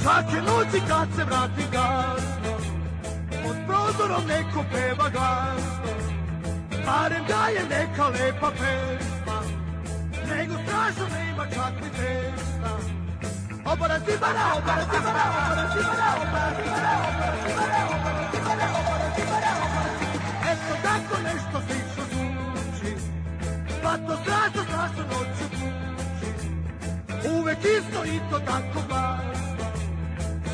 Svake noći kad se vrati gasno, pod prozorom neko peva glasno, barem da je neka lepa pesma, nego strašno nema čak ni testa. Obara cibara, obara cibara, obara cibara, obara cibara, obara cibara, obara cibara, obara cibara, obara cibara. Eto tako nešto slično zvuči, pa to strašno, strašno noću kući. Uvek isto i to tako glasno,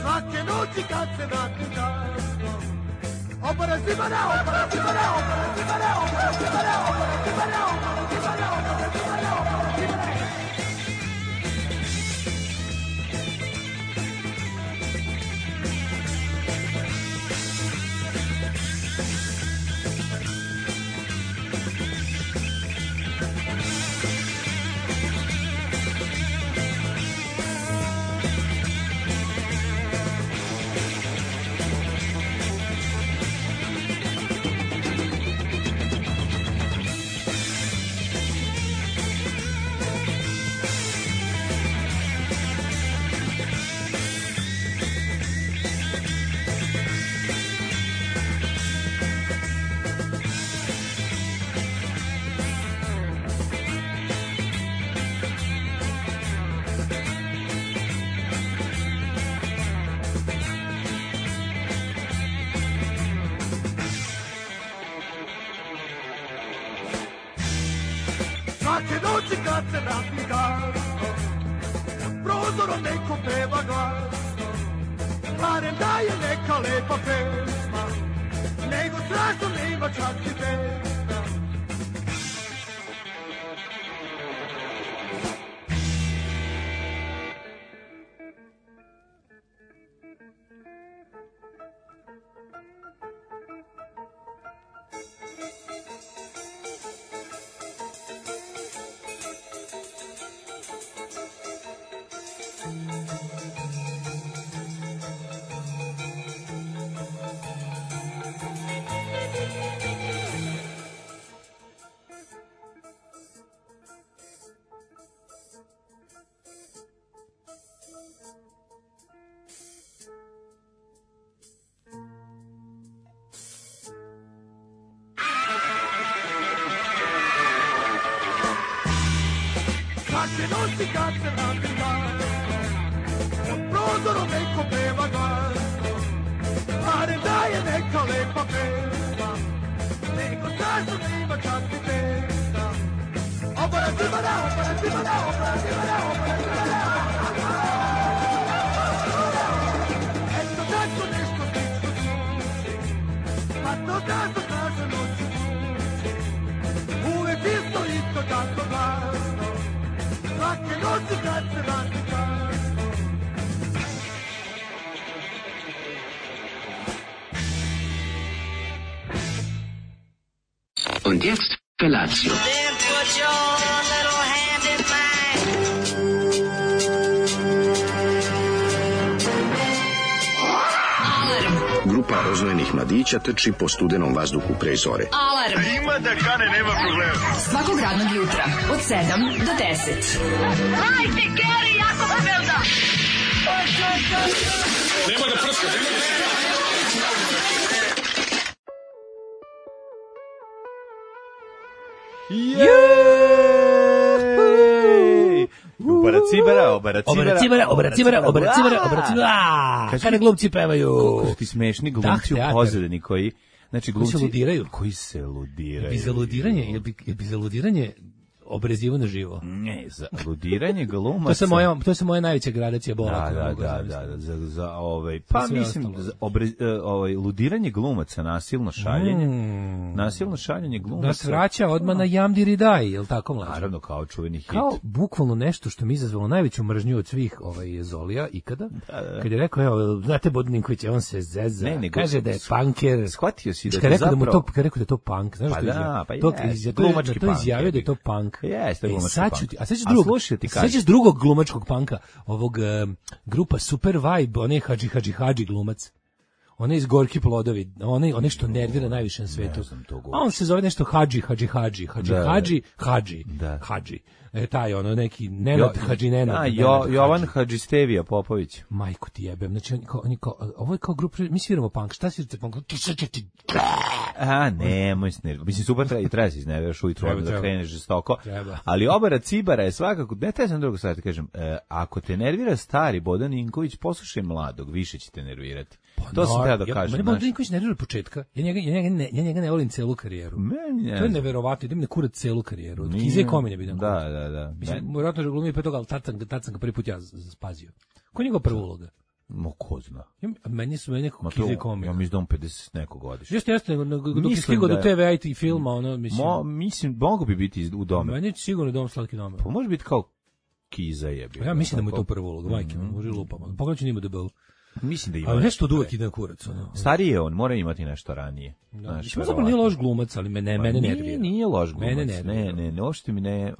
svake noći kad se vrati gasno. Obara cibara, obara cibara, obara cibara, obara cibara, obara cibara, obara cibara, obara cibara, obara cibara. Svake noći kad se vrati gasno, pod prozorom neko peva glasno, barem da je neka lepa pesma, nego strašno nema čak ni testa. Svake noći kad se vrati gasno, pod prozorom neko peva glasno, barem da je neka lepa pesma, nego strašno nema čak ni testa. Obara cibara, obara cibara, obara cibara, obara cibara. Eto tako nešto slično zvuči, pa to strašno, strašno noću kući. Uvek isto, isto tako glasno, svake noći kad se vrati gasno. Und jetzt Felatio. Then put your little hand in mine. Grupa rozvojenih mladića trči po studenom vazduhu pre zore. Alarm. Ima da kane, nema problema. Svakog radnog jutra od 7 do 10. Hajde, Geri, jako se velda. Nema da prska, nema da prska. Jej! Obaracibara. Kada glumci pevaju. Kako ti smešni glumci u pozadini koji... Znači, glumci koji se ludiraju. Je bi za ludiranje obrezivano živo. Ne, za ludiranje glumaca. To je moja najveća gradacija bola. Da, pa mislim ludiranje glumaca, nasilno šaljenje glumaca. Nas vraća odmah na Jamdiri Daj, je li tako, mlađe? Naravno, kao čuveni hit. Kao bukvalno nešto što mi izazvalo najveću mržnju od svih Zolija ikada. Kad je rekao, evo, znate Bodninković, on se zeza, kaže da je punker. Shvatio si da je je zapravo... Kad rekao da je to punk, znaš što je glumački to izjavio da je to punk. Jeste, glumački punk. A sećaš drugog glumačkog punka, ovog grupa Super Vibe, on je Hadži glumac. Onaj iz Gorki plodovi, onaj što nervira najviše na svetu. A on se zove nešto Hadži. Taj neki Nenad Hadži Nenad. Jovan Hadžistevija Popović. Majku ti jebem. Znači ovo je kao grupa, mi sviramo punk. Šta svirate punk? Nemoj se nervirati. Mislim, super treba se iznerviraš ujutro da kreneš žestoko. Ali obara cibara je svakako, ne sam drugo sad kažem, ako te nervira stari Bodan Ninković, poslušaj mladog, više će te nervirati. To sam treba da kažem. Bodan Ninković nervira od početka. Ja njega ne volim celu karijeru. To je neverovatno, idem ne kurat celu karijeru. Od Kize Komine bidan kurat. Da. Mislim, vjerojatno je glumio pre toga, ali tad sam ga prvi put ja spazio. Ko je njegov prva uloga? Ko zna. Meni su nekako Kize Komine. Ja mislim da on 50 neko godišnje. Jeste, dok je stigao do TV i filma, mislim, mogu bi biti u Dome. Meni je sigurno Dom slatki domer. Pa može biti kao Kiza je bio. Ja mislim da mu je to prva uloga, majke, može lupama. Pogledaj njima debelu. Mislim da ima. Ali nešto od uvek ide na kurac. Stariji je on, mora imati nešto ranije. Mislim, zapravo nije loš glumac, ali mene nervira. Nije loš glumac. Mene nervira. Ne, uopšte mi ne,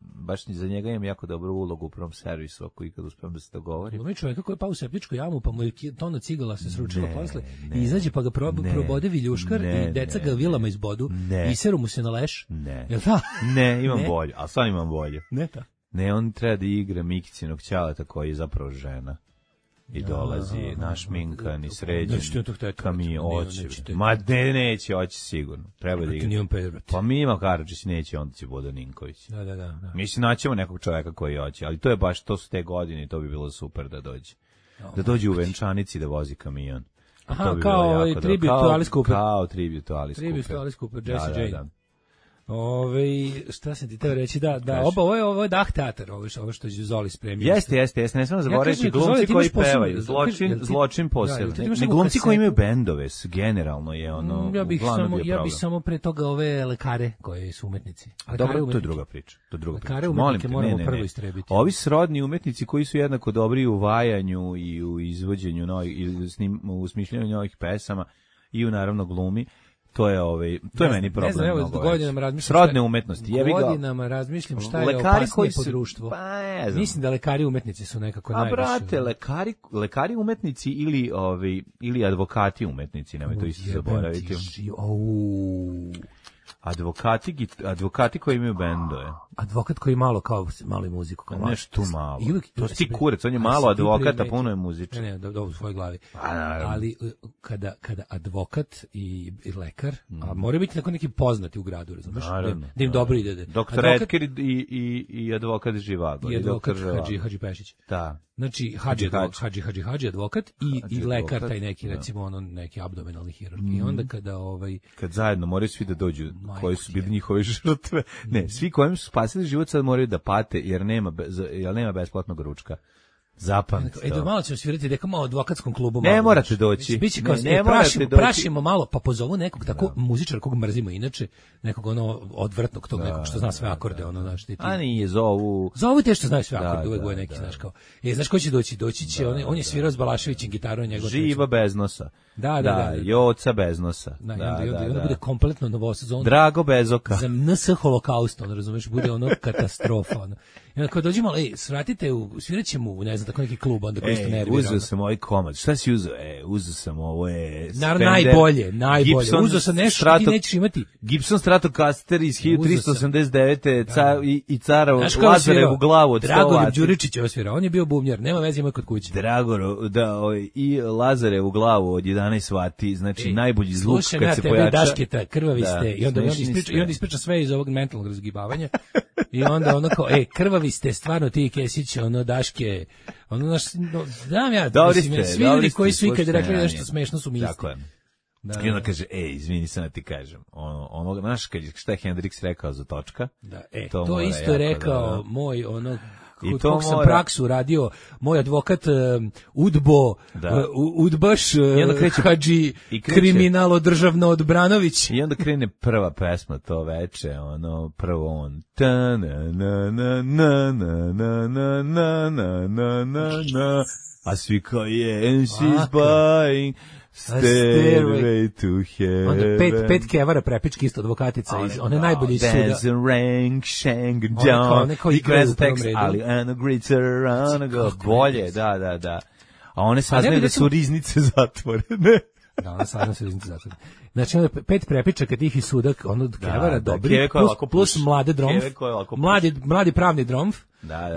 baš za njega imam jako dobru ulogu u prvom servisu, ako ikad uspijem da se dogovorim. Glumi čovjeka koji je pao u septičku jamu, pa mu je tona cigala se sručila posle, i izađe pa ga probode viljuškar i deca ga vilama izbodu, i seru mu se na leš. Jel ta? Ne, imam bolje, a sad imam bolje. Ne ta? Ne, on treba da igra Mikicinog ćaleta koji je zapravo žena. I dolazi našminkan i sređen kamion, oće. Ma neće, oće sigurno. Treba da igra. Pa Mima Karadžić neće, onda će Bodan Ninković. Da. Mislim, naćemo nekog čoveka koji hoće, ali to je baš, to su te godine i to bi bilo super da dođe. Da dođe u venčanici da vozi kamion. Aha, kao tribute to Alice Cooper. Kao tribute to Alice Cooper. Tribute to Alice Cooper, Jesse Jane. Šta sam ti teo reći, ovo je Dah teatar, ovo što je Zoli spremio. Jeste, ne smemo zaboraviti glumci koji pevaju, zločin posebno. Ne glumci koji imaju bendove, generalno je ono, ja bih samo pre toga ove lekare koji su umetnici. Dobro, to je druga priča. Lekare umetnike moramo prvo istrebiti. Ovi srodni umetnici koji su jednako dobri u vajanju i u izvođenju u smišljanju novih pesama i u naravno glumi. To je meni problem. Ne znam, godinama razmišljam. Srodne umetnosti. Godinama razmišljam šta je opasnije po društvu. Mislim da lekari umetnici su nekako najviše. A brate, lekari umetnici ili advokati umetnici, nemoj to isto zaboraviti. Advokati koji imaju bendove. Advokat koji malo i muziku. Nešto malo. To si kurec, on je malo advokata, puno je muzičan. Ne, dobro u svojoj glavi. Ali kada advokat i lekar, a moraju biti neki poznati u gradu, razumiješ? Da im dobro ide. Doktor Edker i advokat Živago. I advokat Hadži Pešić. Da. Znači, Hadži advokat i lekar, taj neki, recimo, neki abdomenalni hirurg. I onda kad zajedno moraju svi da dođu, koji su bili njihove žrtve. Ne, svi kojim su spasili život sad moraju da pate, jer nema besplatnog ručka. Zapamtite. Da malo ćemo svirati nekako malo advokatskom klubu. Ne morate doći. Biće kao prašimo malo, pa pozovu nekog tako muzičara kog mrzimo inače, nekog odvrtnog tog nekog što zna sve akorde, znaš ti. A nije zovu te što znaju sve akorde, uvek je neki, znaš kao. Znaš ko će doći? Doći će on je svirao s Balaševićem gitarom njegov. Živa bez nosa. Da. Joca bez nosa. I onda bude kompletno novosazon. Drago bez oka. Za NS holokaust, razumeš, bude katastrofa. I onda kao dođemo, svratite, svirat ćemo u, ne znam, tako neki klub, onda koji ste nervirali. Uzeo sam ovaj komad. Šta si uzeo? Uzeo sam ovo, najbolje. Uzeo sam nešto, ti nećeš imati. Gibson Stratocaster iz 1389. I cara Lazarevu glavu od 100 vati. Dragoljub Đuričić je osvirao, on je bio bubnjar, nema veze, ima kod kuće. I Lazarevu glavu od 11 vati, znači najbolji zvuk kad se pojača. Dašketa, krvavi ste, i onda ispriča sve iz ovog mentalnog razgibavanja. I onda kao, krvavi ste, stvarno ti Kesić, Daške, znam ja, svi ljudi koji su ikad rekli nešto smešno su mi isti. I onda kaže, izvini, sam da ti kažem, znaš šta je Hendrix rekao za točka? To isto je rekao moj, kod kog sam praksu radio, moj advokat Udbo, Udbaš, Hadži, kriminalo državno Odbranović. I onda krene prva pesma to veče, prvo on a svi kao she's buying Stairway to Heaven. Onda pet kevara prepički isto advokatica, one najbolje iz suda. Dance and rank, shang and down. I gleda tekst, ali Anna Gritzer, Anna go. Bolje, da. a one saznaju da su riznice zatvorene. Da, ona saznaju da su riznice zatvorene. Znači, onda 5 prepičaka tih i sudak, ono od Kevara, dobri, plus mlade dromf, mladi pravni dromf,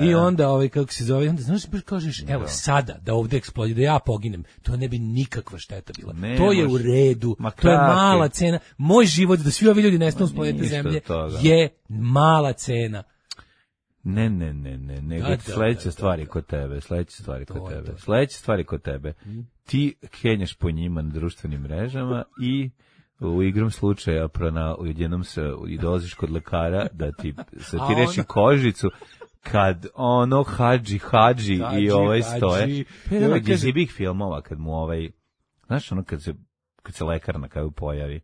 i onda, kako se zove, onda, znaš, kažeš, evo, sada, da ovde eksplodira, da ja poginem, to ne bi nikakva šteta bila. To je u redu, to je mala cena. Moj život, da svi ovi ljudi nestanu s planete Zemlje, je mala cena. Ne, nego sledeća stvari kod tebe, sledeća stvari kod tebe. Ti kenjaš po njima na društvenim mrežama i u igrom slučaja jednom se i dolaziš kod lekara da ti reši kožicu kad ono hadži i stoje. Evo iz ibih filmova kad mu znaš ono kad se lekar na kraju pojavi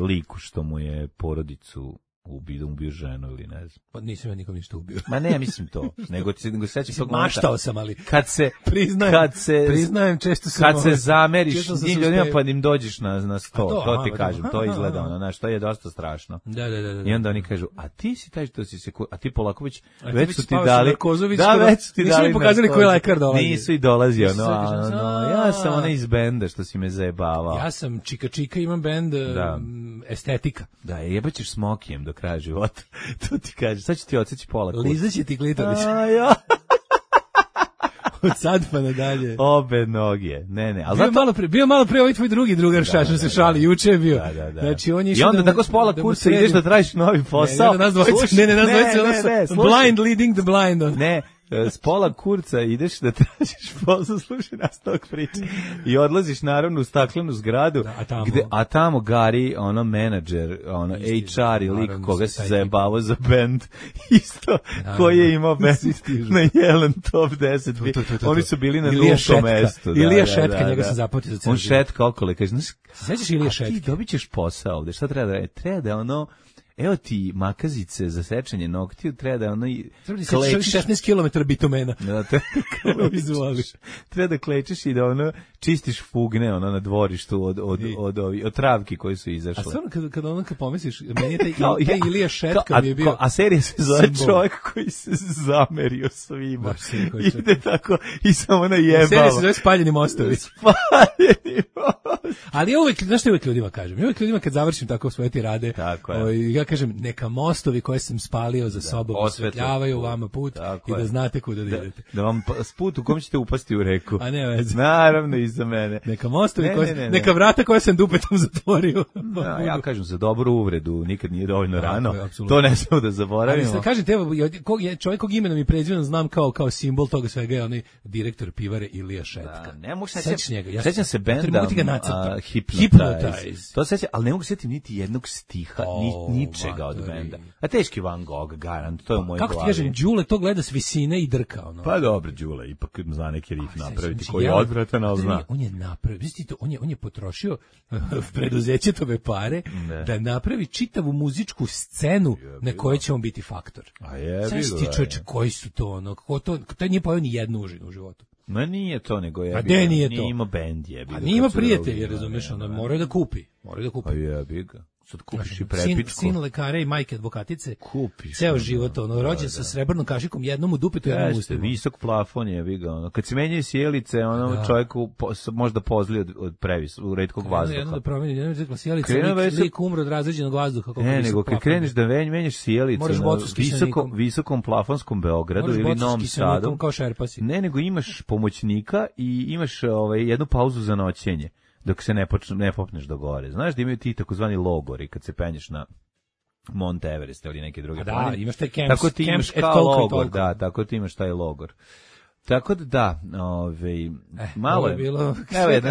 liku što mu je porodicu ubio ženu ili ne znam. Pa nisam ja nikom ništa ubio. Ma ne, mislim to. Nego sećaš tog momenta. Maštao sam, ali priznajem, često sam. Kad se zameriš njim ljudima pa im dođeš na sto, to ti kažem, to izgleda ono, znaš, to je dosta strašno. Da. I onda oni kažu, a ti si taj što si se, a ti Polaković, već su ti dali. Već su ti dali. Nisu mi pokazali koji lekar dolazi. Nisu i dolazio, ja sam onaj iz benda što si me zajebavao. Ja sam Čika, imam bend Estetika. Da, jebaćeš Smokijem do kraja života. To ti kaže, sad ću ti odseći pola kurca. Lizaće ti klitoris. Od sad pa nadalje. Obe noge. Ne. Ali bio malo pre ovaj tvoj drugi drugar Šašan se šali, juče je bio. Da. Znači, on je i onda tako s pola kurca ideš da tražiš novi posao. Ne, nas dvojice, blind leading the blind. Ne. S pola kurca ideš da tražiš posao, slušaj nas tog priča. I odlaziš naravno u staklenu zgradu, a tamo Gari, ono menadžer, ono HR i lik koga se zajebavao za band, isto koji je imao band na Jelen Top 10. Oni su bili na nultom mestu. Ilija Šetka, njega sam zapamtio za cijel. On šetka okolo, kaže, sećaš Ilija Šetke? A ti dobit ćeš posao ovde, šta treba da je? Treba da ono... Evo ti makazice za sečenje noktiju, treba da ono klečiš 16 km bitumena. Treba da klečiš i da ono čistiš fugne ono na dvorištu od travki koje su izašle. A stvarno kad pomisliš, meni je taj Ilija Šetka mi je bio. A serija se zove Čovjek koji se zamerio svima. Ide tako i samo najebava. Serija se zove Spaljeni mostovi. Ali ja uvek, znaš što uvek ljudima kažem? Uvek ljudima kad završim tako svoje tirade, ja kažem, neka mostovi koje sam spalio za sobom osvetljavaju vama put i da znate kuda idete. Da vam put u kom ćete upasti u reku. A ne veze. Naravno i za mene. Neka mostovi neka vrata koje sam dupetom zatvorio. Ja kažem za dobru uvredu, nikad nije dovoljno rano. To ne smemo da zaboravimo. Ali kažete, evo, čovjek kog imenom i prezimenom znam kao simbol toga svega je onaj direktor pivare Ilija Šetka. Ne mogu sećam se benda Hypnotize. To sećam, ali ne mogu setiti niti jednog stiha, ničega od benda. A teški Van Gogh, garant, to je u mojoj glavi. Kako ti kažem, Đule to gleda s visine i drka. Ono. Pa dobro, Đule, ipak zna neki rif napraviti koji je odvratan, ali zna. On je napravio, vidite, on je potrošio preduzećetove pare da napravi čitavu muzičku scenu na kojoj će on biti faktor. Sad ti čoveče, koji su to, ono, to nije pojao ni jednu užinu u životu. Ma nije to, nego je nije imao bend jebi. A nije ima prijatelje, razumeš, ono, moraju da kupi. Pa jebi ga. Sad kupiš i prepičku. Sin lekare i majke advokatice. Kupiš. Ceo život, ono, rođen sa srebrnom kašikom, jednom u dupetu, jednom u ustima. Visok plafon jebi ga, ono. Kad se menjaju sjelice, ono, čovjeku možda pozli od retkog vazduha. Jedno da promeni, jedno da sjelice, lik umre od razređenog vazduha. Ne, nego kad kreneš da menjaš sjelice na visokom plafonskom Beogradu ili Novom Sadu. Ne, nego imaš pomoćnika i imaš jednu pauzu za noćenje. Dok se ne popneš do gore. Znaš da imaju ti takozvani logori kad se penješ na Mount Everest ili neke druge planine. Da, imaš taj camps. Tako ti imaš kao logor, da, tako ti imaš taj logor. Tako da, malo je bilo,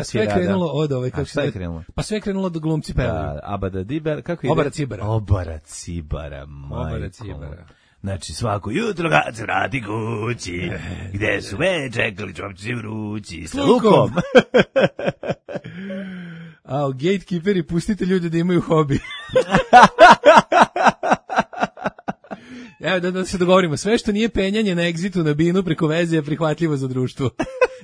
sve krenulo od kako šta je krenulo? Pa sve krenulo od glumci pevali. Da, Abada Diber, kako ide? Obara Cibara, majko. Znači, svako jutro kad se vrati kući, gde su već čekali čopci vrući, sa lukom. A gatekeeperi, pustite ljude da imaju hobi. Evo, da se dogovorimo, sve što nije penjanje na egzitu na binu preko veze je prihvatljivo za društvo.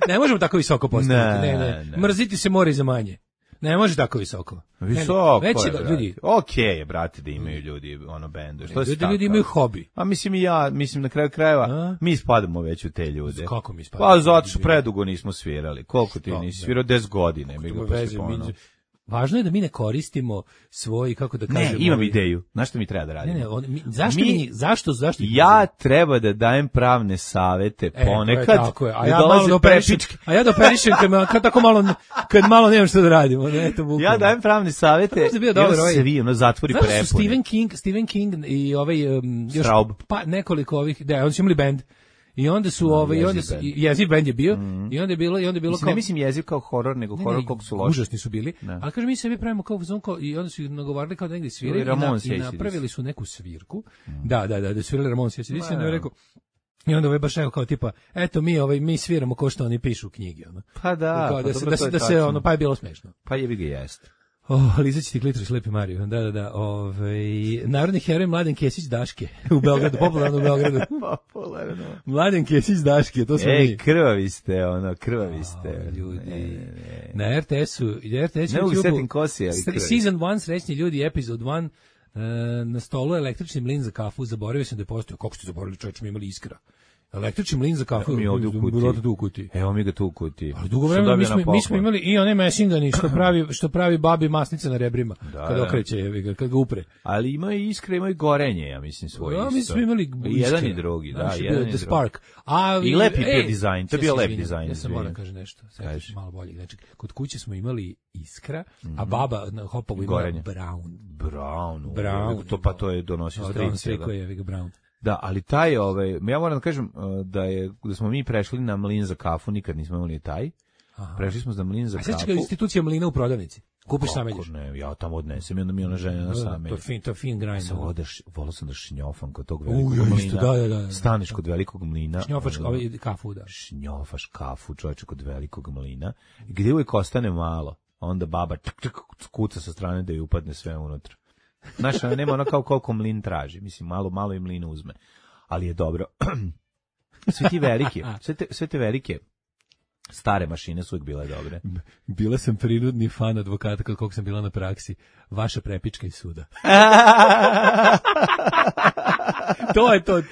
Ne možemo tako visoko postaviti. Ne. Mrziti se mora i za manje. Ne može tako visoko. Visoko već je, da, ljudi. Okej je, brate, da imaju ljudi bende. Što se ljudi imaju hobi. A mislim i ja, na kraju krajeva, mi spadamo već u te ljude. Kako mi spadamo? Pa zato što predugo nismo svirali. Koliko ti nisi svirao? 10 godina. Važno je da mi ne koristimo svoj, kako da kažemo... Ne, imam ideju. Znaš što mi treba da radimo? Zašto? Ja treba da dajem pravne savete ponekad. Tako je. A ja da operišem kad malo nemam što da radimo. Ja dajem pravne savete i on svi, zatvori prepune. Stephen King i još nekoliko ovih, oni su imali band. I onda su jeziv bend je bio i onda je bilo kao, ne mislim jeziv kao horor, nego horor koliko su loši. Užasni su bili. Ali kažem, mi sebi pravimo kao i onda su nagovarali kao da negdje sviraju i napravili su neku svirku. Da svirali Ramones i ACDC, onda je rekao, i onda baš rekao kao tipa, eto mi sviramo ko što oni pišu u knjigi, ono. Pa da, da se ono, pa je bilo smešno. Pa jebi ga jeste. Lizat će ti klitoris, Lepi Mario. Da. Narodni heroj Mladen Kesić Daške u Beogradu, popularno u Beogradu. Mladen Kesić Daške, to smo mi. Krvavi ste. Ljudi. Na RTS-u, ne mogu setim kosi, ali krvavi. Season 1, srećni ljudi, episode 1, na stolu električni mlin za kafu, zaboravio sam da je postojao. Kako ste zaboravili, čovječ, mi imali Iskra. Električni mlin za kafu, mi ovdje u kuti. Evo mi ga tu u kuti. Ali dugo vremena mi smo imali i one mesingani što pravi babi masnice na rebrima kad okreće, kad ga upre. Ali ima i Iskra, ima i gorenje, ja mislim svoje isto. Mi smo imali i jedan i drugi, da, jedan i drugi. The Spark. I lepi bio dizajn, to je bio lep dizajn. Ja sam moram kažem nešto, malo bolje. Znači, kod kuće smo imali Iskra, a baba na Hopovu imala Brown. To je donosio strice. Brown. Da, ali taj, ja moram da kažem da smo mi prešli na mlin za kafu, nikad nismo imali taj. Aha. Prešli smo na mlin za kafu. A sveća institucija mlina u prodavnici. Kupiš sameljiš. Ne, ja tamo odnesem i onda mi ona žena na samelju. To je fin grind. Volao sam da šnjofam kod tog velikog mlina. Da. Staneš kod velikog mlina. Šnjofaš kafu, da. Šnjofaš kafu, čovječe, kod velikog mlina. Gdje uvijek ostane malo, onda baba kuca sa strane da ju upadne sve unutra. Znaš, nema ono kao koliko mlin traži. Mislim, malo i mlin uzme. Ali je dobro. Sve te velike stare mašine su uvijek bile dobre. Bila sam prinudni fan advokata koliko sam bila na praksi. Vaša prepička iz suda. To je to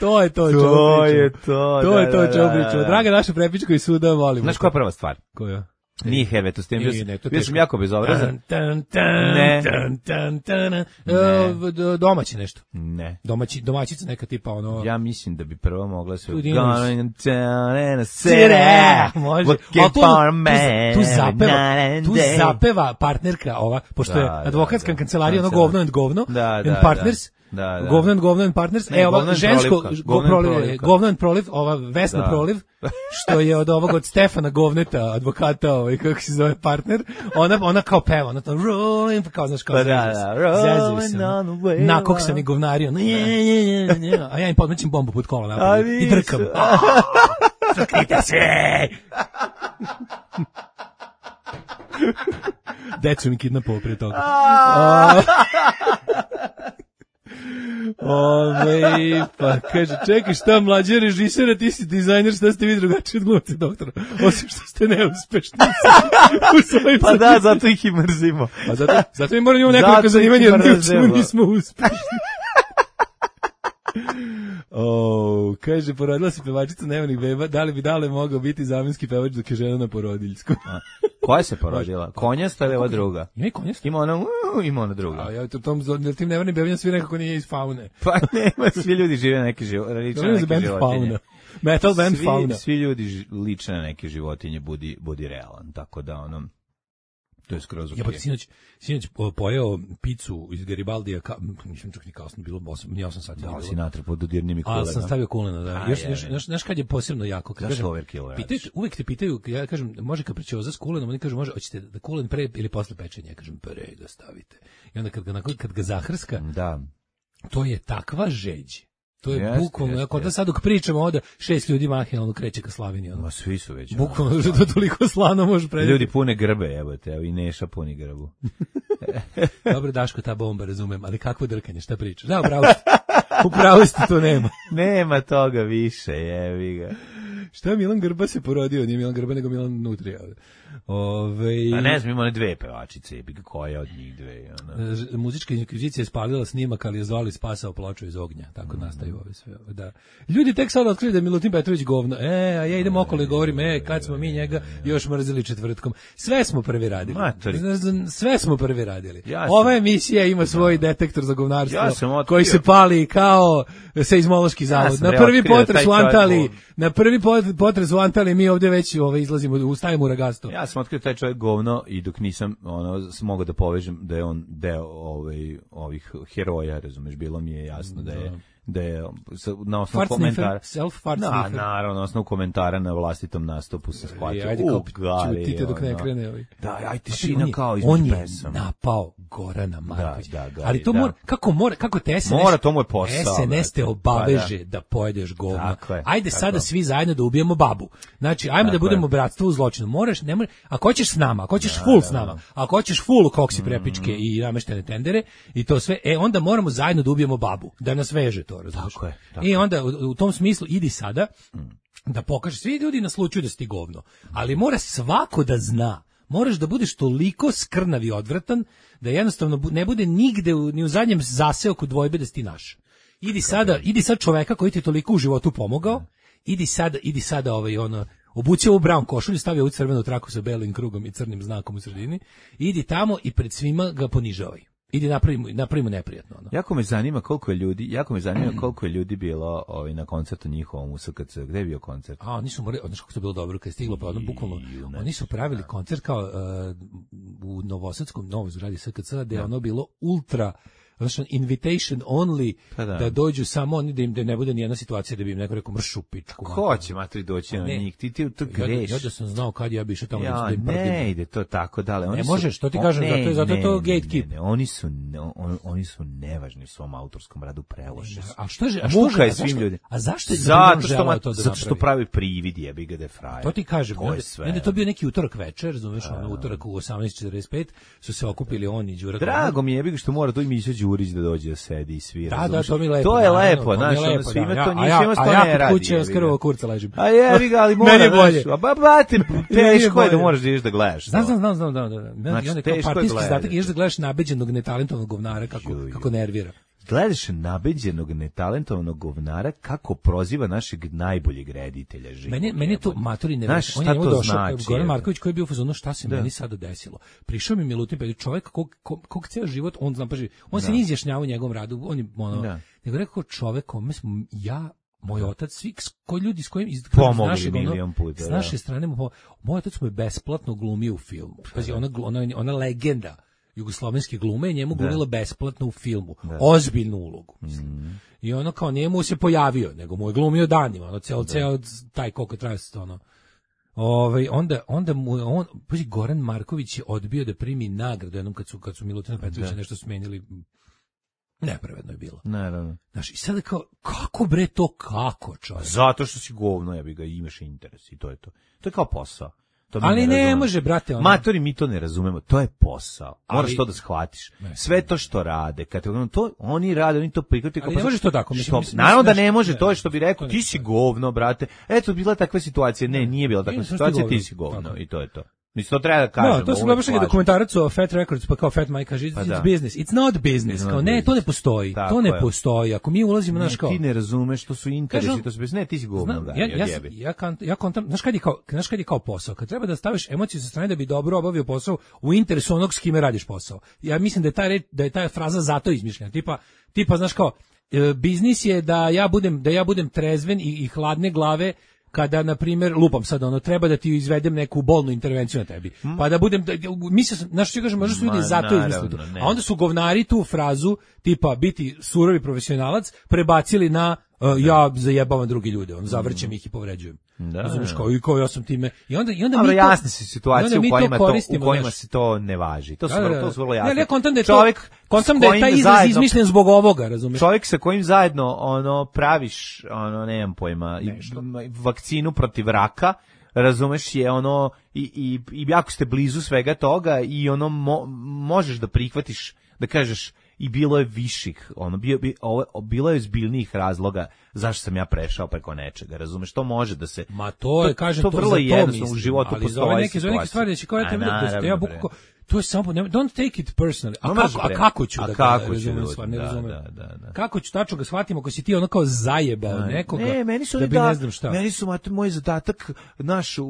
čemu pričamo. Draga naša prepička iz suda, volimo. Znaš koja je prva stvar? Koja? Nije Herveto, s tim bio sam jako bezobrazan. Domaći nešto. Ne. Domaćica neka tipa ono... Ja mislim da bi prvo mogla se... Može. Tu zapeva partnerka ova, pošto je advokatska kancelarija, ono govno and govno, and partners... Govno and partners. Ova žensko govno and proliv, ova Vesna proliv, što je od Stefana Govneta, advokata, kako se zove partner, ona kao peva, ona to rolling, kao znaš kao zezuju se. Nakoksani govnari, a ja im podmećem bombu pod kola napad i drkam. Crknite se! Decu mi kidnapovao prije toga. Pa kaže, čekaj, šta mlađe režisera, ti si dizajner, šta ste vi drugačiji od glumca doktora, osim što ste neuspešni u svojim pa da, zato ih i mrzimo. Pa zato mi moramo imamo nekoliko zanimanja, jer nismo uspešni. Kaže, porodila se pevačica Nevanih beba, da li bi Dale mogao biti zamenski pevač dok je žena na porodiljsku? Koja se porodila? Konjasta ili ova druga? Ima i konjasta. Ima ona druga. A ja tim Nevanim bebima svi nekako nije iz faune. Pa nema, svi ljudi žive neke životinje. Metal band fauna. Svi ljudi liče na neke životinje, budi realan, tako da to je skroz okej. Ja pa sinoć pojeo picu iz Garibaldija, nisam čak ni kasno bilo, 8 sati. Da, si natrpao dodirnim i kulena. Ali sam stavio kulena, da. Znaš kad je posebno jako? Uvijek te pitaju, ja kažem, može kapričioza s kulenom, oni kažu, može, hoćete da kulen pre ili posle pečenja? Ja kažem, pre ga stavite. I onda kad ga zahrska, da. To je takva žeđ. To je bukvalno, ako da sad dok pričamo ovdje, 6 ljudi mahinalno kreće ka slavini. Ma svi su već. Bukvalno, že to toliko slano može predati. Ljudi pune grbe, evo i Neša puni grbu. Dobro, Daško, ta bomba, razumem, ali kakvo drkanje, šta pričaš? Da, upravo ste, to nema. Nema toga više, jevi ga. Šta Milan Grba se porodio? Nije Milan Grba, nego Milan Nutrija. A ne znam, ima one dve pevačice, koja od njih dve? Muzička inkvizicija je spalila snimak, ali je zvali spasao ploču iz ognja. Tako nastaju ove sve. Da. Ljudi tek sada otkrili da je Milutin Petrović govno. A ja idem okolo i govorim, kad smo mi njega još mrzili četvrtkom. Sve smo prvi radili. Sve smo prvi radili. Ova emisija ima svoj detektor za govnarstvo, koji se pali kao seizmološki zavod. Na prvi potres u Antaliji mi ovdje već izlazimo, stavimo u ragasto. Ja sam otkrio taj čovjek govno i dok nisam mogao da povežem da je on deo ovih heroja, razumeš, bilo mi je jasno da je na osnovu komentara naravno, na osnovu komentara na vlastitom nastupu se shvatio čutite dok ne krene aj tišina kao između pesama. On je napao Gorana Markovića, ali to kako te SNS mora, to mu je posao, SNS te obaveže da pojedeš govno. Ajde sada svi zajedno da ubijemo babu, znači ajmo da budemo bratstvo u zločinu. Ne možeš, ako hoćeš s nama, ako hoćeš full s nama, ako hoćeš full koksi prepičke i nameštene tendere i to sve, onda moramo zajedno da ubijemo babu, da nas veže to. Tako je. I onda u tom smislu idi sada da pokažeš, svi ljudi naslučuju da si ti govno, ali mora svako da zna, moraš da budeš toliko skrnav i odvratan da jednostavno ne bude nigde ni u zadnjem zaseoku dvojbe da si ti naš. Idi sad čoveka koji ti je toliko u životu pomogao, idi sada obuci ovu brown košulju, stavi ovu crvenu traku sa belim krugom i crnim znakom u sredini, idi tamo i pred svima ga ponižavaj. Idi napravimo neprijatno. Jako me zanima koliko je ljudi bilo na koncertu njihovom u SKC. Gde je bio koncert? Oni su morali, znaš kako to bilo dobro, kad je stiglo, pa bukvalno, oni su pravili koncert kao u Novosadskom, novoj zgradi SKC, gde je ono bilo ultra, znači invitation only, da dođu samo oni, da ne bude nijedna situacija da bi im neko rekao mršu pičku. Ko će matri doći na njih? Ti to greš. Ja da sam znao kad ja bi išao tamo da im pratim. Ne ide to tako dale. Ne možeš, to ti kažem, zato je to gatekeep. Oni su nevažni u svom autorskom radu, preloše su. Muka je svim ljudima. A zašto je zato što pravi privid, jebi ga da frajer. To ti kažem. Onda to bio neki utorak večer, razumeš, utorak u 18:45 su se okupili oni i Đura. Drago mi je, jebi ga što mora to im Đurić da dođe da sedi i svira. Da, to mi lepo. To je lepo, znaš, svima to njima što ne radi. A ja kod kuće skrvo kurca ležim. A jebi ga, ali mora, znaš, bate, teško je da moraš da ideš da gledaš. Znam. I onda kao partijski zadatak ideš da gledaš nabeđenog netalentovanog govnara kako nervira. Gledaš nabeđenog netalentovanog govnara kako proziva našeg najboljeg reditelja. Meni je to matori ne znaš šta to došao, znači. Goran Marković koji je bio u fazonu šta se meni sada desilo. Prišao mi Milutin Petrović, čovjek kog ceo život on zna, on se ne izjašnjava u njegovom radu, on je nego rekao čovjek kome smo moj otac, svi ljudi s kojim iz naše strane moj otac mu je besplatno glumio u filmu. Pazi, ona legenda jugoslovenske glume, njemu glumila besplatno u filmu. Ozbiljnu ulogu, mislim. I ono kao njemu se pojavio, nego mu je glumio danima, ceo taj koliko traje se to, onda mu on, Goran Marković je odbio da primi nagradu jednom kad su Milutina Petrovića nešto smenili. Nepravedno je bilo. Naravno. Znaš, i sada kao, kako bre to, kako čovjek? Zato što si govno, ja bi ga imaš interes i to je to. To je kao posao. Ali ne može, brate. Matori, mi to ne razumemo, to je posao. Moraš to da shvatiš. Sve to što rade, kad to oni rade, oni to prihvataju. Ali ne može to tako. Naravno da ne može, to je što bi rekao, ti si govno, brate. Eto, bila takva situacija. Ne, nije bila takva situacija, ti si govno i to je to. Mislim, to treba da kažem. To sam gledao neki dokumentarac o Fat Records, pa kao Fat Mike kaže, it's business, it's not business. Kao, ne, to ne postoji, to ne postoji. Ako mi ulazimo, znaš kao... Ti ne razumeš, to su interesi, to su bez... Ne, ti si govno, da, ja kontam, znaš kad je kao posao? Kad treba da staviš emociju sa strane da bi dobro obavio posao u interesu onog s kime radiš posao. Ja mislim da je ta fraza zato izmišljena. Tipa, znaš kao, biznis je da ja budem trezven i hladne glave kada, na primjer, lupam sad, treba da ti izvedem neku bolnu intervenciju na tebi. Pa da budem, mislio sam, znaš što kažem, možda su ljudi zato izmislili. A onda su govnari tu frazu, tipa, biti surovi profesionalac, prebacili na ja zajebavam drugi ljude, zavrćem ih i povređujem. Razumiješ, kao ja sam time. I onda mi jasne su situacije u kojima se to ne važi. To su vrlo jasne. Ja kontam da je taj izraz izmišljen zbog ovoga, razumiješ? Čovjek sa kojim zajedno praviš, nemam pojma, vakcinu protiv raka, razumeš, je i jako ste blizu svega toga i možeš da prihvatiš, da kažeš, i bilo je viših, bilo je ozbiljnijih razloga zašto sam ja prešao preko nečega, razumeš, to može da se... Ma to je, kažem, to vrlo jednostavno u životu ali postoje situacije. Ali za neke stvari da će kao ja bukvalno... To je samo, don't take it personally. A kako ću da ga razumem stvar, ne razumem. Kako ću tačno ga shvatim ako si ti ono kao zajebao nekoga, meni su da bi ne znam šta. Meni su, moj zadatak naš u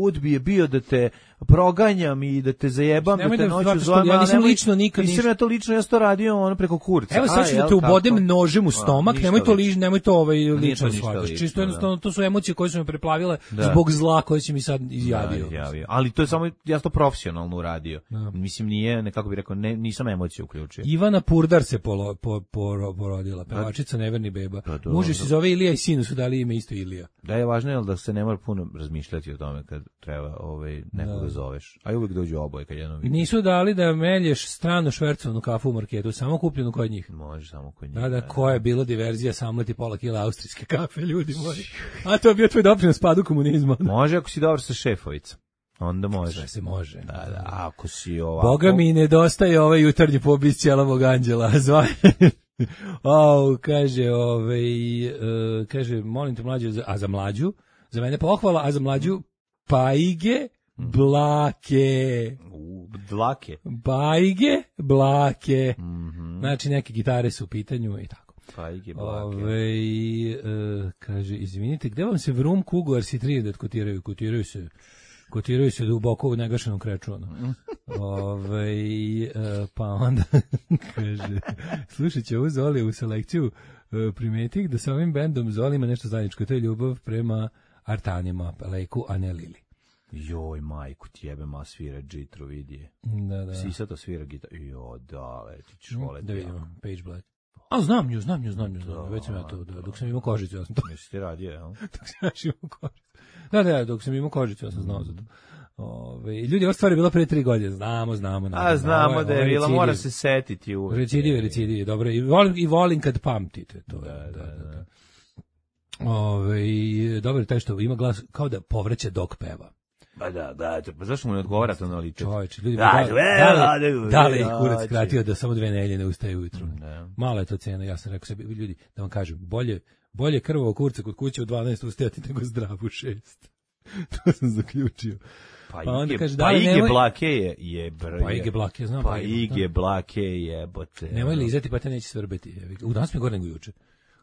udbi je bio da te proganjam i da te zajebam, da te noću zovem. Ja nisam lično nikad nisam ja to lično, ja to radio ono preko kurca. Evo sad ću da te ubodem nožem u stomak, nemoj to lično shvatiš. Čisto jednostavno, to su emocije koje su me preplavile zbog zla koje si mi sad izjavio. Ali to je samo, ja to profesionalno uradio. Mislim, nije, nekako bih rekao, nisam emocije uključio. Ivana Purdar se porodila, pevačica Neverni beba. Muži se zove Ilija i sinu su dali ime isto Ilija. Da, je važno je da se ne mora puno razmišljati o tome kad treba nekoga zoveš. A uvijek dođu oboje kad jednom vidiš. Nisu dali da melješ strano švercovanu kafu u marketu, samo kupljenu kod njih. Može samo kod njih. Da, koja je bila diverzija, samleti pola kila austrijske kafe, ljudi moji. A to je bio tvoj doprinos padu komunizma. Može ako si dobar sa šefovicom. Onda može. Sve se može. Da, ako si ovako... Boga mi nedostaje ovaj jutarnji pobis Ćelavog anđela. Kaže, molim te mlađu, a za mlađu, za mene pohvala, a za mlađu pajge, blake. Dlake. Pajge, blake. Znači, neke gitare su u pitanju i tako. Pajge, blake. Kaže, izvinite, gde vam se Vrum, Kugo, RC3 kotiraju se duboko u negašenom kreču. Pa onda kaže, slušat će ovu Zolijevu selekciju, primetih da sa ovim bendom Zoli ima nešto zajedničko, to je ljubav prema artanima, Leku, a ne Lili. Joj, majku ti jebe, ma svira džitru, vidi. Da. Sisa to svira gitar. Jo, da, ti ćeš voleti. Da vidimo, Page Black. A, znam nju. Već sam ja to, dok sam imao kožicu, ja sam to. Jesi ti radio, jel? Dok sam imao kožicu. Da, dok sam imao kožicu, ja sam znao za to. Ljudi, ova stvar je bila pre 3 godine, znamo. A znamo da je bila, mora se setiti uvek. Recidiv, dobro, i volim kad pamtite, to je, da. Dobro je taj što ima glas, kao da povraća dok peva. Ba da, pa zašto mu ne odgovara to na liče? Čovječe, ljudi, da li je kurac skratio da samo 2 nedelje ne ustaje ujutru? Mala je to cena, ja sam rekao sebi, ljudi, da vam kažem, bolje krvavo kurca kod kuće u 12 ustajati nego zdrav u 6. To sam zaključio. Pa onda kaže, Ige Blake je Pa Ige Blake, znam. Pa Ige Blake jebote. Nemoj lizati, pa te neće svrbeti. U danas mi gore nego juče.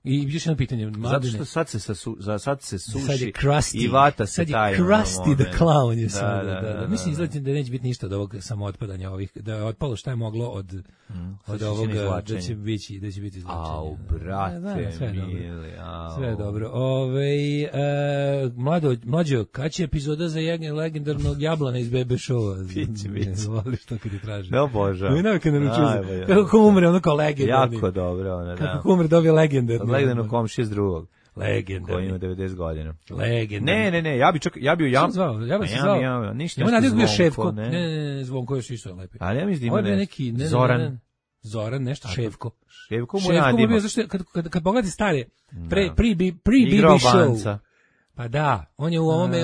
I još jedno pitanje, Mladine. Zato što sad se suši i vata se taj. Sad je Krusty the Clown je sada. Mislim, izgledam da neće biti ništa od ovog samootpadanja ovih, da je otpalo šta je moglo od ovoga, da će biti izlačenje. Au, brate, mili. Sve je dobro. Mlađo, kad će epizoda za legendarnog Jablana iz Bebe Showa? Biće. Voliš to kad ti traži. Ne obožavam. Ne navike naručuju. Kako umre ono kao legendarni. Jako dobro. Kako umre dobije legendarni. Legendarnog komšije s drugog. Legendarni. Koji ima 90 godina. Legendarni. Ne, ja bi zvao. Ja bih se zvao. Ništa. Ima nadjeg bio Ševko. Ne, Zvonko još isto lepi. Ali ja mislim da ima neki. Zoran, nešto Ševko. Ševko mu nadima. Zašto kad pogledate stare, pre-BB show. Pa da, on je u ovome,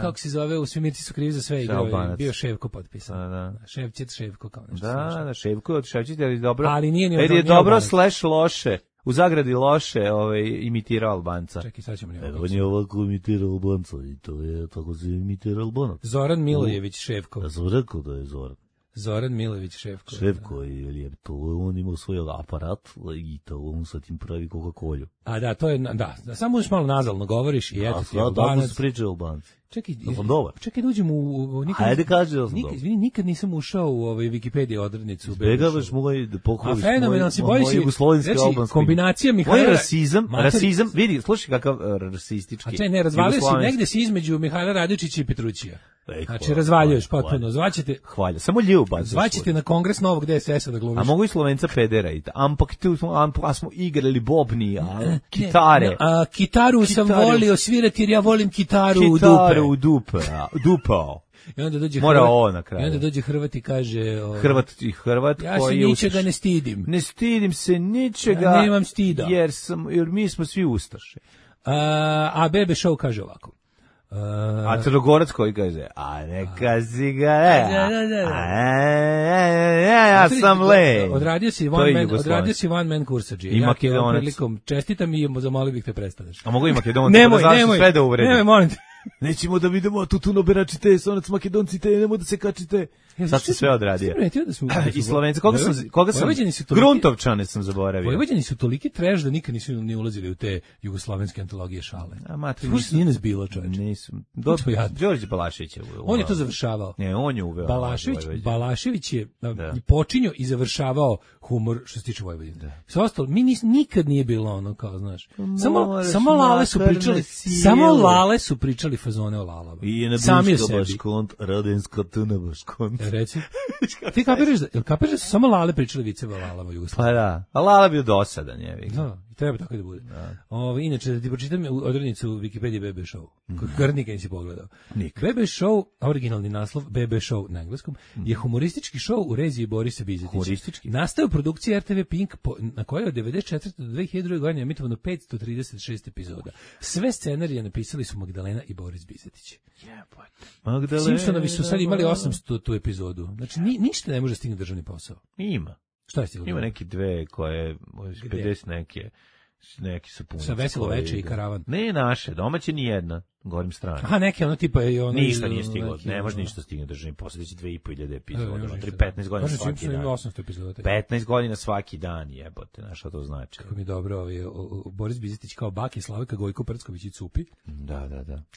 kako se zove, u Svimirci su krivi za sve igrove, bio Ševko potpisan. Ševko kao nešto. Da, Ševko od Ševčić, ali dobro. Ali nije ni je dobro / loše. U zagradi loše imitirao Albanca. Čekaj, sad ćemo njega. On je ovako imitirao Albanca i to je tako se imitira Albanac. Zoran Milojević Ševko. Ja sam rekao da je Zoran. Zoran Milojević Ševko. Ševko je to, on ima svoj aparat i to on sa tim pravi Coca-Colu. A da, to je, da, samo još malo nazalno govoriš i eto ti Albanac. Da, se pričaju Albanci. Čekaj da uđem u Ajde kaži da sam dobar. Izvini, nikad nisam ušao u Wikipediju odrednicu. Izbjegavaš moj da pokoviš moj jugoslovenski albanski. Kombinacija Mihajla... Moj rasizam, vidi, slušaj kakav rasistički. A čaj, ne, razvalio si, negde si između Mihajla Radojčića i Petrućija. Znači, razvaljuješ potpuno. Zvaćete... Hvalja, samo ljubav. Zvaćete na kongres novog DSS-a da glumiš. A mogu i Slovenca pedera i ampak tu smo igrali bobni, kitare. Kitaru sam volio svirati jer ja volim kitaru u dupe. Dupao. I onda dođe Mora ovo na kraju. I onda dođe Hrvat i kaže... Hrvat ja se ničega ne stidim. Ne stidim se ničega. Ja nemam stida. Jer mi smo svi ustaše. A Bebe Show kaže ovako. A Crnogorac koji kaže, a neka si ga, ja sam le. Odradio si one man kursadži. I Makedonac. Čestitam i zamolio bih te prestaneš. A mogu i Makedonac, da sve da uvredi. Nemoj, molim te. Nećemo da vidimo tutuno beračite, sonac Makedonci te, nemoj da se kačite. Sad se sve odradio. I Slovenci, koga sam? Gruntovčane sam zaboravio. Vojvođani su toliki treš da nikad nisu ni ulazili u te jugoslovenske antologije šale. A matri, nije nas bilo, čovječe. Nisu. Đorđe Balašević je uveo. On je to završavao. Ne, on je uveo. Balašević je počinio i završavao humor što se tiče Vojvodine. Sve ostalo, nikad nije bilo ono, kao, znaš. Samo Lale su pričali fazone o lalama. I na Buška Baškont, Radenska Tuna Baškont. Reci. Ti kapiraš da su samo Lale pričali viceve o lalama u Jugoslaviji? Pa da, a Lala bio dosadan, je. Da, treba tako da bude. Inače, da ti pročitam odrednicu Wikipedije BB Show. Kod nikad nisi pogledao. BB Show, originalni naslov BB Show na engleskom, je humoristički show u režiji Borisa Bizetića. Nastao u produkciji RTV Pink, na kojoj je od 1994. do 2002. godine emitovano 536 epizoda. Sve scenarije napisali su Magdalena i Boris Bizetić. Simpsonovi su sad imali 800 tu epizodu. Znači, ništa ne može stignuti državni posao. Ima. Šta je stignuti? Ima neki dve koje, 50 neki su puni. Sa Veselo veče i Karavan. Ne naše, domaće ni jedna, govorim strane. Aha, neke ono tipa je ono... Ništa nije stiglo, ne može ništa stignuti državni posao, će 2500 epizoda, 15 godina svaki dan. 15 godina svaki dan, jebote, znaš što to znači. Kako mi je dobro, Boris Bizetić kao Baki, Slavika Gojko Prcković i Cupi. Da.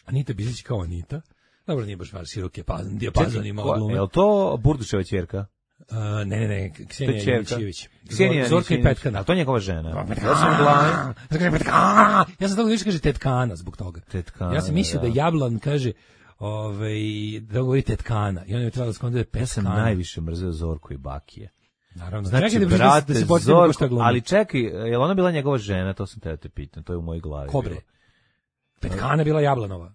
Anita Bizetić kao Anita. Dobro, nije baš široke dijapazon ima glume. Je li to Burduševa ćerka? Ne, Ksenija Janićević. Zorka i Petkana. A to je njegova žena. Ja sam tako da kaže Tetkana zbog toga. Tetkana. Ja sam mislio da Jablan kaže da govori Tetkana. I on je trebalo da skonda Petkana. Ja sam najviše mrzeo Zorku i Bakije. Naravno. Znači, brate, Zorko, ali čekaj, je li ona bila njegova žena? To sam te pitan, to je u mojoj glavi. Ko bre? Petkana bila Jablanova.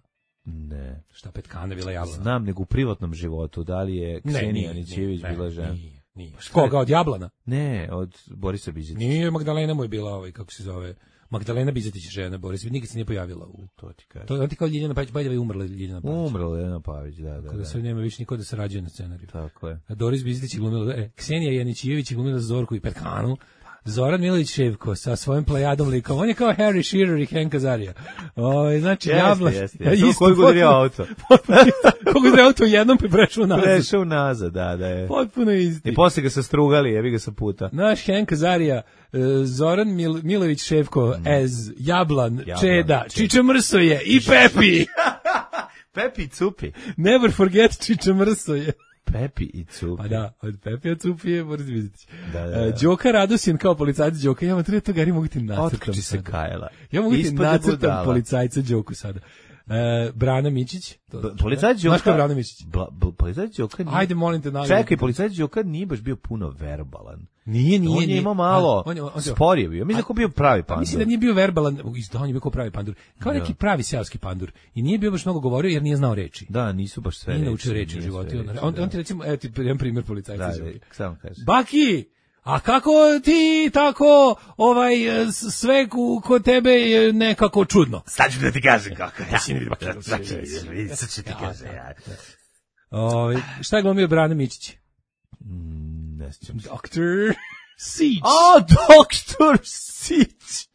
Ne. Šta Petkana bila Jablana? Znam, nego u privatnom životu, da li je Ksenija Janićević bila žena? Nije. Koga, od Jablana? Ne, od Borisa Bizetića. Nije, Magdalena mu je bila, kako se zove, Magdalena Bizetić žena, Boris, nikad se nije pojavila u... To ti kažem. To ti kao Ljiljana Pavić, bajda je umrla Ljiljana Pavić. Umrla Ljiljana Pavić, da. Kada se nema više niko da se rađuje na scenariju. Tako je. A Doris Bizetić je glumila, Ksenija Janićević je glumila Zorku i Petkanu, Zoran Milović Ševko sa svojim plejadom likom. On je kao Harry Shearer i Hank Azaria. Znači, Jablan... Jeste. Koliko udario auto? Koliko udario auto u jednom pa prešao nazad. Prešao nazad, da je. Potpuno isti. I posle ga se strugali, jebi ga sa puta. Naš Hank Azaria, Zoran Milović Ševko, Jablan, Čeda, Čiče Mrsoje i Pepi. Pepi i Cupi. Never forget Čiče Mrsoje. Pepi i Cupi. Pa da, od Pepi i Cupi je Boris Bizetić. Đoka Radosin kao policajac Đoka. Ja vam treba toga, mogu ti nacrtam. Otkači se Kajela. Ja mogu ti nacrtam policajca Đoku sada. Brana Mičić. Policajac Đoka. Znaš ko je Brana Mičić? Policajac Đoka nije... Ajde, molim te. Čekaj, policajac Đoka nije baš bio puno verbalan. Nije. On je imao malo spor je bio. Mislim da je bio pravi pandur. Mislim da nije bio verbalan, on je bio kao pravi pandur. Kao neki pravi seoski pandur. I nije bio baš mnogo govorio jer nije znao reči. Da, nisu baš sve reči. Nije naučio reči u životu. On ti recimo, evo ti jedan primjer policajca. Samo kaži. Baki! A kako ti tako sve kod tebe je nekako čudno? Sad ću da ti kažem kako. Sad ću ti kažem. Šta je glumio Brane Mičić? Ne sjećam se. Dr. Sić. Dr. Sić.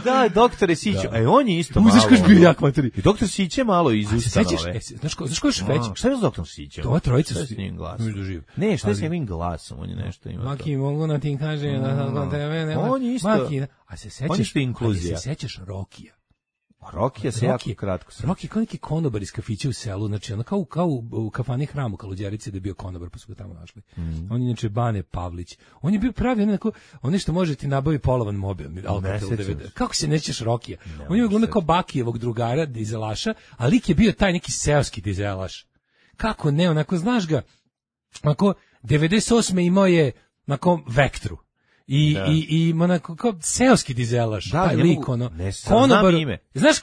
Da, doktore Siću. On je isto malo. Uzeš kaš bio jak materi. I doktor Sić je malo iz ustanove. Znaš ko je Šveć? Šta je s doktorom Sićem? To je trojica s njim glasom. Ne, šta je s njim glasom? On je nešto ima. Maki, mogu na tim kaže. On je isto. A se sećaš Rokija? Rokija se jako kratko. Rokija kao neki konobar iz kafića u selu, znači ono kao u kafani Hram u Kaluđerici da je bio konobar, pa su ga tamo našli. On je inače Bane Pavlić. On je bio pravi on što može ti nabavi polovan mobil. Kako se nećeš Rokija? On je glumio kao Bakijevog drugara, dizelaša, a lik je bio taj neki seoski dizelaš. Kako ne, onako znaš ga, onako 98. imao je onako Vektru. i onako kao seoski dizelaš, taj lik, ono. Znam ime. Znaš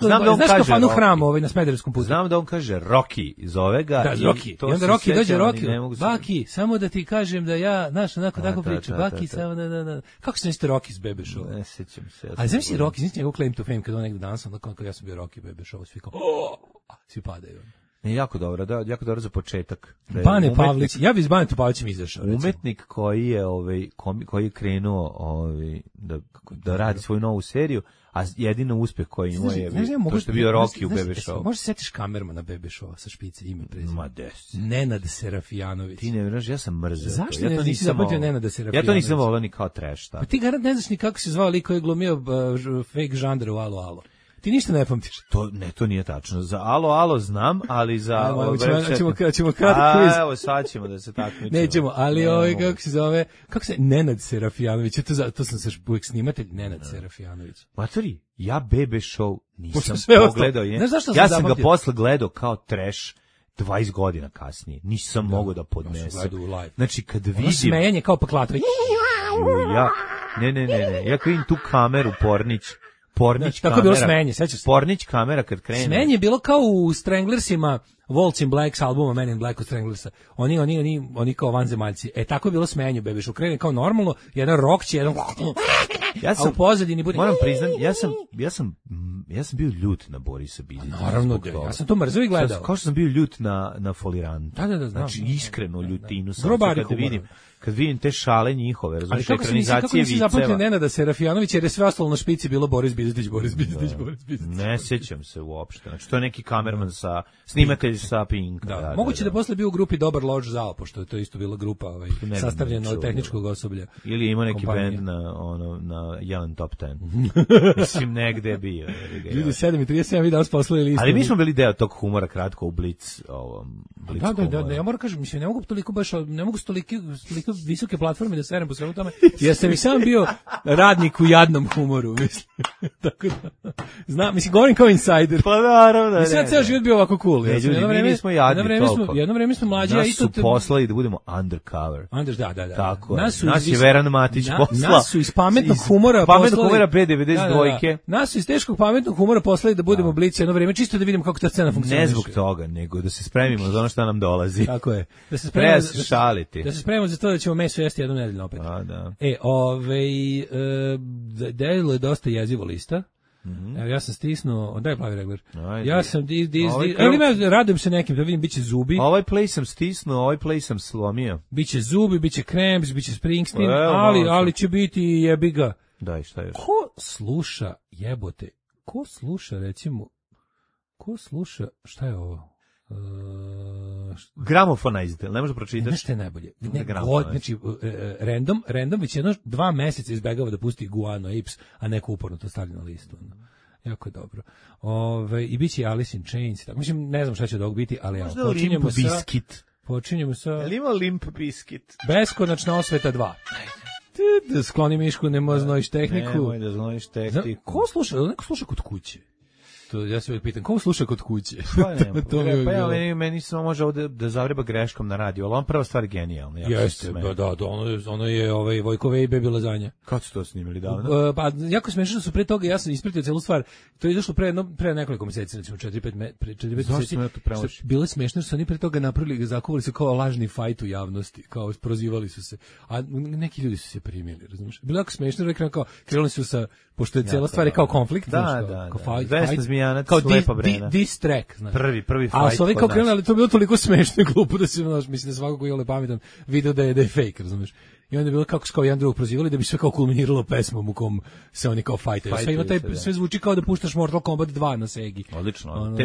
kafanu Hram na Smederevskom putu? Znam da on kaže Rocky, zove ga. Da, Rocky. I onda Rocky dođe Rocky. Baki, samo da ti kažem da ja, znaš, onako tako priča. Baki, samo da. Kako se niste Rocky s Bebe Show? Ne sećam se. Ali znam si Rocky, znači njegov claim to fame kada on negde danas, onda kao ja sam bio Rocky Bebe Show, svi kao, svi padaju. Ne, jako dobro za početak. Bane Pavlić, ja bi s Banetom Pavlićem izašao. Umetnik koji je koji je krenuo da radi svoju novu seriju, a jedino uspeh koji ima je to što je bio Rocky u Bebe Show. Možeš se setiš kamermana Bebe Show sa špice ime prezime? Ma des. Nenad Serafijanović. Ti ne veraš, ja sam mrzeo. Zašto ja to nisi zapamtio Nenada Serafijanović? Ja to nisam volao ni kao trash. Pa ti garant ne znaš ni kako se zvao lik koji je glumio fake žandra u Alo Alo. Ti ništa ne pamtiš. To nije tačno. Za Alo znam, ali za ćemo kratko quiz. Evo sad ćemo da se takmičimo. Nećemo, ali kako se Nenad Serafijanović, to sam se uvijek snimatelj Nenad Serafijanović. Matori, ja Bebe Show nisam pogledao. Ja sam ga posle gledao kao trash 20 godina kasnije. Nisam mogao da podnesem. Znači kad vidim smejanje kao Paklatović. Ne. Ja kad vidim tu kameru Pornić tako kamera. Bilo smenje, sećaš se? Pornić kamera kad krene. Smenje je bilo kao u Stranglersima, Waltz in Black albuma Men in Black od Stranglersa. Oni kao vanzemaljci. Tako je bilo smenje, Bebe Show. Krene kao normalno, jedan rock će, jedan ja sam u pozadini bude. Moram priznam, ja sam bio ljut na Borisa Biljića. Naravno, ja sam to mrzeo i gledao. Kao što sam bio ljut na Foliranta. Da, znam. Znači iskreno ljutinu sam kad vidim te šale njihove, razumiješ, ekranizacije viceva. Ali kako zapamtio Nenada Serafijanović, jer je sve ostalo na špici bilo Boris Bizetić. Ne sjećam se uopšte. Znači to je neki kamerman snimatelj sa Pink. Da. Moguće da posle bio u grupi Dobar Lož Zao, pošto je to isto bila grupa sastavljena od tehničkog osoblja. Ili ima neki bend na Jelen Top 10. Mislim, negde je bio. Ljudi, 7:37 vi danas poslali listu. Ali mi smo bili deo tog humora kratko u Blitz. Da, ja moram kažem, mislim, ne mogu s toliko visoke platforme da serem po svemu tome, jer sam i sam bio radnik u jadnom humoru, mislim. Tako da, znam, mislim, govorim kao insider. Pa naravno, ne. Sad ceo život bio ovako cool. Nismo jadni toliko. Jedno vreme smo mlađi. Nas su poslali da budemo undercover. Da. Tako je. Nas je Veran Matić poslao. Nas su iz pametnog humora B92. Nas su iz teškog pametnog humora poslali da budemo Blic jedno vreme, čisto da vidimo kako ta scena funkcioniše. Ne zbog toga, nego da se spremimo za ono što nam dolazi. Tako je. Da se spremimo za to da ćemo meso jesti jednom nedeljno opet. Da. Delo je dosta jezivo lista. Evo, ja sam stisnuo, daj plavi regler. Ja sam radujem se nekim, da vidim, biće zubi. Ovaj play sam stisnuo, ovaj play sam slomio. Biće zubi, biće Cramps, biće Springsteen, ali će biti jebiga. Daj, šta još? Ko sluša, šta je ovo? Gramofonized, ne možeš pročitati. Nešto je najbolje. Znači, random već 2 meseca izbegava da pusti Guano Apes, a neko uporno to stavlja na listu. Jako je dobro. I bit će Alice in Chains. Mislim, ne znam šta će dog biti, ali možda počinjemo sa... Je li ima Limp Bizkit? Beskonačna osveta 2. Da skloni Mišku, nemoj znojiš tehniku. Nemoj da znojiš tehniku. Ko sluša? Neko sluša kod kuće. Ja se uvijek pitam, ko sluša kod kuće? Meni samo može ovde da zavreba greškom na radiju, ali on prva stvar je genijalna. Jeste, ono je Vojkove i Bebi Lazanja. Kad su to snimili davno? Pa, jako smešno su pre toga, ja sam ispratio celu stvar, to je izašlo pre nekoliko meseci, recimo 4-5 meseci. Bilo je smešno što su oni pre toga napravili, zakuvali se kao lažni fajt u javnosti, kao prozivali su se, a neki ljudi su se primili, razumiješ? Bilo je jako smešno, krenuli su sa, pošto je cela stvar kao konflikt, kao fajt, Zmijanac, kao Slepa Brena. Diss track, znaš. Prvi fight. A su ovi kao krenuli, ali to je bilo toliko smešno i glupo da se, mislim da svako ko je pametan video da je fake, razumiješ. I onda je bilo kako kao jedan drugog prozivali da bi sve kao kulminiralo pesmom u kom se oni kao fajtaju. Sve ima sve zvuči kao da puštaš Mortal Kombat 2 na Segi. Odlično,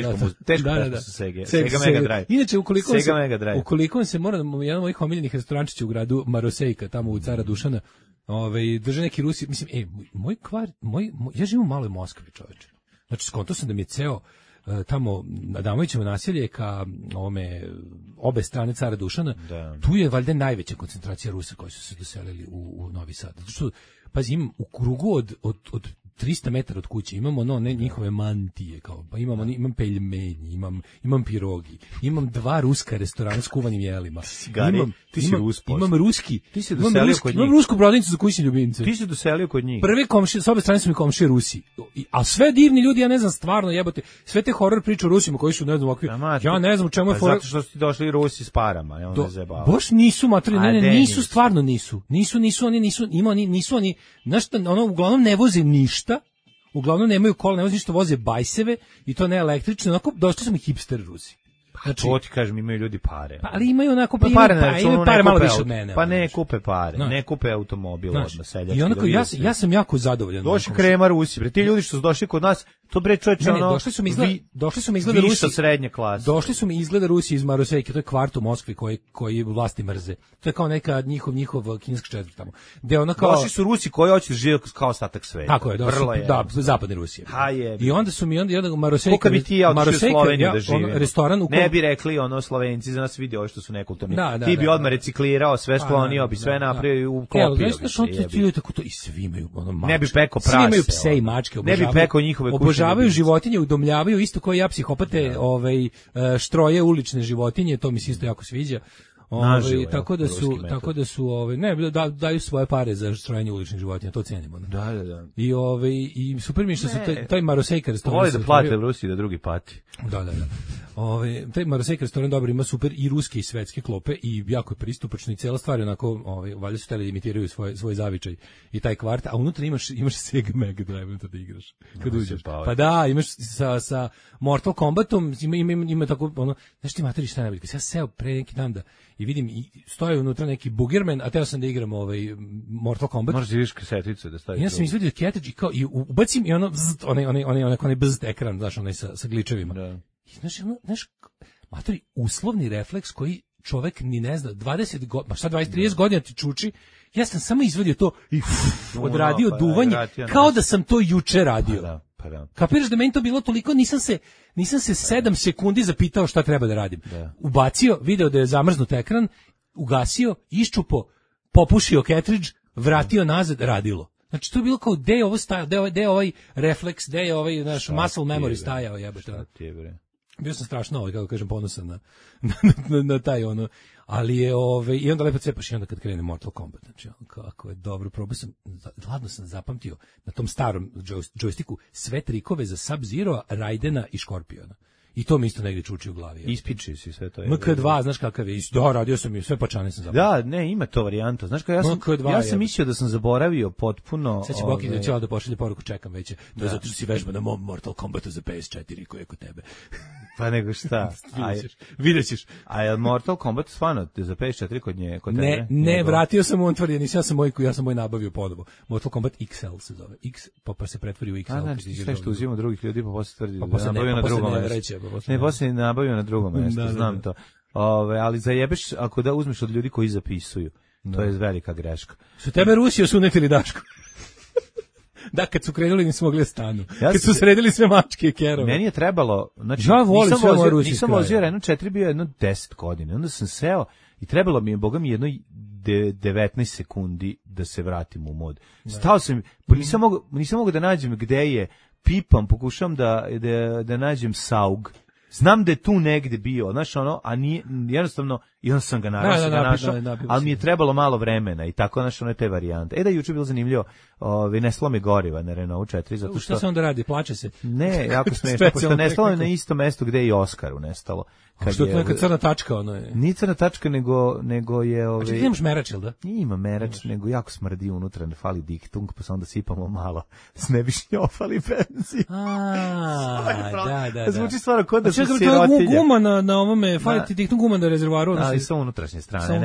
teško sa Sega. Sega Mega Drive. Inače, ukoliko se mora, jedan od mojih omiljenih restorančića u gradu Marosejka, tamo u Cara Dušana, drže neki Rusi, mislim, ja živim u maloj Moskvi, čoveče. Znači, skonto sam da mi je ceo tamo na Adamovićevo naselje ka obe strane Cara Dušana, tu je valjda najveća koncentracija Rusa koji su se doselili u Novi Sad. Zato što, pazi, imam u krugu od 300 metara od kuće imam njihove mantije, kao, pa imam peljmenji, imam pirogi, imam 2 ruska restorana s kuvanim jelima. Imam ruski. Ti si doselio kod njih. Imam rusku prodavnicu za kućne ljubimce. Ti si doselio kod njih. Prve komšije, s obe strane su mi komšije Rusi. A sve divni ljudi, ja ne znam, stvarno jebote, sve te horor priče o Rusima koji su, ne znam, ovakvi. Ja ne znam u čemu je zato što su ti došli Rusi s parama, ja ne zajebao. Baš nisu materijalni, nisu, stvarno nisu. Nisu oni, znaš, ono uglavnom ne voze ništa. Uglavnom nemaju kola, ne voze ništa, voze bajseve i to ne električne, onako došli su mi hipster Rusi. Znači, to ti kažem, imaju ljudi pare. Pa, ali imaju onako, imaju pare malo više od mene. Pa ne kupe pare, ne kupe automobil odmah, seljački. I onako, ja sam jako zadovoljan. Došli krema Rusi, bre, ti ljudi što su došli kod nas, to bre čoveče, ono, došli su mi izgleda Rusi, srednje klase. Došli su mi izgleda Rusi iz Marosejke, to je kvart u Moskvi koji vlasti mrze. To je kao neka njihov kineski četvrt tamo. Došli su Rusi koji hoće živjeti kao ostatak sveta. Tako je, da, zapadni Rusije. I onda su mi onda Marosejka, restoran u ne bi rekli ono Slovenci za nas vidi ovo što su nekulturni. Ti bi odmah reciklirao, sve sklonio bi, sve napravio u klopio. Tako to i svi imaju ono mačke. Ne bi peko prase. Svi imaju pse i mačke, ne bi peko njihove kuće. Obožavaju životinje, udomljavaju isto kao ja psihopate, štroje ulične životinje, to mi se isto jako sviđa. Tako da su daju svoje pare za štrojenje uličnih životinja, to cenimo. Da. I super mi što su taj Marosejka restoran. Voli da plate u Rusiji da drugi pati. Da. Taj Marosejka restoran dobro ima super i ruske i svetske klope i jako je pristupačno i cela stvar je onako, valjda su hteli da imitiraju svoj zavičaj i taj kvart, a unutra imaš Sega Mega Drive unutra da igraš. Kad uđeš. Pa da, imaš sa Mortal Kombatom, ima tako ono, znaš ti materi šta najbolje. Ja seo pre neki dan da i vidim i stoje unutra neki Boogerman, a teo sam da igram Mortal Kombat. Možeš vidiš kaseticu da staviš. Ja sam izvadio cartridge i ubacim i ono onaj bzz ekran, znaš, onaj sa gličevima. Da. I znaš, matori, uslovni refleks koji čovek ni ne zna, 20 godina, šta 20-30 godina ti čuči, ja sam samo izvadio to i odradio duvanje, kao da sam to juče radio. Kapiraš da meni to bilo toliko, nisam se 7 sekundi zapitao šta treba da radim. Ubacio, video da je zamrznut ekran, ugasio, iščupo, popušio cartridge, vratio nazad, radilo. Znači to je bilo kao gde je ovo stajao, gde je ovaj refleks, gde je ovaj naš muscle memory stajao, jebote. Bio sam strašno, kako kažem, ponosan na taj ono, ali je i onda lepo cepaš i onda kad krene Mortal Kombat, znači kako je dobro, ladno sam zapamtio na tom starom džojstiku sve trikove za Sub-Zero, Raidena i Škorpiona. I to mi isto negdje čuči u glavi. Ispiči si sve to. MK2, znaš kakav je? Da, radio sam i sve pačane sam zaboravio. Da, ne, ima to varijanta. Znaš kao ja sam mislio da sam zaboravio potpuno. Sad će Boki da će da pošalje poruku, čekam već. Da, zato što si vežba na mom Mortal Kombatu za PS4 koji je kod tebe. Pa nego šta? Vidjet ćeš. A je Mortal Kombat stvarno za PS4 kod tebe? Ne, vratio sam on tvrdio, ja sam moj nabavio ponovo. Mortal Kombat XL se zove. Pa se pretvori u XL. A znači sve što uzimamo drugih ljudi pa posle tvrdi da nabavio na drugom mestu. Ne, posle nabavio na drugom mestu, znam to. Ali zajebeš ako da uzmeš od ljudi koji zapisuju. To je velika greška. Su tebe Rusiju sunetili, Daško? Da, kad su krenuli nisu mogli stanu. Kad su sredili sve mačke i kerove. Meni je trebalo, znači, nisam vozio Renault 4, bio jedno 10 godina. Onda sam seo i trebalo mi je, boga mi, jedno 19 sekundi da se vratim u mod. Stao sam, nisam mogao da nađem gde je, pipam, pokušam da nađem saug. Znam da je tu negde bio, znaš ono, a nije, jednostavno, i onda sam ga našao, ali mi je trebalo malo vremena i tako, znaš, ono je te varijante. Da, juče je bilo zanimljivo, ne slome goriva na Renault 4, zato što... Šta se onda radi, plače se? Ne, jako smešno, pošto nestalo je na isto mesto gde je i Oskaru nestalo. Što je to neka crna tačka, ono je? Nije crna tačka, nego je... A čekaj, nemaš merač, ili da? Ima merač, nego jako smrdi unutra, ne fali diktung, pa se onda sipamo malo, s ne bi šnjofali benzin. Da. Zvuči stvarno kod da su sirotilje. To je guma na ovome, fali ti diktung guma na rezervaru. Ali sa unutrašnje strane,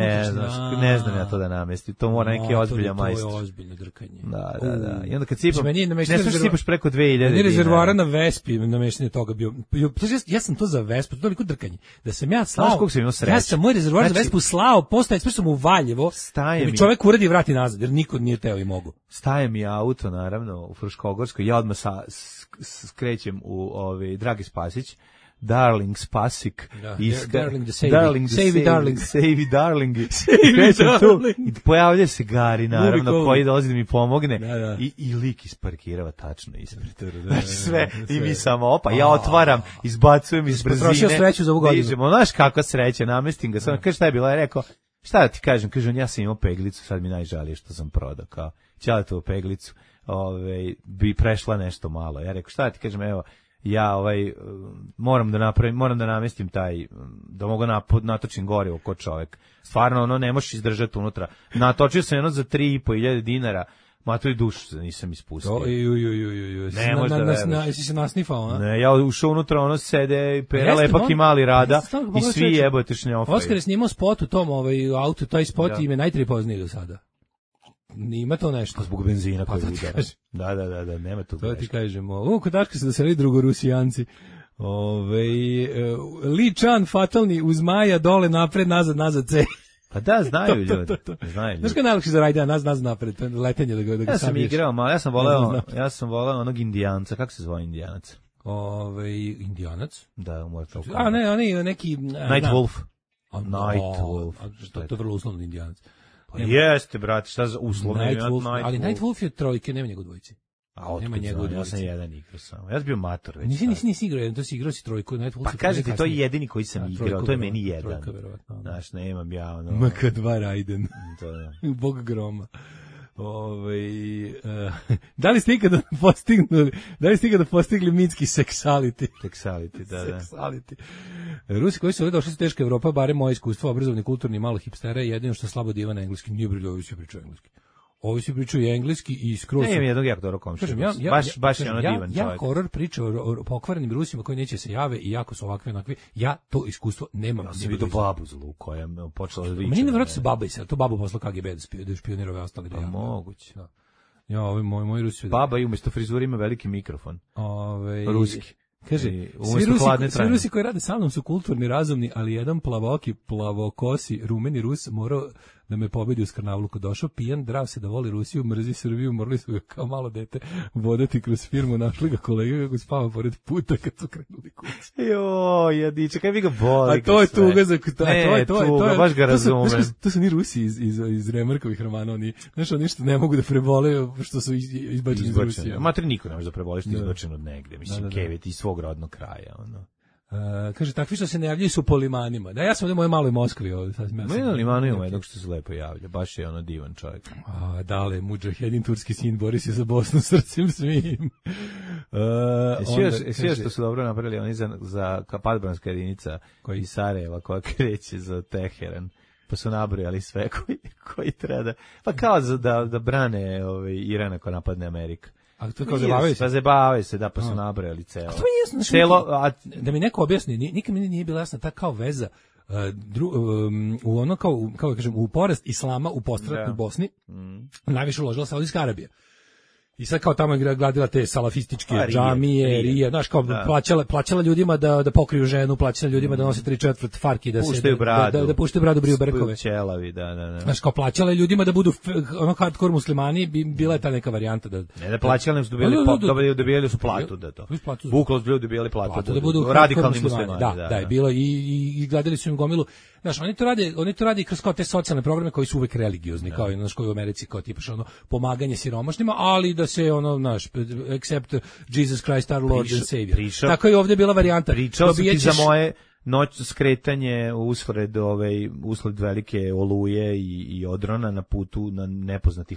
ne znam ja to da namesti, to mora neki ozbiljan majstor. To je ozbiljno drkanje. Da. I onda kad sipam, ne smiješ sipaš preko 2000 dinara. Rezervoara na Vespi, nameštenje toga bio. Ja sam to za Vespu, to je toliko drkanje. Da sam ja slao, ja sam moj rezervoar za Vespu slao, postaje, sve sam u Valjevo, da mi čovjek uradi i vrati nazad, jer niko nije teo i mogu. Staje mi auto, naravno, u Fruškogorskoj, ja odmah skrećem u Dragi Spasić, Darling Spasik. Darling the Savey Darling. I pojavlja se Gari, naravno, koji dolazi da mi pomogne. I lik isparkirava tačno ispred. Znači sve, i mi samo, opa, ja otvaram, izbacujem iz brzine. Potrošio sreću za ovu godinu. Znaš kakva sreća, namestim ga. Kaže, šta je bilo? Ja rekao, šta da ti kažem? Kaže, ja sam imao peglicu, sad mi najžalije što sam prodao. Kao, ćaletovu peglicu, bi prešla nešto malo. Ja rekao, šta da ti kažem, evo, ja moram da namestim taj, da mogu natočim gorivo kod čovek. Stvarno, ne možeš izdržati unutra. Natočio sam jedno za 3.500 dinara, matori dušu nisam ispustio. Ne može da veruješ. Jesi se nasnifao, a? Ne, ja ušao unutra, sede, pera lepak i mali Rada i svi jebote šnjofaju. Oskar je snimao spot u tom autu, taj spot i me najtrije poznije do sada. Nima to nešto. Zbog benzina koji udara. Da, nema to. To ti kažemo. Kod Daška se doseli drugorusijanci. Li Chan fatalni uz Maja dole napred, nazad C. Pa da, znaju ljudi. Znaš kada je najlakše za rajda, nazad napred, letenje da ga sabiješ. Ja sam igrao, malo, ja sam voleo onog Indijanca. Kako se zove Indijanac? Indijanac? Da, u Mortal Kombat. A ne, oni neki... Night Wolf. Night Wolf. To je vrlo uslovno Indijanac. Jeste, brate, šta za uslovno? Ali Night Wolf je trojke, nema njegov dvojici. Nema njegov dvojici. Ja sam jedan igrao samo. Ja sam bio mator već. Nisi igrao jedan, to si igrao si trojku. Pa kažete, to je jedini koji sam igrao, to je meni jedan. Znaš, nemam ja ono... MK2 Raiden. Bog groma. Da li ste ikada postigli mitski seksality? Seksality, da. Seksality. Rusi koji su ovdje došli su teška Evropa, barem moje iskustvo, obrazovni, kulturni, malo hipstera, jedino što slabo diva na engleski, nije briljio, ovi svi pričaju engleski. Ovi svi pričaju engleski i skroz... Ne, imam jednog jako dobro komšiju. Baš je ono divan čovjek. Ja horor priča o pokvarenim Rusima koji neće se jave i jako su ovakvi onakvi. Ja to iskustvo nemam. Ja sam vidio babu zlu koja je počela da viče. Meni nevjerojatno se baba isela, to babu poslao KGB da špionira ove ostale. Pa moguće. Ja, ovi moji Rusi... Baba i umjesto frizura ima veliki mikrofon. Ruski. Kaže, svi Rusi koji rade sa mnom su kulturni, razumni, ali jedan plavoki, plavokosi, rumeni Rus morao da me pobedi u Skrnavluku. Došao pijan, drav se da voli Rusiju, mrzi Srbiju, morali su ga kao malo dete vodati kroz firmu, našli ga kolega kako spava pored puta kad su krenuli kući. Jadiče, kaj mi ga boli. A to je tuga za to baš ga razumem. To su ni Rusi iz Remarkovih romana, oni što ne mogu da prebole što su izbačeni iz Rusije. Matri niko ne može da prebole što je izbačen od negde, mislim, Kevet iz svog rodnog kraja, ono. Kaže, takvi što se ne javljaju su po limanima. Da, ja sam u mojoj maloj Moskvi ovdje. Na limanu ima jednog što se lepo javlja. Baš je ono divan čovjek. Dale, mudžahedin, turski sin, bori se za Bosnu srcem svim. Sve što su dobro napravili, oni za padobranska jedinica iz Sarajeva koja kreće za Teheran. Pa su nabrojali sve koji treba pa kao da brane Irana ko napadne Amerika. A to kao zabavaju se? Pa zabavaju se, da, pa su nabrojali celo. A to mi je jasno, da mi neko objasni, nikad mi nije bila jasna ta kao veza u ono kao da kažem, u porast islama u postratnoj Bosni, najviše uložila Saudijska Arabija. I sad kao tamo je gradila te salafističke džamije, rije, znaš, kao plaćala ljudima da pokriju ženu, plaćala ljudima da nose 3/4 farki, da puštaju bradu, briju berkove. Ćelavi, da. Znaš, kao plaćala ljudima da budu ono hardcore muslimani, bila je ta neka varijanta da... Ne, da plaćali nam su dobijali su platu da to. Buklo su dobijali platu da budu radikalni muslimani. Da, je bilo i gledali su im gomilu. Znaš, oni to rade kroz kao te socijalne programe koji su uvek religiozni, kao i u Americi, kao tipaš ono pomaganje siromašnima, ali da se ono, znaš, accept Jesus Christ our Lord and Savior. Tako je ovdje bila varijanta. Pričao sam ti za moje skretanje usled velike oluje i odrona na putu na nepoznati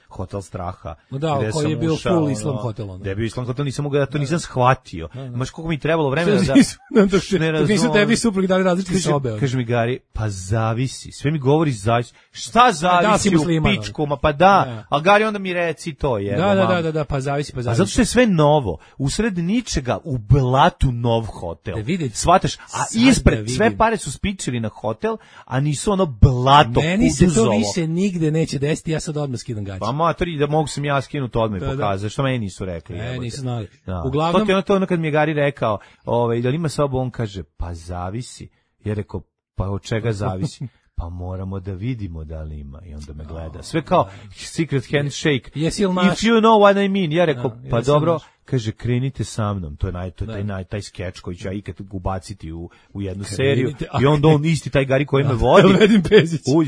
hotel straha. Da, koji je bio full islam hotel. Da je bio islam hotel, nisam shvatio. Znaš koliko mi trebalo vremena da nisu tebi suprugi dali različite sobe. Kaže mi Gari, pa zavisi. Sve mi govori zavisi. Šta zavisi u pičkoma? Pa da, a Gari onda mi reci to je. Da, pa zavisi. A zato što je sve novo. Usred ničega u blatu nov hotel. Shvataš? A ispred sve pare su spičili na hotel, a nisu ono blato. Meni se to više nigde neće desiti, ja sad odmah skidam gaće. Pa matri, da mogu sam ja skinuti odmah i pokazati, što meni nisu rekli. Nisu znali. Uglavnom... To je ono kad mi je Gari rekao, da li ima sobu, on kaže, pa zavisi. Ja rekao, pa od čega zavisi? pa moramo da vidimo da li ima. I onda me gleda. Sve kao secret handshake. Jesi li naš? If you know what I mean. Ja rekao, pa dobro, kaže, krenite sa mnom. To je taj skeč koji ću ja ikad ubaciti u jednu seriju. I onda on isti, taj Gari koji me vodi.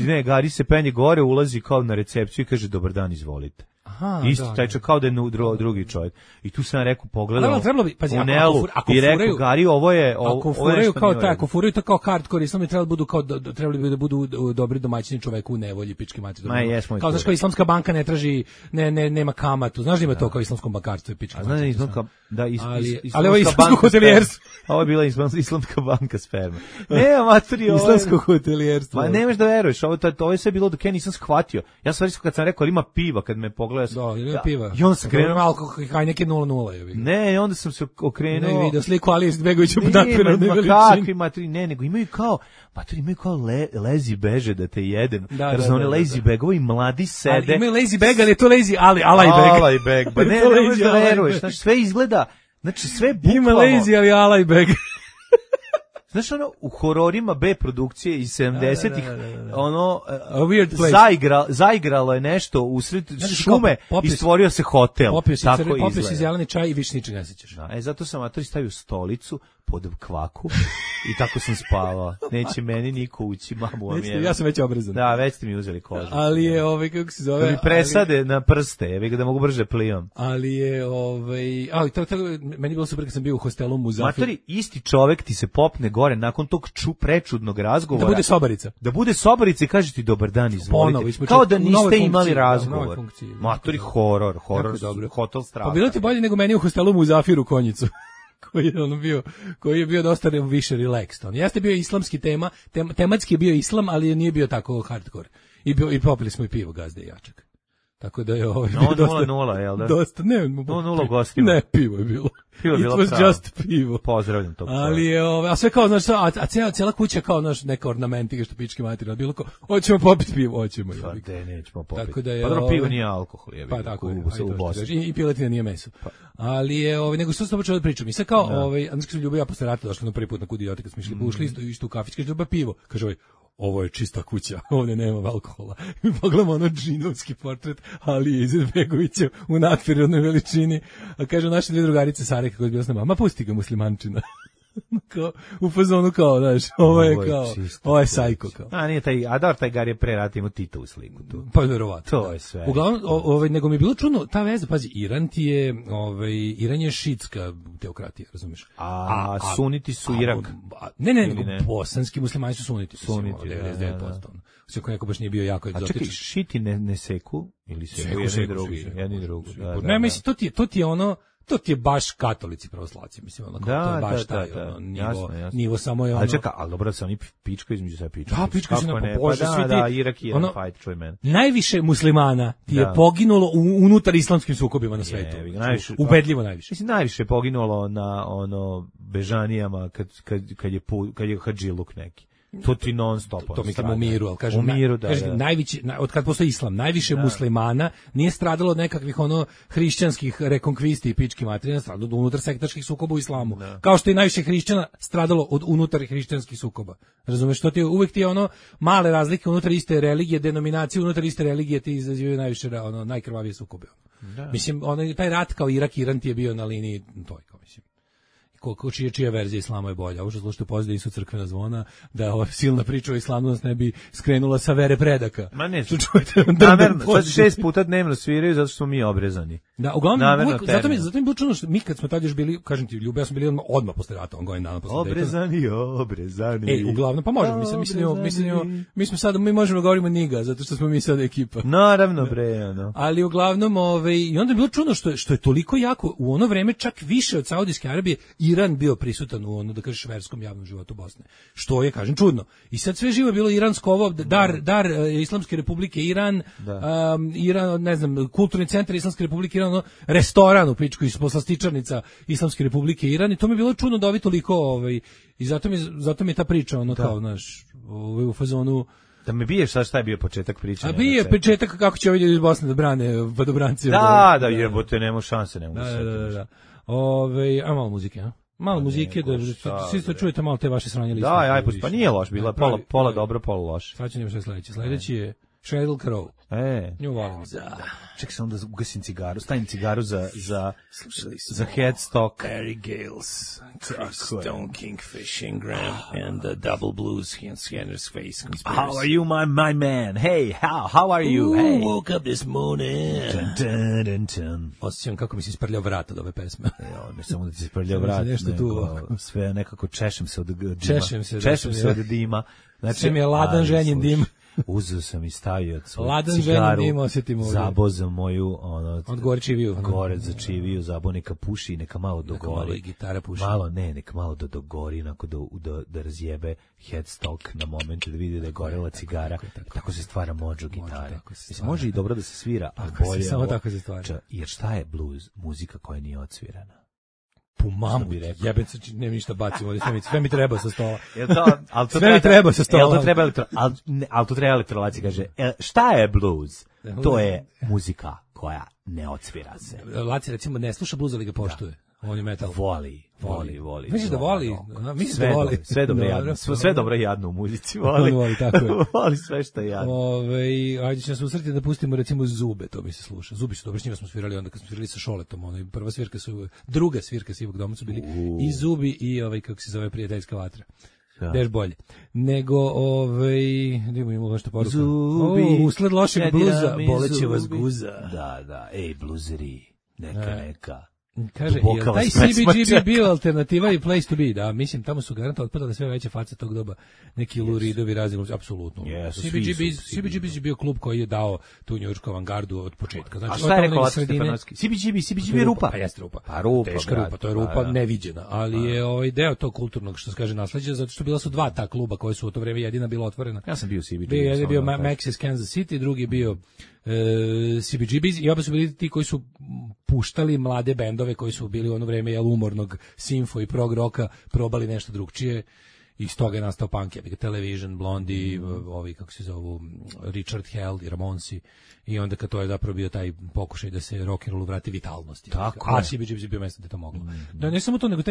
Ne, Gari se penje gore, ulazi kao na recepciju i kaže, dobar dan, izvolite. Aha, isti taj čak kao da je drugi čovjek. I tu sam rekao, pogledao u Nelu i rekao, Gari, ovo je ako furaju kao taj, ako furaju to kao hardcore islam, trebali bi da budu dobri domaćini čoveku u nevolji, pički mati. Kao znaš, kao islamska banka ne traži, nema kamatu. Znaš da ima to kao islamskom bankarstvu i pički mati. Ali ovo je islamsko hotelijerstvo. Ovo je bila islamska banka sperma. Ne, materi, ovo je islamsko hotelijerstvo. Ma nemaš da veruješ, ovo je sve bilo dok ja nisam shvatio. Ja sam kad sam rekao, ali ima piva, kad me pogledao. Da, ili piva. I onda sam krenuo malo neke 0-0. Ne, i onda sam se okrenuo. Ne vidio sliku Alije Izetbegovića u nadprirodnoj veličini. Ne, nego imaju kao lazy beže da te jedem. Razumne lazy begovi mladi sede. Imaju lazy bag, ali je to lazy alaj bag. Pa ne možeš da veruješ. Znači sve izgleda, znači sve bukvalno. Ima lazy, ali alaj bag. Znaš ono, u hororima B produkcije iz 70-ih, ono, zaigralo je nešto usred šume i stvorio se hotel. Popio si zeleni čaj i više ničega ne sećaš. Zato sam matori stavio stolicu pod kvaku i tako sam spavao. Neće meni niko ući, mamu vam je. Ja sam već obrezan. Da, već ste mi uzeli kožu. Ali je, kako se zove... Da mi presade na prste, da mogu brže plivam. Ali je, meni je bilo super kad sam bio u hostelu u Muzafiru. Matori, isti čovek ti se popne gore nakon tog prečudnog razgovora. Da bude sobarica i kaže ti dobar dan, izvolite. Kao da niste imali razgovor. Matori, horor, hotel straha. Pa bilo ti bolje nego meni u hostelu u Muzafiru Konjicu. koji je bio dosta više relaxed. On jeste bio islamski tematski je bio islam, ali nije bio tako hardcore. I popili smo i pivo Gazde i Jačak. Tako da je dosta 0-0, jel da? Dosta, ne, 0 gostima. Ne, pivo je bilo. It was just pivo. Pozdravljam to. Ali je, a sve kao, znaš, a cijela kuća kao, znaš, neka ornamentika što pički materina, bilo kao, hoćemo popiti pivo, hoćemo. Pa de, nećemo popiti. Tako da je, pa dobro, pivo nije alkohol, je. Pa tako, u Bosni. I piletina nije meso. Ali je, nego što sam počeo da pričam. I sad kao, znači sam Ljubav ja posle rata došla na prvi put na Kudijoti kad smo ušli isto u kafić, kaže, Ljubav pivo. Kaže, ovo je čista kuća, ovdje nema alkohola. Mi pogledamo ono džinovski portret Alije Izetbegovića u nadprirodnoj veličini. A kažu naše dvije drugarice Sare kako je bila s nama, ma pusti ga muslimančina. Kao, u fazonu kao, znaš, ovo je sajko kao. A nije taj Gar je pre rata imao Tito u sliku tu. Pa verovatno. To je sve. Uglavnom, nego mi je bilo čudno, ta veza, pazi, Iran je šitska teokratija, razumiješ? A suniti su Irak. Ne, bosanski muslimani su suniti. Suniti, 99%. Sve ko neko baš nije bio jako egzotičan. A čekaj, šiti ne seku? Ili seku jedni i drugi? Ne, mislim, to ti je ono, to ti je baš katolici pravoslavci, mislim, ono, to je baš taj nivo samo je ono... Ali čeka, ali dobro, se oni pička između sve pička. Da, pička se ne pobože, svi ti... Da, Irak i Iran fight, čuj mene. Najviše muslimana ti je poginulo unutar islamskim sukobima na svetu. Ubedljivo najviše. Mislim, najviše je poginulo na, bežanijama kad je hadžiluk neki. To ti non stop. To mislim u miru, ali kažem, najveći, od kad postoji islam, najviše muslimana nije stradalo od nekakvih hrišćanskih rekonkvisti i pički materina, stradalo od unutar sektaških sukoba u islamu. Kao što je najviše hrišćana stradalo od unutar hrišćanskih sukoba. Razumeš, to ti uvek ti je male razlike unutar iste religije, denominacije unutar iste religije ti izazivaju najviše najkrvavije sukobe. Mislim, taj rat kao Iran ti je bio na liniji toj, kao mislim. Čija verzija islama je bolja. Ovo što slušate pozdrav su crkvena zvona, da ova silna priča o islamu nas ne bi skrenula sa vere predaka. Ma ne, namerno, sad 6 puta dnevno sviraju zato što smo mi obrezani. Da, uglavnom, zato mi je bilo čudno što mi kad smo tad još bili, kažem ti, Ljube, ja smo bili odmah posle rata, godin dana posle Daytona. Obrezani. Uglavnom, pa možemo, mi možemo da govorimo niga, zato što smo mi sad ekipa. Naravno, bre, Ali uglavnom, i onda je bilo čudno što je toliko jako, u ono vreme čak više od Saudijske Arabije, Iran bio prisutan u da kažeš verskom javnom životu Bosne. Što je, kažem, čudno. I sad sve živo je bilo iransko dar Islamske Republike Iran, Iran, ne znam, kulturni centar Islamske Republike Iran, restoran u pičku iz poslastičarnica Islamske Republike Iran i to mi je bilo čudno da ovi toliko i zato mi je ta priča kao naš u fazonu. Da me biješ sad šta je bio početak priče. A bio je početak kako će ovi iz Bosne da brane vodobranci. Da, jebote, nema šanse, ne mogu se. Da. A malo muzike, a? Malo muzike, da svi to čujete malo te vaše sranje liste. Da, aj, pa nije loš, bila pola dobro, pola loš. Sad ću nešto sledeće. Sledeći je Sheryl Crow. Nju volim. Čekaj sam da ugasim cigaru, stavim cigaru za Headstock. Barry Gales, Stone Kingfish Ingram, and the Double Blues Scanner's Face Conspiracy. How are you, my man? Hey, how are you? Hey. Woke up this morning. Dun. Osjećam kako mi se isprljao vrat od ove pesme. Ne samo da ti se isprljao vrat, sve nekako češem se od dima. Češem se od dima. Znači, sve mi je ladan ženjen dim. Uzeo sam i stavio svoju ladan cigaru, zabo za moju od gore čiviju. Gore za čiviju, zabo neka puši i neka malo dogori. Neka malo i gitara puši. Neka malo dogori, onako da razjebe Headstock na momentu, da vidi da je gorela cigara. Tako se stvara mođo gitare. Mislim, može i dobro da se svira, ali bolje samo tako se stvara. Jer šta je blues? Muzika koja nije odsvirana. Po mamu bi rekao. Jebec, nema ništa bacimo, sve mi treba sa stola. Sve mi treba sa stola. Ali to treba elektrolaci, kaže, šta je blues? To je muzika koja ne odsvira se. Laci, recimo, ne sluša blues, ali ga poštuje. On je metal. Voli. Misliš da voli? Mislim da voli. Sve dobro i jadno u muzici. Voli, tako je. Voli sve što je jadno. Ajde će nas usretiti da pustimo recimo Zube, to mi se sluša. Zubi su dobro, s njima smo svirali onda kad smo svirali sa Šoletom. Druga svirka Sivog doma su bili i Zubi i kako se zove prijateljska vatra. Deš bolje. Nego, imamo nešto poruka. Zubi. Usled lošeg bluza, boleće vas guza. Da. Ej, bluzeri, neka. Kaže, je taj CBGB bio alternativa i place to be, da, mislim, tamo su garantno otpadale sve veće face tog doba, neki Luridovi razni, apsolutno. CBGB je bio klub koji je dao tu njujoršku avangardu od početka. Znači, a šta je rekao Laco Stefanovski? CBGB je rupa. Pa jeste rupa. Teška rupa, to je rupa neviđena, ali je deo tog kulturnog, što se kaže, nasleđa, zato što bila su dva ta kluba koja su u to vreme jedina bila otvorena. Ja sam bio CBGB. Jedan je bio Maxis Kansas City, drugi je bio CBGBs i oba su bili ti koji su puštali mlade bendove koji su bili u ono vreme umornog simfo i prog roka, probali nešto drugčije i iz toga je nastao punk, Television, Blondie, ovi kako se zovu Richard Hell i Ramonsi i onda kad to je zapravo bio taj pokušaj da se rock and rollu vrati vitalnosti. A CBGBs je bio mesto gde to moglo. Da ne samo to, nego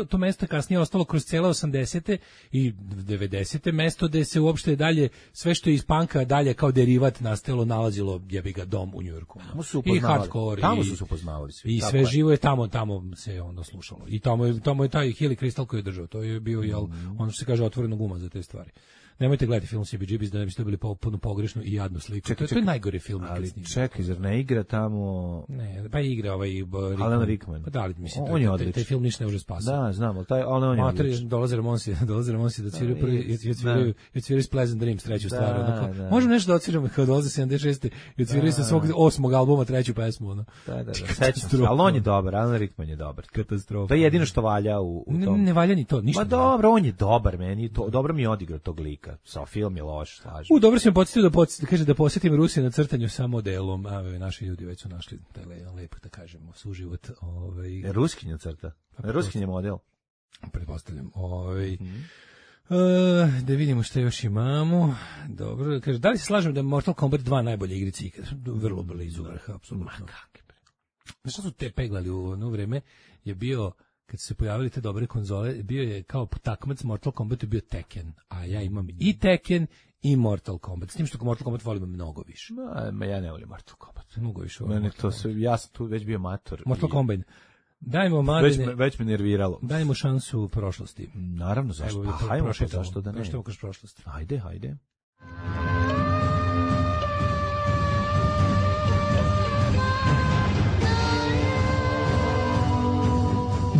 to mesto kasnije ostalo kroz cele 80. i 90. mesto gde se uopšte dalje, sve što je iz punka dalje kao derivat nastalo, nalazilo jebi ga dom u Njujorku. I hardcore. Tamo su se upoznavali svi. I sve živo je tamo se onda slušalo. I tamo je taj Hilly Crystal koji je držao. To je bio, ono što se kaže, otvorenog uma za te stvari. Nemojte gledati film CBGBs da ne biste dobili potpuno pogrešnu i jadnu sliku. To je najgori film. Ali čekaj, zar ne igra tamo... Ne, pa igra Alan Rickman. Pa da li, mislim, on je odličan. Taj film ništa ne može spasiti. Da, znam, ali on je odličan. Dolaze Ramonsi da cviraju prvi, i odsviraju s Pleasant Dreams treću stvar. Možemo nešto da odsviramo kao dolaze 76. i odsviraju sa svog 8. albuma treću pesmu. Da, sećam se. Ali on je dobar, Alan Rickman je dobar. Katastrofa. To je jedino što valja u tom. Ne valja ni to, ništa. Ma dobro, on je dobar, meni dobro mi je odigrao tog lika. Sa film je loš, slažem. Dobro si me podsjetio da posjetim Rusiju na crtanju sa modelom. Naši ljudi već su našli lepo da kažemo suživot. Ruskinja crta. Ruskinja model. Pretpostavljam. Da vidimo što još imamo. Dobro, kaže, da li se slažem da je Mortal Kombat 2 najbolje igrice ikad? Vrlo blizu vrha, apsolutno. Znaš šta su te peglali u ono vreme? Je bio, kad su se pojavili te dobre konzole, bio je kao takmac Mortal Kombat je bio Tekken, a ja imam i Tekken i Mortal Kombat. S tim što Mortal Kombat volim mnogo više. Ma ja ne volim Mortal Kombat. Mnogo više. Mene to ja sam tu već bio mator. Mortal Kombat. Dajmo Marine. Već me nerviralo. Dajmo šansu prošlosti. Naravno, zašto? Hajmo zašto da ne. Prošetamo kroz prošlost. Ajde.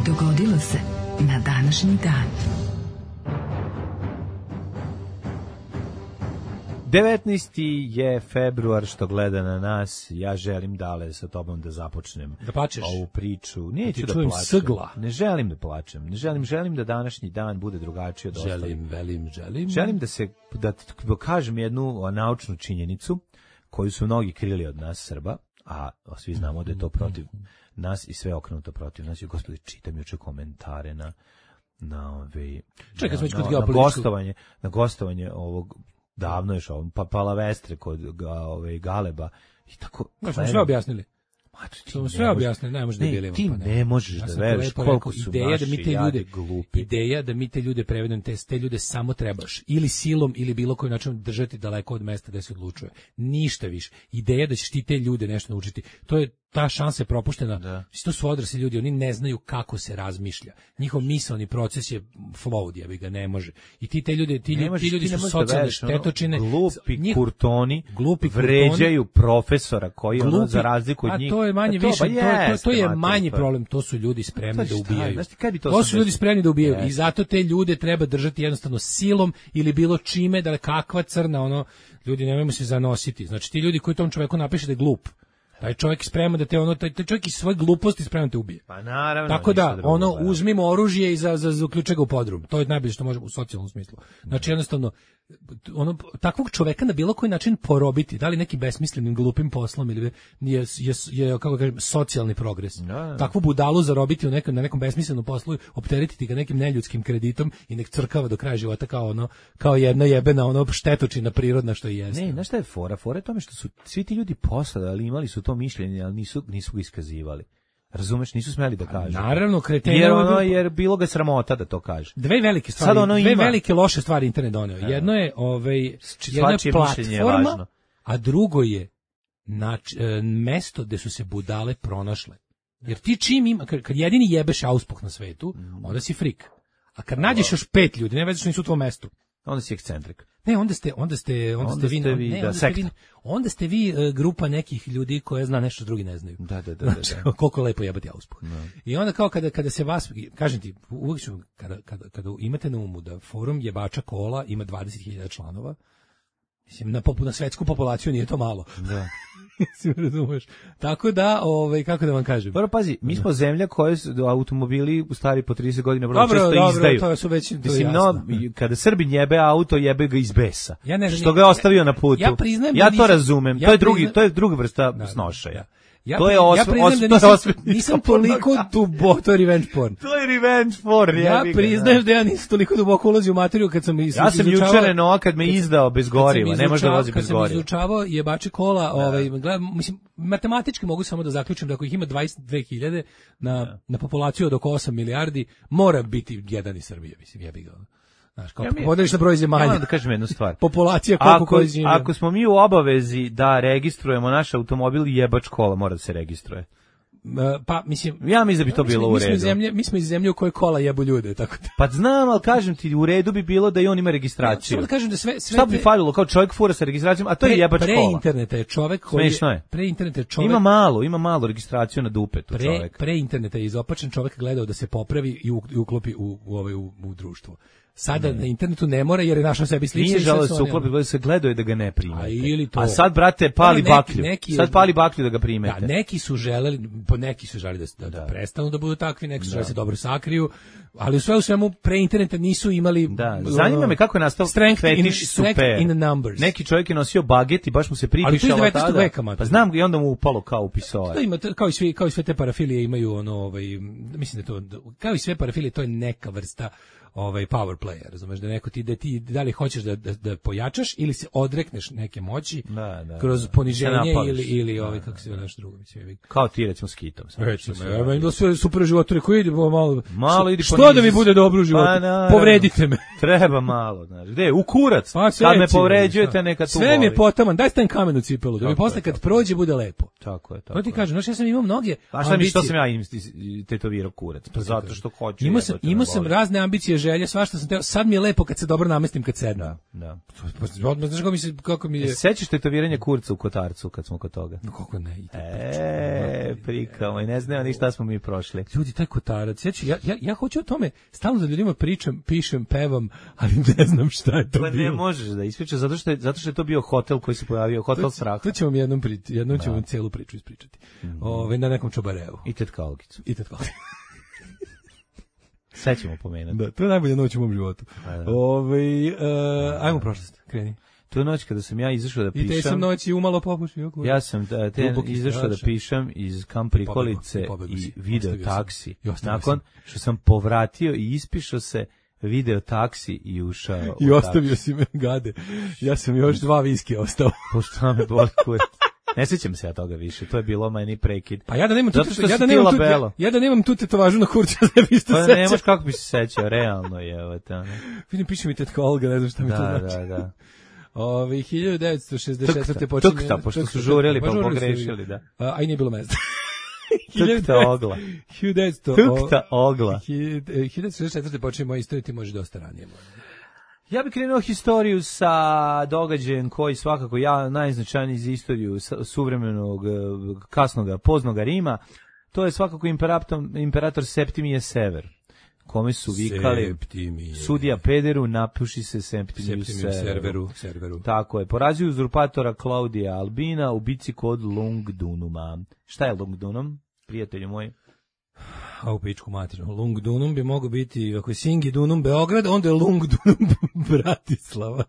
Dogodilo se na današnji dan. 19. je februar što gleda na nas. Ja želim Dale sa tobom da započnem ovu priču. Neću da plačem. Sgla. Ne želim da plačem. Želim da današnji dan bude drugačiji od ostalih. Želim da kažem jednu naučnu činjenicu koju su mnogi krili od nas Srba, a svi znamo da je to protiv nas i sve okrenuto protiv nas. Gospodи, čitam juče komentare na gostovanje ovog davno još pa Palavestre kod Galeba i tako. Znači sve objasnili. Sve objasne, ne možeš da bili. Ti ne možeš da veruješ koliko su naši jade glupi. Ideja da mi te ljude prevedemo, te ljude samo trebaš ili silom ili bilo koji način držati daleko od mesta gde se odlučuje. Ništa više. Ideja da ćeš ti te ljude nešto naučiti, to je ta šansa je propuštena. Da. To su odrasli ljudi, oni ne znaju kako se razmišlja. Njihov misaoni proces je flowed, ja bi ga ne može. I ti ljudi su socijalne štetočine. Glupi kurtoni vređaju profesora koji ono za razliku od njih. A to je manje više, to je manji problem. To su ljudi spremni da ubijaju. To su ljudi spremni da ubijaju i zato te ljude treba držati jednostavno silom ili bilo čime, da kakva crna, ljudi nemojmo se zanositi. Znači ti ljudi koji tom čoveku napiše da je glup, taj čovjek spreman da taj čovjek iz svoje gluposti spreman te ubije. Pa naravno. Tako da, uzmimo oružje i zaključe ga u podrum. To je najbolje što možemo u socijalnom smislu. Znači jednostavno, takvog čoveka na bilo koji način porobiti, da li nekim besmislenim glupim poslom ili je kako kažem, socijalni progres. Takvu budalu zarobiti na nekom besmislenom poslu, opteretiti ga nekim neljudskim kreditom i nek crkava do kraja života kao jedna jebena štetočina prirodna što i jeste. Ne, znaš šta je fora? Fora je tome što su svi ti ljudi posladali, imali su to mišljenje, ali nisu ga iskazivali. Razumeš, nisu smeli da kažu. Naravno, kreteni. Jer bilo ga sramota da to kaže. Dve velike stvari, velike loše stvari internet doneo. Jedno je platforma, a drugo je mesto gde su se budale pronašle. Jer ti čim ima, kad jedini jebeš auspuh na svetu, onda si frik. A kad nađeš još 5 ljudi, ne već što nisu u tvom mestu, onda si ekscentrik. Ne, onda ste vi grupa nekih ljudi koja zna nešto drugi ne znaju. Da. Koliko lepo jebati auspuh. I onda kao kada se vas, kažem ti, uvijek ću, kada imate na umu da forum jebača kola ima 20.000 članova, mislim, na svetsku populaciju nije to malo. Da. Si me razumeš. Tako da, kako da vam kažem. Dobro, pazi, mi smo zemlja koje automobili stari po 30 godina vrlo često izdaju. To su već, mislim, kada Srbin jebe auto, jebe ga iz besa. Što ga je ostavio na putu. Ja to razumem. To je druga vrsta snošaja. Ja priznajem da nisam toliko duboko, to je revenge porn. To je revenge porn. Ja priznajem da ja nisam toliko duboko ulazio u materiju kad sam ja sam jučer kad me izdao bez goriva, ne može da vozi bez goriva. Kad sam izučavao jebače kola, mislim, matematički mogu samo da zaključim da ako ih ima 22.000 na populaciju od oko 8 milijardi, mora biti jedan iz Srbije, mislim, jebi ga. Znaš, kao podeliš na broj zemalja. Ja da kažem jednu stvar. Populacija koliko koji žive. Ako smo mi u obavezi da registrujemo naš automobil, jebač kola mora da se registruje. Pa, mislim... Ja mislim da bi to bilo u redu. Mi smo iz zemlje u kojoj kola jebu ljude, tako da... Pa znam, ali kažem ti, u redu bi bilo da i on ima registraciju. Da kažem da šta bi falilo, kao čovjek fura sa registracijom, a to je jebač kola. Pre interneta je čovjek koji... Smešno je. Pre interneta je čovjek... Ima malo registraciju na dupetu čovjek. Pre interneta je izopačen čovjek gledao da se popravi i uklopi u društvo. Sada na internetu ne mora jer je našao sebi sliče. Nije žalo se uklopi, se gledao je da ga ne primete. A sad, brate, pali baklju. Sad pali baklju da ga primete. Da, neki su želeli da prestanu da budu takvi, neki su želeli da se dobro sakriju, ali u svemu pre interneta nisu imali... Da, zanima me kako je nastao fetiš super. Neki čovjek je nosio baget i baš mu se pripišalo tada. Ali to je 19. veka, pa znam i onda mu upalo kao u pisoar. Kao i sve te parafilije imaju mislim da to, kao i sve parafilije, to je neka vrsta power player, razumeš, da neko ti da li hoćeš da pojačaš ili se odrekneš neke moći kroz poniženje ili kako se nešto drugo, mislim. Kao ti recimo s Kitom. Recimo, sve super životore koji ide malo idi što da mi bude dobro u životu. Povredite me. Treba malo, znaš. Gde? U kurac. Kad me povređujete, neka tu sve mi je potaman. Daj stavim kamen u cipelu, da mi posle kad prođe bude lepo. Tako je. To ti kažem, znaš, ja sam imao mnoge ambicije. Što sam ja tetovirao kurac? Pa zato što hoću. Imao sam razne ambicije, želje, svašta sam teo. Sad mi je lepo kad se dobro namestim kad sednem. Da. Znaš kako mi je... Sećaš tetoviranje kurca u Kotarcu kad smo kod toga? No kako ne. Prikao, i ne znamo ni šta smo mi prošli. Ljudi, taj Kotarac, ja hoću o tome, stalno za ljudima pričam, pišem, pevam, ali ne znam šta je to bilo. Pa ne možeš da ispričaš, zato što je to bio hotel koji se pojavio, hotel straha. To ćemo jednom ćemo celu priču ispričati. Na nekom čobareu. I tetkalkicu. Sve ćemo pomenuti. Da, to je najbolja noć u mom životu. Ajmo prošlost, kreni. To je noć kada sam ja izašao da pišem. I te sam noći umalo popušio. Ja sam izašao da pišem iz Kamp Prikolice i video taksi. Nakon što sam povratio i ispišao se video taksi i ušao. I ostavio si me, gade. Ja sam još 2 viskija ostao. Pošto me boli kurac. Ne sećam se ja toga više, to je bilo meni prekid. Pa ja da nemam tu tetovažu na kurcu, ne bi se sećao. Pa nemaš kako bi se sećao, realno je, evo te. Vidim, piše mi tetka Olga, ne znam šta mi to znači. Da. 1964. počinje... Tukta, pošto su žurili pa pogrešili, da. A i nije bilo mesta. Tukta ogla. 1964. počinje moja istorija, ti može dosta ranije. Ja bih krenuo historiju sa događajem koji svakako najznačajniji za istoriju suvremenog, kasnog, poznog Rima. To je svakako imperator Septimije Sever, kome su vikali sudija Pederu, napuši se Septimiju Severu. Tako je. Porazio uzurpatora Klaudija Albina u bici kod Lungdunuma. Šta je Lungdunum, prijatelju moji? A u pičku materinu. Lungdunum bi mogao biti, ako je Singidunum Beograd, onda je Lungdunum Bratislava.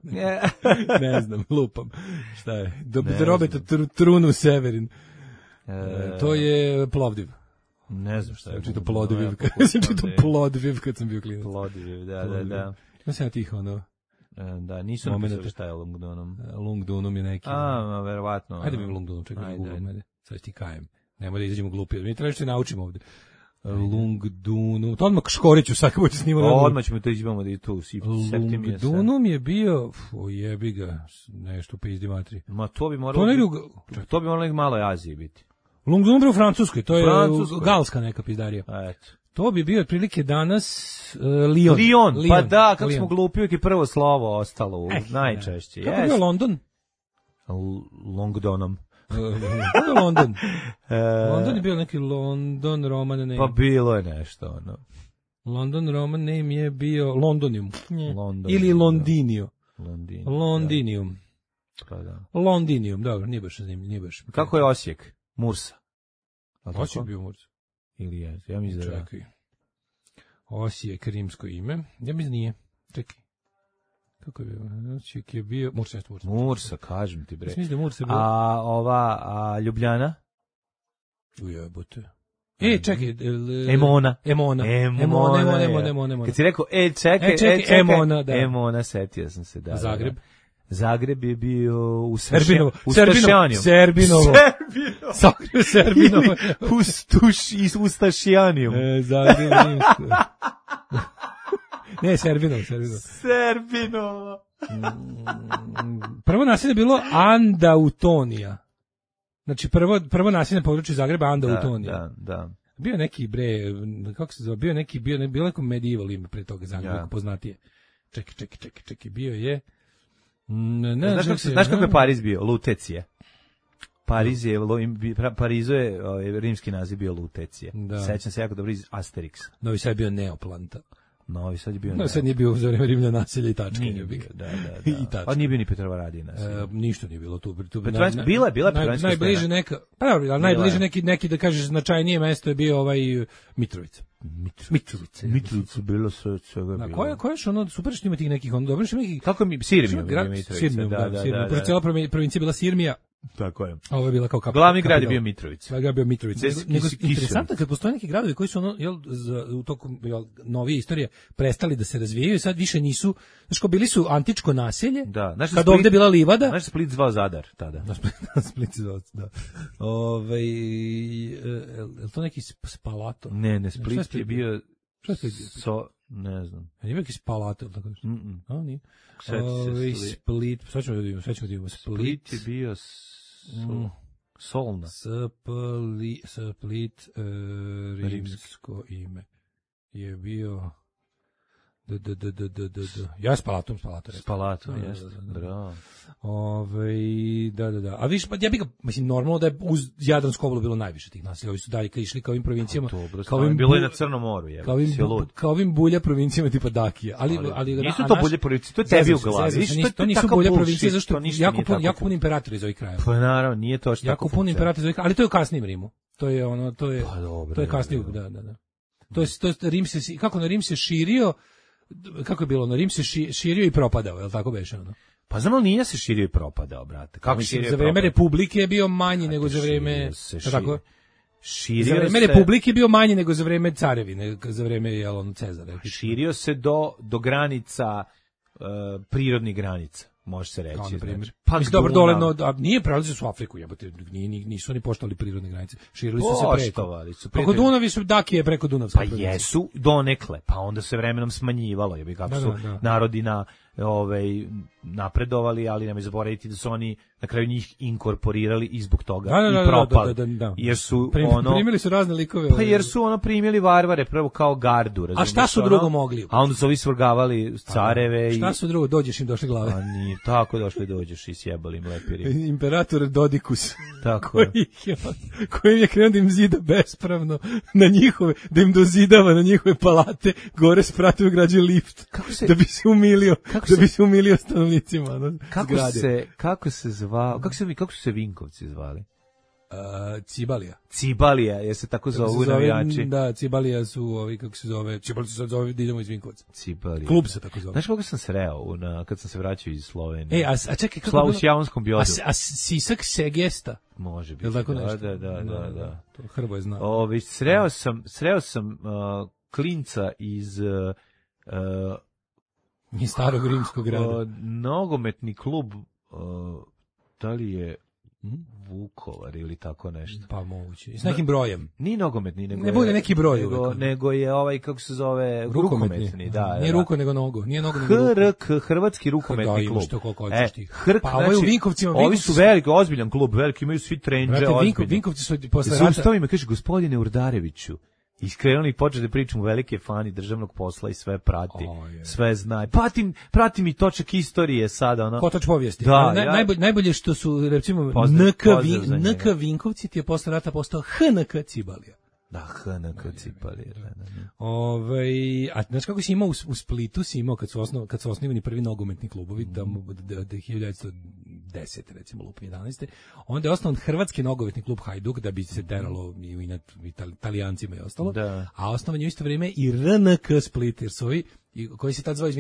Ne znam, lupam. Šta je? Robeta Trunu Severin. To je Plovdiv. Ne znam šta je. Čito Plodviv kad sam bio klinac. Plodviv, da. Ja sam ja tih Da, nisu napisali šta je Lungdunum. Lungdunum je neki. Verovatno. Ajde mi Lungdunum, čekaj, sad ti kajem. Nemoj da izađemo glupi. Mi treba što naučimo ovde. Lungdunum. To odmah Škoriću sad kako će snimati. Odmah ćemo to izbamo da i tu. Lungdunum je bio, jebi ga, nešto pizdi matri. Ma to bi moralo malo Aziji biti. Lungdunum je u Francuskoj, to je galska neka pizdarija. Eto. To bi bio otprilike danas Lyon. Pa da, kako smo glupi, uvijek je prvo slovo ostalo najčešće. Kako je bio London? Longdonom. London. London je bio neki London Roman name. Pa bilo je nešto, ono. London Roman name je bio Londonium. Ili Londinio. Londinium. Pa da. Londinium, dobro, nije baš zanimljivo. Kako je Osijek? Mursa. Osijek bio Mursa. Ili je, ja mislim da. Čekaj. Osijek, rimsko ime. Ja mislim nije. Čekaj. Kako je bio? Osijek je bio... Mursa, kažem ti, bre. Mislim da Mursa je bio... A Ljubljana? Ujebote. Čekaj. Emona. Kad si rekao, čekaj, Emona, da. Emona, setio sam se, da. Zagreb je bio u Serbinovo. Ustašijanijom. Zagreb ne, Serbinovo. Prvo naselje je bilo Andautonija. Znači prvo naselje na području Zagreba Andautonija. Da. Bio neki kako se zove, bio neko medieval ime pre toga Zagreba, poznatije. Čekaj, bio je Znaš kako je Pariz bio? Lutecije. Parizu je rimski naziv bio Lutecije. Sećam se jako dobro iz Asteriksa. Novi Sad je bio Neoplanta. Novi Sad je bio Novi Sad nije bio za vreme Rimlja naselja i tačke. Da. A nije bio ni Petrovaradija naselja. Ništa nije bilo tu. Bila Petrovaradska. Najbliže neka, najbliže neki da kažeš značajnije mesto je bio Mitrovica. Mitrovica bilo sve čega bilo. Koja je ono super što ima tih nekih dobro što neki. Kako mi Sirmija Mitrovica. Da. Cijela provincija bila Sirmija. Tako je. Ovo je bila kao glavni grad je bio Mitrovica. Glavni grad bio Mitrovica. Interesantno kad postoje neki gradovi koji su u toku novije istorije prestali da se razvijaju, sad više nisu, znači kao bili su antičko naselje. Da, kad ovde bila livada. Znaš Split zvao Zadar tada. Split zvao, da. Je to neki Spalato? Ne, Split je bio ne znam. Nije bio neki Spalato, tako nešto? Nije. Split, sad ćemo da vidimo. Split je bio Solna. Split, rimsko ime je bio ja Spalato. Spalato, jeste. Bravo. Da. A viš, ja bih ga, mislim, normalno da je uz Jadransku obalu bilo najviše tih naselja. Ovi su dalje išli kao ovim provincijama. Bilo je na Crnom moru, je. Kao ovim bulja provincijama tipa Dakija. Ali nisu to bulje provincije, to je tebi u glavi. To nisu bulja provincije, zašto jako puno imperatora iz ovih krajeva. Pa naravno, nije to što jako puno imperatora iz ovih krajeva, ali to je u kasnijem Rimu. To je kasnije, da. To je Rim se, kako na Rim se širio, kako je bilo, na Rim se širio i propadao, je li tako beše ono? Pa znam, ali nije se širio i propadao, brate. Kako širio za vreme Republike je bio manji nego za vreme, tako? Za vreme se, Republike je bio manji nego za vreme carevine, za vreme Cezara. Širio se do granica, prirodnih granica. može se reći. Na primjer. Znači, pa dobro, dole, a nije prelazili su u Afriku, jebote, nisu oni poštovali prirodne granice. Širili su se preko. Preko Dunavi su Dakije preko Dunavske. Pa jesu donekle, pa onda se vremenom smanjivalo, jebi kako su narodi napredovali, ali nemoj zaboraviti da su oni na kraju njih inkorporirali i zbog toga i propali. Jer su primili su razne likove. Pa jer su primili varvare prvo kao gardu, razumiješ? A šta su drugo mogli? A onda su ovi svrgavali careve šta su drugo, dođeš im došle glave. A nije tako dođeš i sjebali im lepiri. Imperator Dodikus. Tako koji je krenuo da im zida bespravno na njihove, da im dozidava na njihove palate, gore spratio građe lift. Da bi se umilio stanovnicima. Kako se zvao? Kako su se Vinkovci zvali? Cibalija, jer se tako zovu navijači. Da, Cibalija su ovi, kako se zove, Cibalija se zove da idemo iz Vinkovaca. Cibalija. Klub se tako zove. Znaš kako sam sreo kad sam se vraćao iz Slovenije? A čekaj, kako Slavu Sjavonskom biodu. A Sisak Segesta? Može biti. Da. To Hrvoje zna. Sreo sam klinca iz starog rimskog grada. Nogometni klub, da li je Vukovar ili tako nešto. Pa moguće. I s nekim brojem. Ni nogometni, nego ne bude neki broj. Nego je kako se zove, rukometni. Da, nije ruko nego nogo. Nije nogo nego HRK, Hrvatski rukometni klub. Pa ovo u Vinkovcima. Ovi su veliki, ozbiljan klub, veliki, imaju svi trendže, ozbiljni. Vinkovci su posle rata. Zaustavi me, kaže, gospodine Urdareviću, iskrenuli početi da pričam velike fani državnog posla i sve prati, sve zna. Pratim i točak istorije sada. Kotač povijesti. Da, najbolje što su, recimo, NK Vinkovci ti je posle rata postao HNK Cibalija. Da, HNK Cibalija. A znaš kako si imao u Splitu, kad su osnivani prvi nogometni klubovi, da 1910, recimo, lup 11. Onda je osnovan Hrvatski nogometni klub Hajduk, da bi se deralo i Italijancima i ostalo. Da. A osnovan je u isto vrijeme i RNK Split, jer su ovi, koji se tad zvao,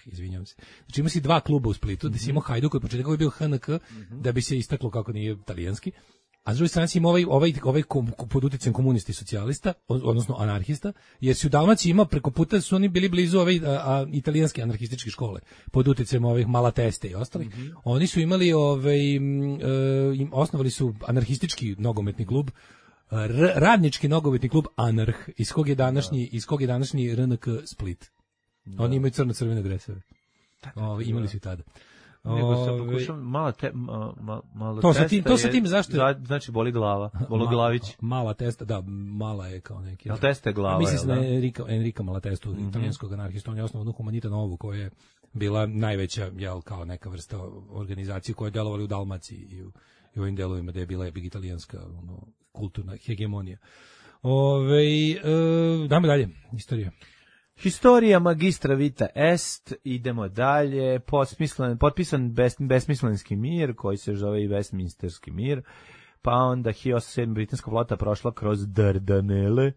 izvinjam se. Znači ima si dva kluba u Splitu, da si imao Hajduk, od početka je bio HNK, da bi se istaklo kako nije italijanski. A s druge strane si ima ovaj pod utjecajem komunista i socijalista, odnosno anarhista, jer si u Dalmaciji imao preko puta, su oni bili blizu italijanske anarhističke škole, pod utjecajem ovih Malateste i ostalih. Oni su imali, osnovali su anarhistički nogometni klub, radnički nogometni klub Anarh, iz kog je današnji RNK Split. Oni imaju crno-crvene dresove. Imali su i tada. Nego sam pokušao malo to sa tim zašto? Znači boli glava, Bologlavić. Mala testa, da, mala je kao neki. Jel testa je glava? Mislim na Enrika Malatestu, italijanskog anarhista, on je osnovao Humanita Novu, koja je bila najveća, kao neka vrsta organizacije koja je delovali u Dalmaciji i u ovim delovima, da je bila italijanska kulturna hegemonija. Dajmo dalje, istorija. Historija magistra vita est, idemo dalje, potpisan besmislenski mir, koji se zove i Westminsterski mir, pa onda 1807. britanska flota prošla kroz Dardanele,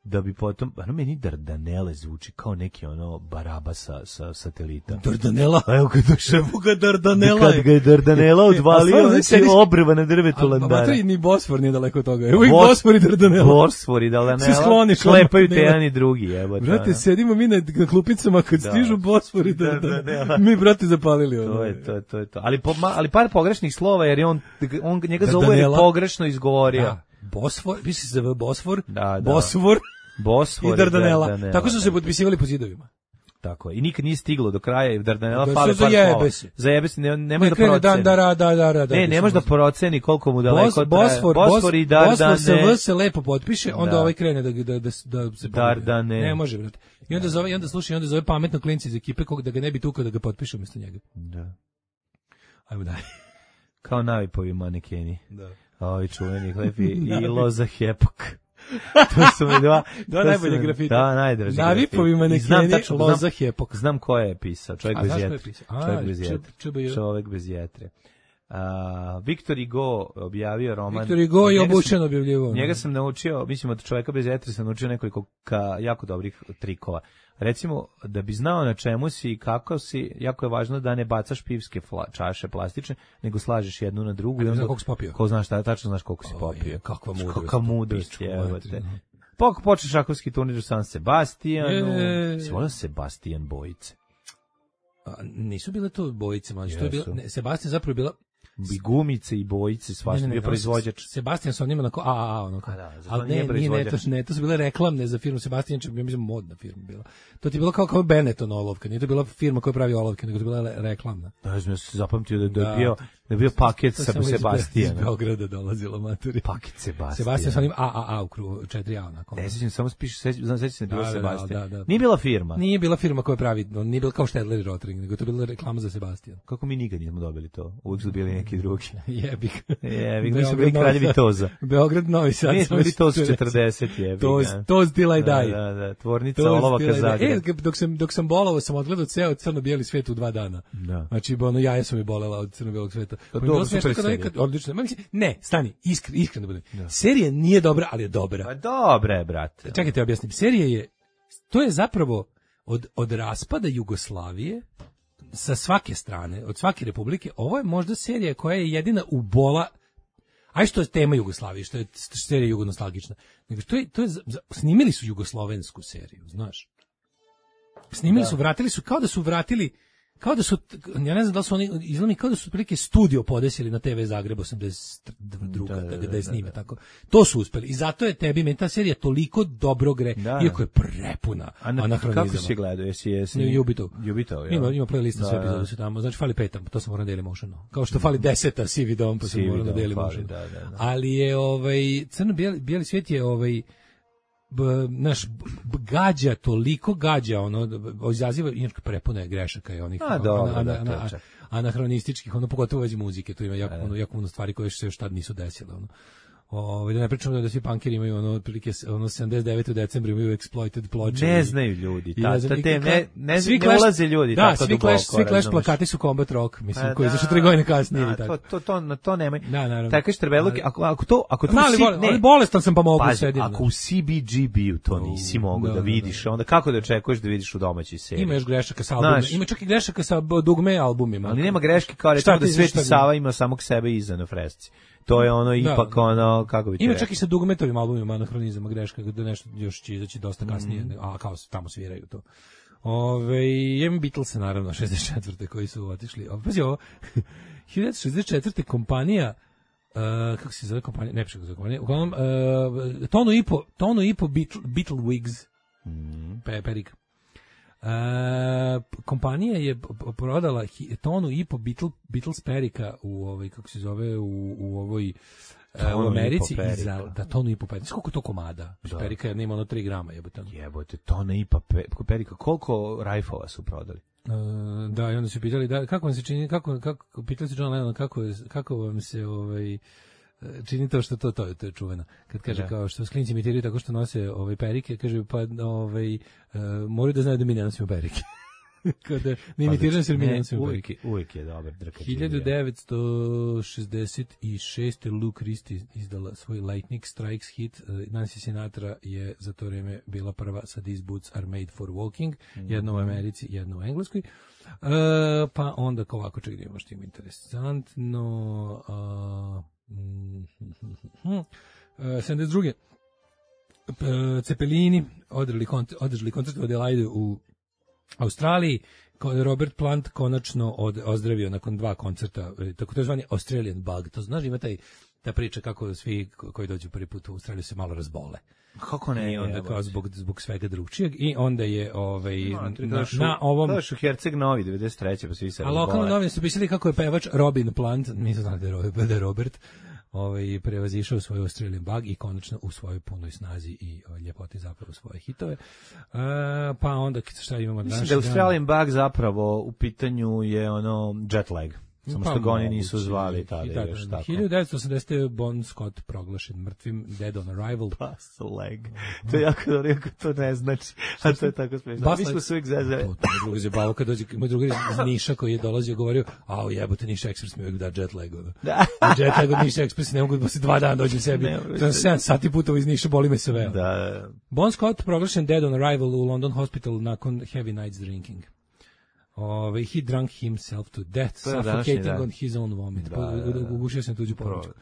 da bi potom, meni Dardanele zvuči kao neki Baraba sa satelita. Dardanela? Evo kad došao ga Dardanela. Kad ga je Dardanela odvalio, znači obrva na drvetu Landara. A ni Bosfor nije daleko od toga. Evo i Bosfor i Dardanela. Bosfor i Dardanela. Šlepaju te jedan i drugi. Brate, sedimo mi na klupicama kad stižu Bosfor i Dardanela. Mi, brate, zapalili. To je to. Ali par pogrešnih slova, jer on njega zove je pogrešno izgovorio. Bosfor, misli se zove Bosfor, Bosfor i Dardanela. Tako su se potpisivali po zidovima. Tako je. I nikad nije stiglo do kraja i Dardanela fale par slova. Zajebe se, ne može da proceni. Ne može da proceni koliko mu daleko traje. Bosfor i Dardane. Bosfor se lepo potpiše, onda ovaj krene da se Dardane. Ne može, brate. I onda zove pametno klinci iz ekipe da ga ne bi tukao da ga potpiše umjesto njega. Da. Ajmo dalje. Kao navipovi manekeni. Da. Ovi čuveni hlepi i Loza Hepok. To su mi dva najbolje grafite. Da, najdraži grafite. Navipovi manekeni, Loza Hepok. Znam ko je pisao, čovjek bez jetre. Viktor Hugo objavio roman. Viktor Hugo je obučen objavljivo. Njega sam naučio, mislim od čovjeka bez jetre sam naučio nekoliko jako dobrih trikova. Recimo, da bi znao na čemu si i kako si, jako je važno da ne bacaš pivske čaše plastične, nego slažeš jednu na drugu. Ne znam koliko si popio. Ko znaš tačno znaš koliko si popio. Kakva mudrost. Počeš šahovski turnir u San Sebastijanu. Si volio Sebastijan bojice? Nisu bile to bojice, mlađe. To je bilo, Sebastian zapravo je bila i gumice i bojice, svašta bio proizvođač. Sebastian sa onima onako onako. Ali ne, to su bile reklamne za firmu Sebastian, ja mislim modna firma bila. To ti je bilo kao Benetton olovka, nije to bila firma koja pravi olovke, nego to je bila reklamna. Da, ja se zapamtio da je bio paket sa Sebastianom. Iz Beograda dolazilo maturi. Paket Sebastian. Sebastian sa onim AAA u krugu, 4A onako. Ne sećam, samo piše, sećam se da je bio Sebastian. Da. Nije bila firma. Nije bila firma koja pravi, nije bila kao Stedler i Rotring, nego to je bila reklama za Sebastian. Kako mi nikad nismo dobili to? Uvijek su bili neki drugi. Jebik. Mi smo bili kraljevi Toza. Beograd, Novi Sad. Mi smo bili Toz 40, jebik. Toz Till I Die. Da, tvornica olovaka Zagreb. Dok sam bolovao, sam odgledao ceo crno-bijeli svet u 2 dana. Da. Znači, jaja su mi bolela od crno-bijelog sveta. Odlično. Ne, stani, iskreno da budem. Serija nije dobra, ali je dobra. Pa dobra je, brate. Čekajte, objasnim. Serija to je zapravo od raspada Jugoslavije sa svake strane, od svake republike, ovo je možda serija koja je jedina ubola, što je tema Jugoslavije, što je serija jugonostalgična, nego to je snimili su jugoslovensku seriju, znaš. Snimili su, vratili su, kao da su, ja ne znam da li su oni, izgleda kao da su prilike studio podesili na TV Zagreb 82. Da je snime tako. To su uspeli i zato je tebi ta serija toliko dobro gre, iako je prepuna anahronizama. Kako si gledao? Jesi Jubito, ja. Ima playlista sve epizode su tamo, znači fali 5, to sam morao da Dailymotionu. Kao što fali 10 CD-om, pa sam morao na Dailymotionu. Ali je crno-bijeli svijet je naš gađa, toliko gađa, izaziva, inače prepuna je grešaka i onih anahronističkih, pogotovo vezi muzike, tu ima jako puno stvari koje se još tad nisu desile, da ne pričamo da svi punkeri imaju otprilike 79. u decembru imaju exploited ploče. Ne znaju ljudi, ne ulaze ljudi tako duboko. Svi Clash plakati su Combat Rock, mislim, koji zašto 3 godine kasnije. To nemoj. Takve štrebeluke, ako to ali bolestan sam pa mogu sedim. Ako u CBGB-u to nisi mogu da vidiš, onda kako da očekuješ da vidiš u domaćoj seriji? Ima još grešaka sa albumima, ima čak i grešaka sa dugme albumima. Ali nema greške kao recimo da Sveti Sava ima samog sebe iza na fresci. To je ipak kako bi ti ima čak i sa dugmetovim albumima anahronizama greška, da nešto još će izaći dosta kasnije, a kao tamo sviraju to. Imam Beatlese, naravno, 64. koji su otišli. Pazi ovo, 1964. kompanija, kako se zove kompanija? Ne piše kako se zove kompanija. Uglavnom, tonu i po Beatle Wigs, perika. Kompanija je prodala tonu i po Beatles perika u kako se zove u ovoj u Americi za tonu i po perika. Koliko to komada? Perika nema 3 grama, jebote, tona i po perika. Koliko rajfova su prodali? Da, i onda su pitali kako vam se čini, kako pitali su John Lennon kako vam se čini to što to je čuveno. Kad kaže kao što sklinci imitiraju tako što nose perike, kaže pa moraju da znaju da mi ne nosimo perike. Kada ne imitiraju se mi ne nosimo perike. Uvijek je dobar drkač. 1966. Luke Christie izdala svoj Lightning Strikes hit. Nancy Sinatra je za to vreme bila prva sa These Boots Are Made For Walking. Jedno u Americi, jedno u Engleskoj. Pa onda kao ovako čak da imamo što ima interesantno. 72. Cepelini održali koncert u Adelaide u Australiji. Robert Plant konačno ozdravio nakon 2 koncerta, tako to je zvani Australian Bug. To znaš, ima ta priča kako svi koji dođu prvi put u Australiju se malo razbole. Kako ne? I onda kao zbog svega drugčijeg i onda je na ovom... To je u Herceg Novi, 93. pa svi se razbole. A lokalni novine su pisali kako je pevač Robin Plant, nisu znali da je Robert, prevazišao svoj Australian Bug i konačno u svojoj punoj snazi i ljepoti zapravo svoje hitove. Pa onda šta imamo danas? Mislim da Australian Bug zapravo u pitanju je jet lag. Samo što ga oni nisu zvali tada još tako. 1980. Bon Scott proglašen mrtvim, dead on arrival. Bus leg. To je jako dobro, ako to ne znači. A to je tako smiješno. Mi smo se uvijek zezali. To je drugi zabavio kad dođe, moj drugi iz Niša koji je dolazio govorio, jebote, Niša Express mi uvijek da jet lag. Jet lag od Niša Express ne mogu da se 2 dana dođem sebi. To je 7 sati putova iz Niša, boli me se veo. Bon Scott proglašen dead on arrival u London Hospital nakon heavy nights drinking. He drunk himself to death, suffocating on his own vomit. Ugušio sam tuđu povrćku.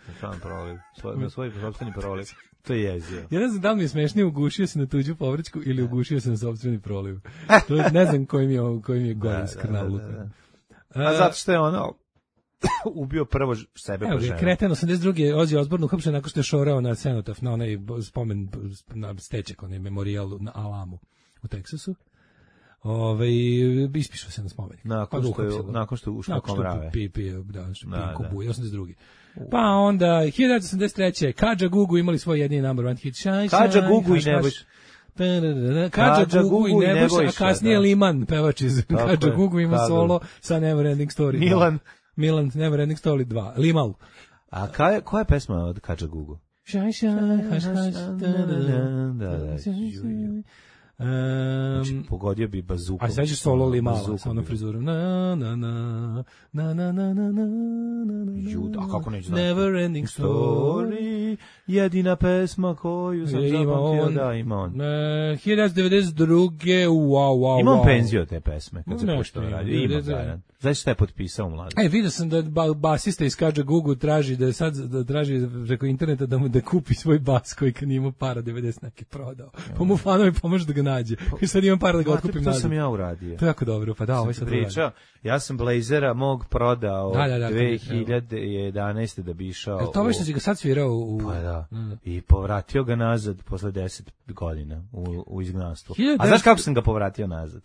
Na svoj sopstveni proliv. To je jezio. Ja ne znam da li mi je smešnije ugušio se na tuđu povrćku ili ugušio se na sopstveni proliv. To ne znam koji mi je gore skrnavluka. A zato što je ono ubio prvo sebe po ženu. Kreten 82. Ozzy Osbourne uhapšen nakon što je šorao na cenotaf, na onaj spomen, na steček, onaj memorijal na Alamu u Teksasu. Ispišao se na spomenik. Nakon što je ušao komrave. Pije kubuje, 82. Pa onda, 1983. Kadža Gugu imali svoj jedini number one hit. Kadža Gugu i Nebojša. Kadža Gugu i Nebojša, a kasnije Liman, pevač iz Kadža Gugu ima solo sa Neverending Story. Milan, Neverending Story 2. Limal. A koja je pesma od Kadža Gugu? Šaj, haš, znači, pogodio bi bazukom. A sad ćeš solo Limala sa onom frizurom. Na. A kako neću znati? Neverending Story. Jedina pesma koju sam zapamtio. Da, ima on. 1992. Wow. Ima on penziju od te pesme, kad se pošto radi. Ima zajedno. Znači šta je potpisao mladi? Vidio sam da basista iz Kadža Gugu traži traži preko interneta da kupi svoj bas koji kad nije imao para 90 neki prodao. Pa mu fanovi pomože da ga nađe. I sad imam para da ga otkupim nazad. To sam ja uradio. To je jako dobro, pa da, ovo sad pričao. Ja sam Blazera mog prodao 2011. da bi išao. To što si ga sad svirao u... Pa da. I povratio ga nazad posle 10 godina u izgnanstvu. A znaš kako sam ga povratio nazad?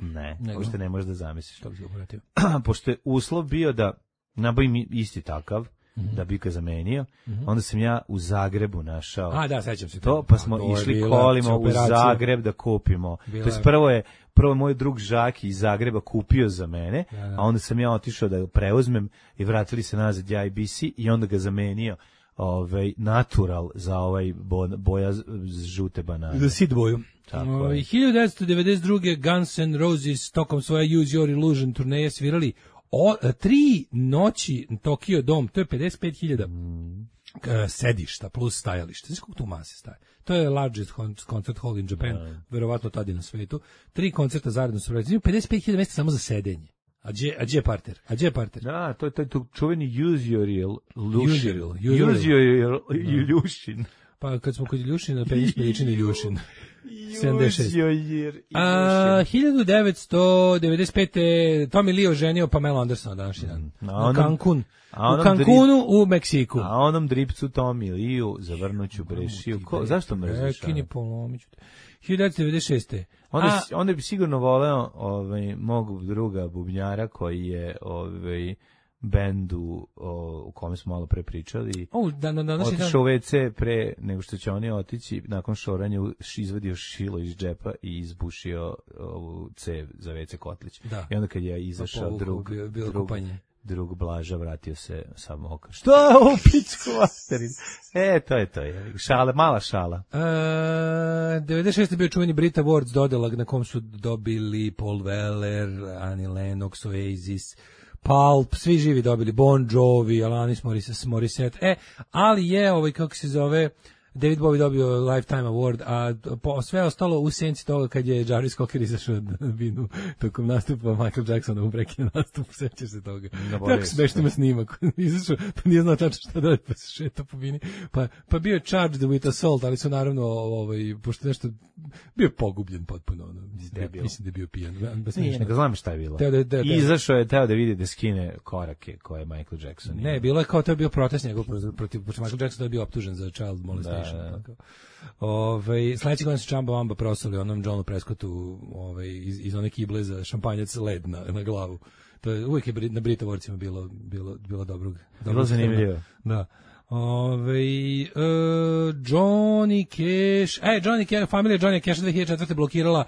Ne, pošto ne možeš da zamisliš. Što bi ga povratio? Pošto je uslov bio da nabavim isti takav, da bi ga zamenio, onda sam ja u Zagrebu našao. A da, sećam se to. Pa smo išli kolima u Zagreb da kupimo. To je prvo moj drug Žaki iz Zagreba kupio za mene, a onda sam ja otišao da ga preuzmem i vratili se nazad ja i BC i onda ga zamenio natural za boja žute banane. Za sid boju. 1992. Guns N' Roses tokom svoje Use Your Illusion turneje svirali 3 noći Tokyo Dome, to je 55.000 sedišta plus stajališta. Znaš koliko tu mase staje? To je largest concert hall in Japan, verovatno tada na svetu. 3 koncerta zaredno su radili. 55.000 mesta samo za sedenje. A gdje je parter? Da, to je čuveni Use Your Illusion. Use Your Illusion. Pa kad smo kod Iljušina, penješ Peličin Iljušin. 76. 1995. Tommy Lee oženio Pamela Andersona današnji dan. U Cancunu u Meksiku. A onom dripcu Tommy Lee-u zavrnuću brešiju. Zašto mrziš? Kini polomiću. 1996. Onda bi sigurno voleo mog druga bubnjara koji je bendu u kome smo malo pre pričali. Otišao u WC pre nego što će oni otići, nakon šoranja izvadio šilo iz džepa i izbušio ovu cev za WC kotlić. Da. I onda kad je izašao drug Blaža vratio se sa mokar. Što je ovo pičku materin? To je. Mala šala. 96. je bio čuveni Brit Awards dodela na kom su dobili Paul Weller, Annie Lennox, Oasis, Pulp, svi živi dobili, Bon Jovi, Alanis Morissette, ali je, kako se zove, David Bowie dobio Lifetime Award, a sve ostalo u senci toga kad je Jarvis Cocker izašao na binu tokom nastupa Michael Jacksona u prekinu nastupu, sećaš se toga. Tako smešno ima snimak, izašao, pa nije znao tačno šta da pa se šeta po bini, pa bio je charged with assault, ali su naravno, pošto nešto, bio pogubljen potpuno, mislim da je bio pijan. Nije, nego znam šta je bilo. Izašao je teo da vidi da skine korake koje je Michael Jackson. Ne, bilo je kao to je bio protest njegov protiv Michael Jacksona je bio optužen za child molestation. Sledeći godin su Chamba Wamba prosali onom Johnu Prescottu iz one kible za šampanjac led na glavu. To je uvijek je na Britovorcima bilo dobrog. Bilo zanimljivo. Da. Johnny Cash, familija Johnny Cash 2004. blokirala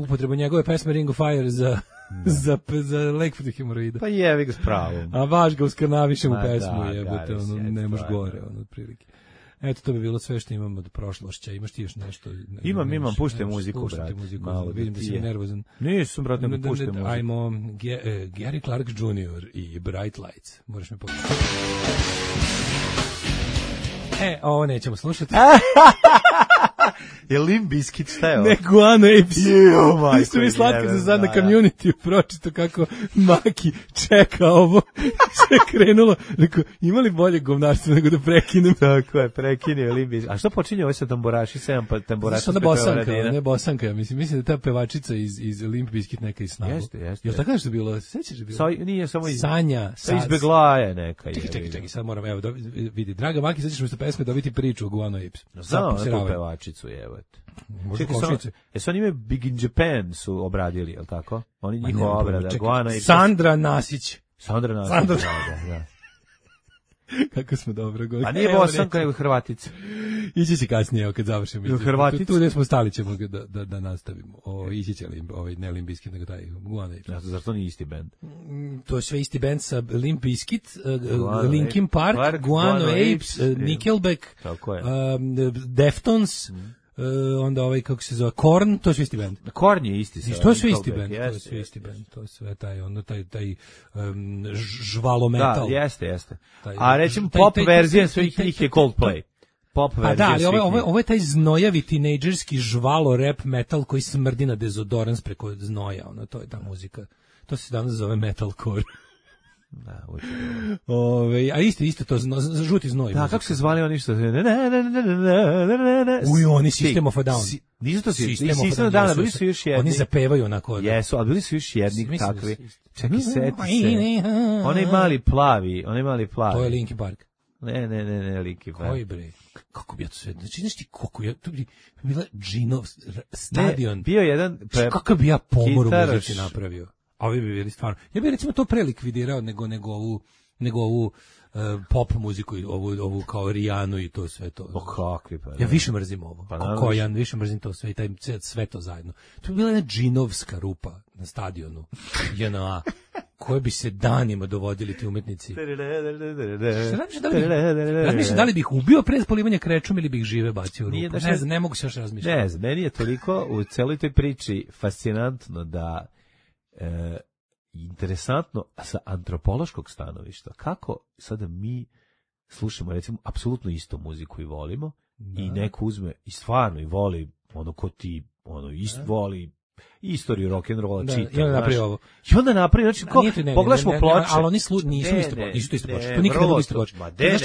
upotrebu njegove pesme Ring of Fire za lek protiv hemoroida. Pa jevi ga s pravom. A vaš ga uskrnavišem u pesmu, jebote, ne može gore, otprilike. Eto, to bi bilo sve što imam od prošlošća. Imaš ti još nešto? Imam, puštaj muziku, brate. Vidim da si nervozan. Nisam, brate, ne puštaj muziku. Ajmo, Gary Clark Jr. i Bright Lights. Moraš me pogledati. Ovo nećemo slušati. Je Limp Bizkit, šta je ovo? Ne, Guano Apes. Jo, majko. Isto mi slatko za sad na Community pročito kako Maki čeka ovo. Sve krenulo. Rekao, ima li bolje govnarstva nego da prekinem? Tako je, prekinio Limp Bizkit. A što počinje ovo sa tamburaši, 7 tamburaša? Znaš, Bosanka, ne Bosanka. Mislim da ta pevačica iz Limp Bizkit neka iz Snagu. Jeste. Jel tako nešto bilo? Sećaš da bilo? Nije samo Sanja. Izbegla je neka. Čekaj, sad moram, evo, vidi. Draga Maki, sad ćeš mi pesme dobiti priču o Guano Apes. Znao na tu pevačicu, jebate. Jesu oni ime Big in Japan su obradili, je li tako? Oni njihova obrada, Guano Apes. Sandra Nasić. Da. Kako smo dobro govorili. A nije Bosanka, nego Hrvatica. Ići će kasnije, evo kad završimo. Hrvatica? Tu gdje smo stali ćemo da nastavimo. Ići će ne Limp Bizkit, nego taj Guano Apes. Zar to nije isti band? To je sve isti band sa Limp Bizkit, Linkin Park, Guano Apes, Nickelback, Deftones, onda kako se zove, Korn, to je sve isti band. Korn je isti. To je sve isti band, to je sve isti band, to je sve taj žvalo metal. Da, jeste. A recimo pop verzija svih njih je Coldplay. Pop verzija. Da, ali ovo je taj znojavi tinejdžerski žvalo rap metal koji smrdi na dezodorans preko znoja, to je ta muzika. To se danas zove metalcore. Da, a isto to žuti znoj. Da, kako se zvali oni što oni System of a Down. Nisu to System of a Down, bili su još jedni. Oni zapevaju onako. Jesu, ali bili su još jedni takvi. Čekaj, seti se. Onaj mali plavi. To je Linkin Park. Ne, Linkin Park. Koji bre? Kako bi ja to sve... Znači, nešto ti koliko ja... To bi bila Džinov stadion. Bio jedan... Kako bi ja pomor u muzici napravio? A ovi bi bili stvarno. Ja bih recimo to prelikvidirao nego ovu pop muziku, ovu kao Rijanu i to sve to. Kakvi pa. Ja više mrzim ovo. Kokojan, više mrzim to sve i taj sve to zajedno. To bi bila jedna džinovska rupa na stadionu. JNA. Koje bi se danima dovodili ti umetnici. Razmišljam da li bih ubio pre polivanja krečom ili bih žive bacio u rupu. Ne znam, ne mogu se još razmišljati. Ne znam, meni je toliko u celoj toj priči fascinantno da interesantno sa antropološkog stanovišta kako sada mi slušamo recimo apsolutno istu muziku i volimo i neko uzme i stvarno i voli ono ko ti voli istoriju rock and rolla čita. I onda napravi znači pogledaš mu ploče. Ali oni nisu isto ploče. To nikada nije isto ploče. Znaš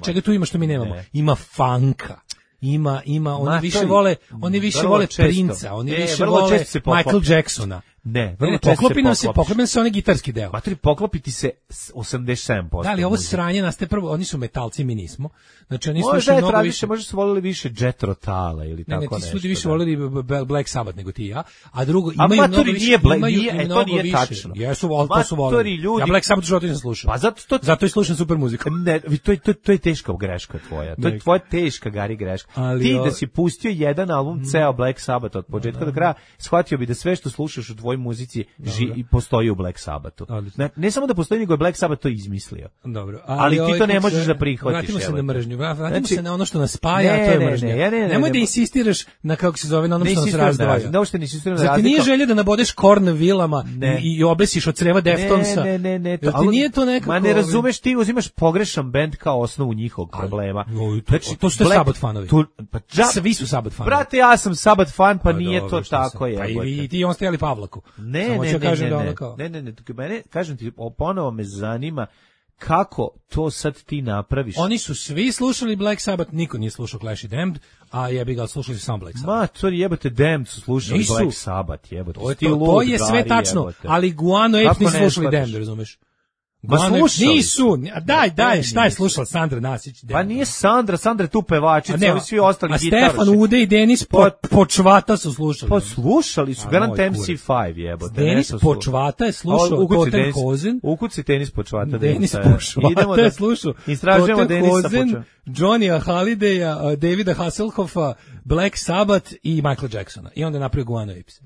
čega tu ima što mi nemamo? Ima funka. Ima, oni više vole Princa, oni više vole Michael Jacksona. Ne, poklopi se onaj gitarski deo. Matri, poklopiti se 87%. Da, ali ovo sranje nastaje prvo, oni su metalci, mi nismo. Znači, oni slušaju mnogo više. Možda su volili više Jet Rotala ili tako nešto. Ne, ti su više volili Black Sabbath nego ti ja. A drugo, imaju mnogo više. To nije tačno. Jesu, to su volili. Ja Black Sabbath životu nisam slušao. Pa zato i slušam super muziku. Ne, to je teška greška tvoja. To je tvoja teška Gari greška. Ti da si pustio jedan album ceo Black Sabbath od početka do kraja, shvatio bi da sve što slušaš u tvojoj muzici postoji u Black Sabbathu. Ne samo da postoji, nego je Black Sabbath to izmislio. Dobro. Ali ti to ne možeš da prihvatiš. Vratimo se na mržnju. Vratimo se na ono što nas spaja, a to je mržnja. Nemoj da insistiraš na kako se zove, na ono što nas razdvaja. Zar ti nije želja da nabodeš Korn vilama i obesiš od creva Deftonsa? Ne. Ti nije to nekako... Ma ne razumeš, ti uzimaš pogrešan bend kao osnovu njihovog problema. To su Sabbath fanovi. Svi su Sabbath fanovi. Brate, ja sam Sabbath fan, pa nije to tako. Pa i ti on stajali Pavlaku. Ne, kažem ti, ponovo me zanima kako to sad ti napraviš. Oni su svi slušali Black Sabbath, niko nije slušao Clash i Damned, a jebi ga, slušali su sam Black Sabbath. Ma, to jebate, Damned su slušali Black Sabbath, jebate. To je sve tačno, ali Guano Apes nisu slušali Damned, razumeš? Ma slušali nisu. Daj, šta je slušala Sandra Nasić? Pa nije Sandra je tu pevačica, ovi svi ostali gitaroši. A Stefan Ude i Denis Počvata su slušali. Pa slušali su, garant MC5 jebote. Denis Počvata je slušao Totem Hosen. Ukuci Denis Počvata. Denis Počvata je slušao Totem Hosen, Johnnya Hallidaya, Davida Hasselhoffa, Black Sabbath i Michael Jacksona. I onda napravio Guano Apes.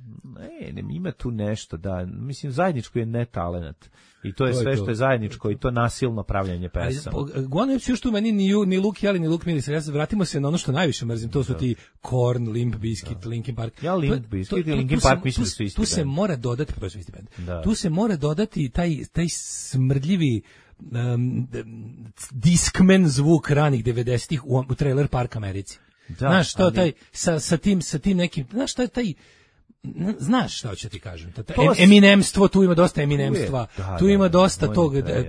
Ne, ima tu nešto, da, mislim, zajedničko je netalenat. I to je sve što je zajedničko i to nasilno pravljanje pesama. Guano Apes još tu meni ni Luke Jeli, ni Luke Miris. Vratimo se na ono što najviše mrzim, to su ti Korn, Limp Bizkit, Linkin Park. Ja Limp Bizkit i Linkin Park mislim da su isti band. Tu se mora dodati, to su isti band. Tu se mora dodati taj smrdljivi Discman zvuk ranih 90-ih u Trailer Park Americi. Znaš, što taj, sa tim nekim, znaš, šta je taj, znaš šta hoću ti kažem. Eminemstvo, tu ima dosta eminemstva. Tu ima dosta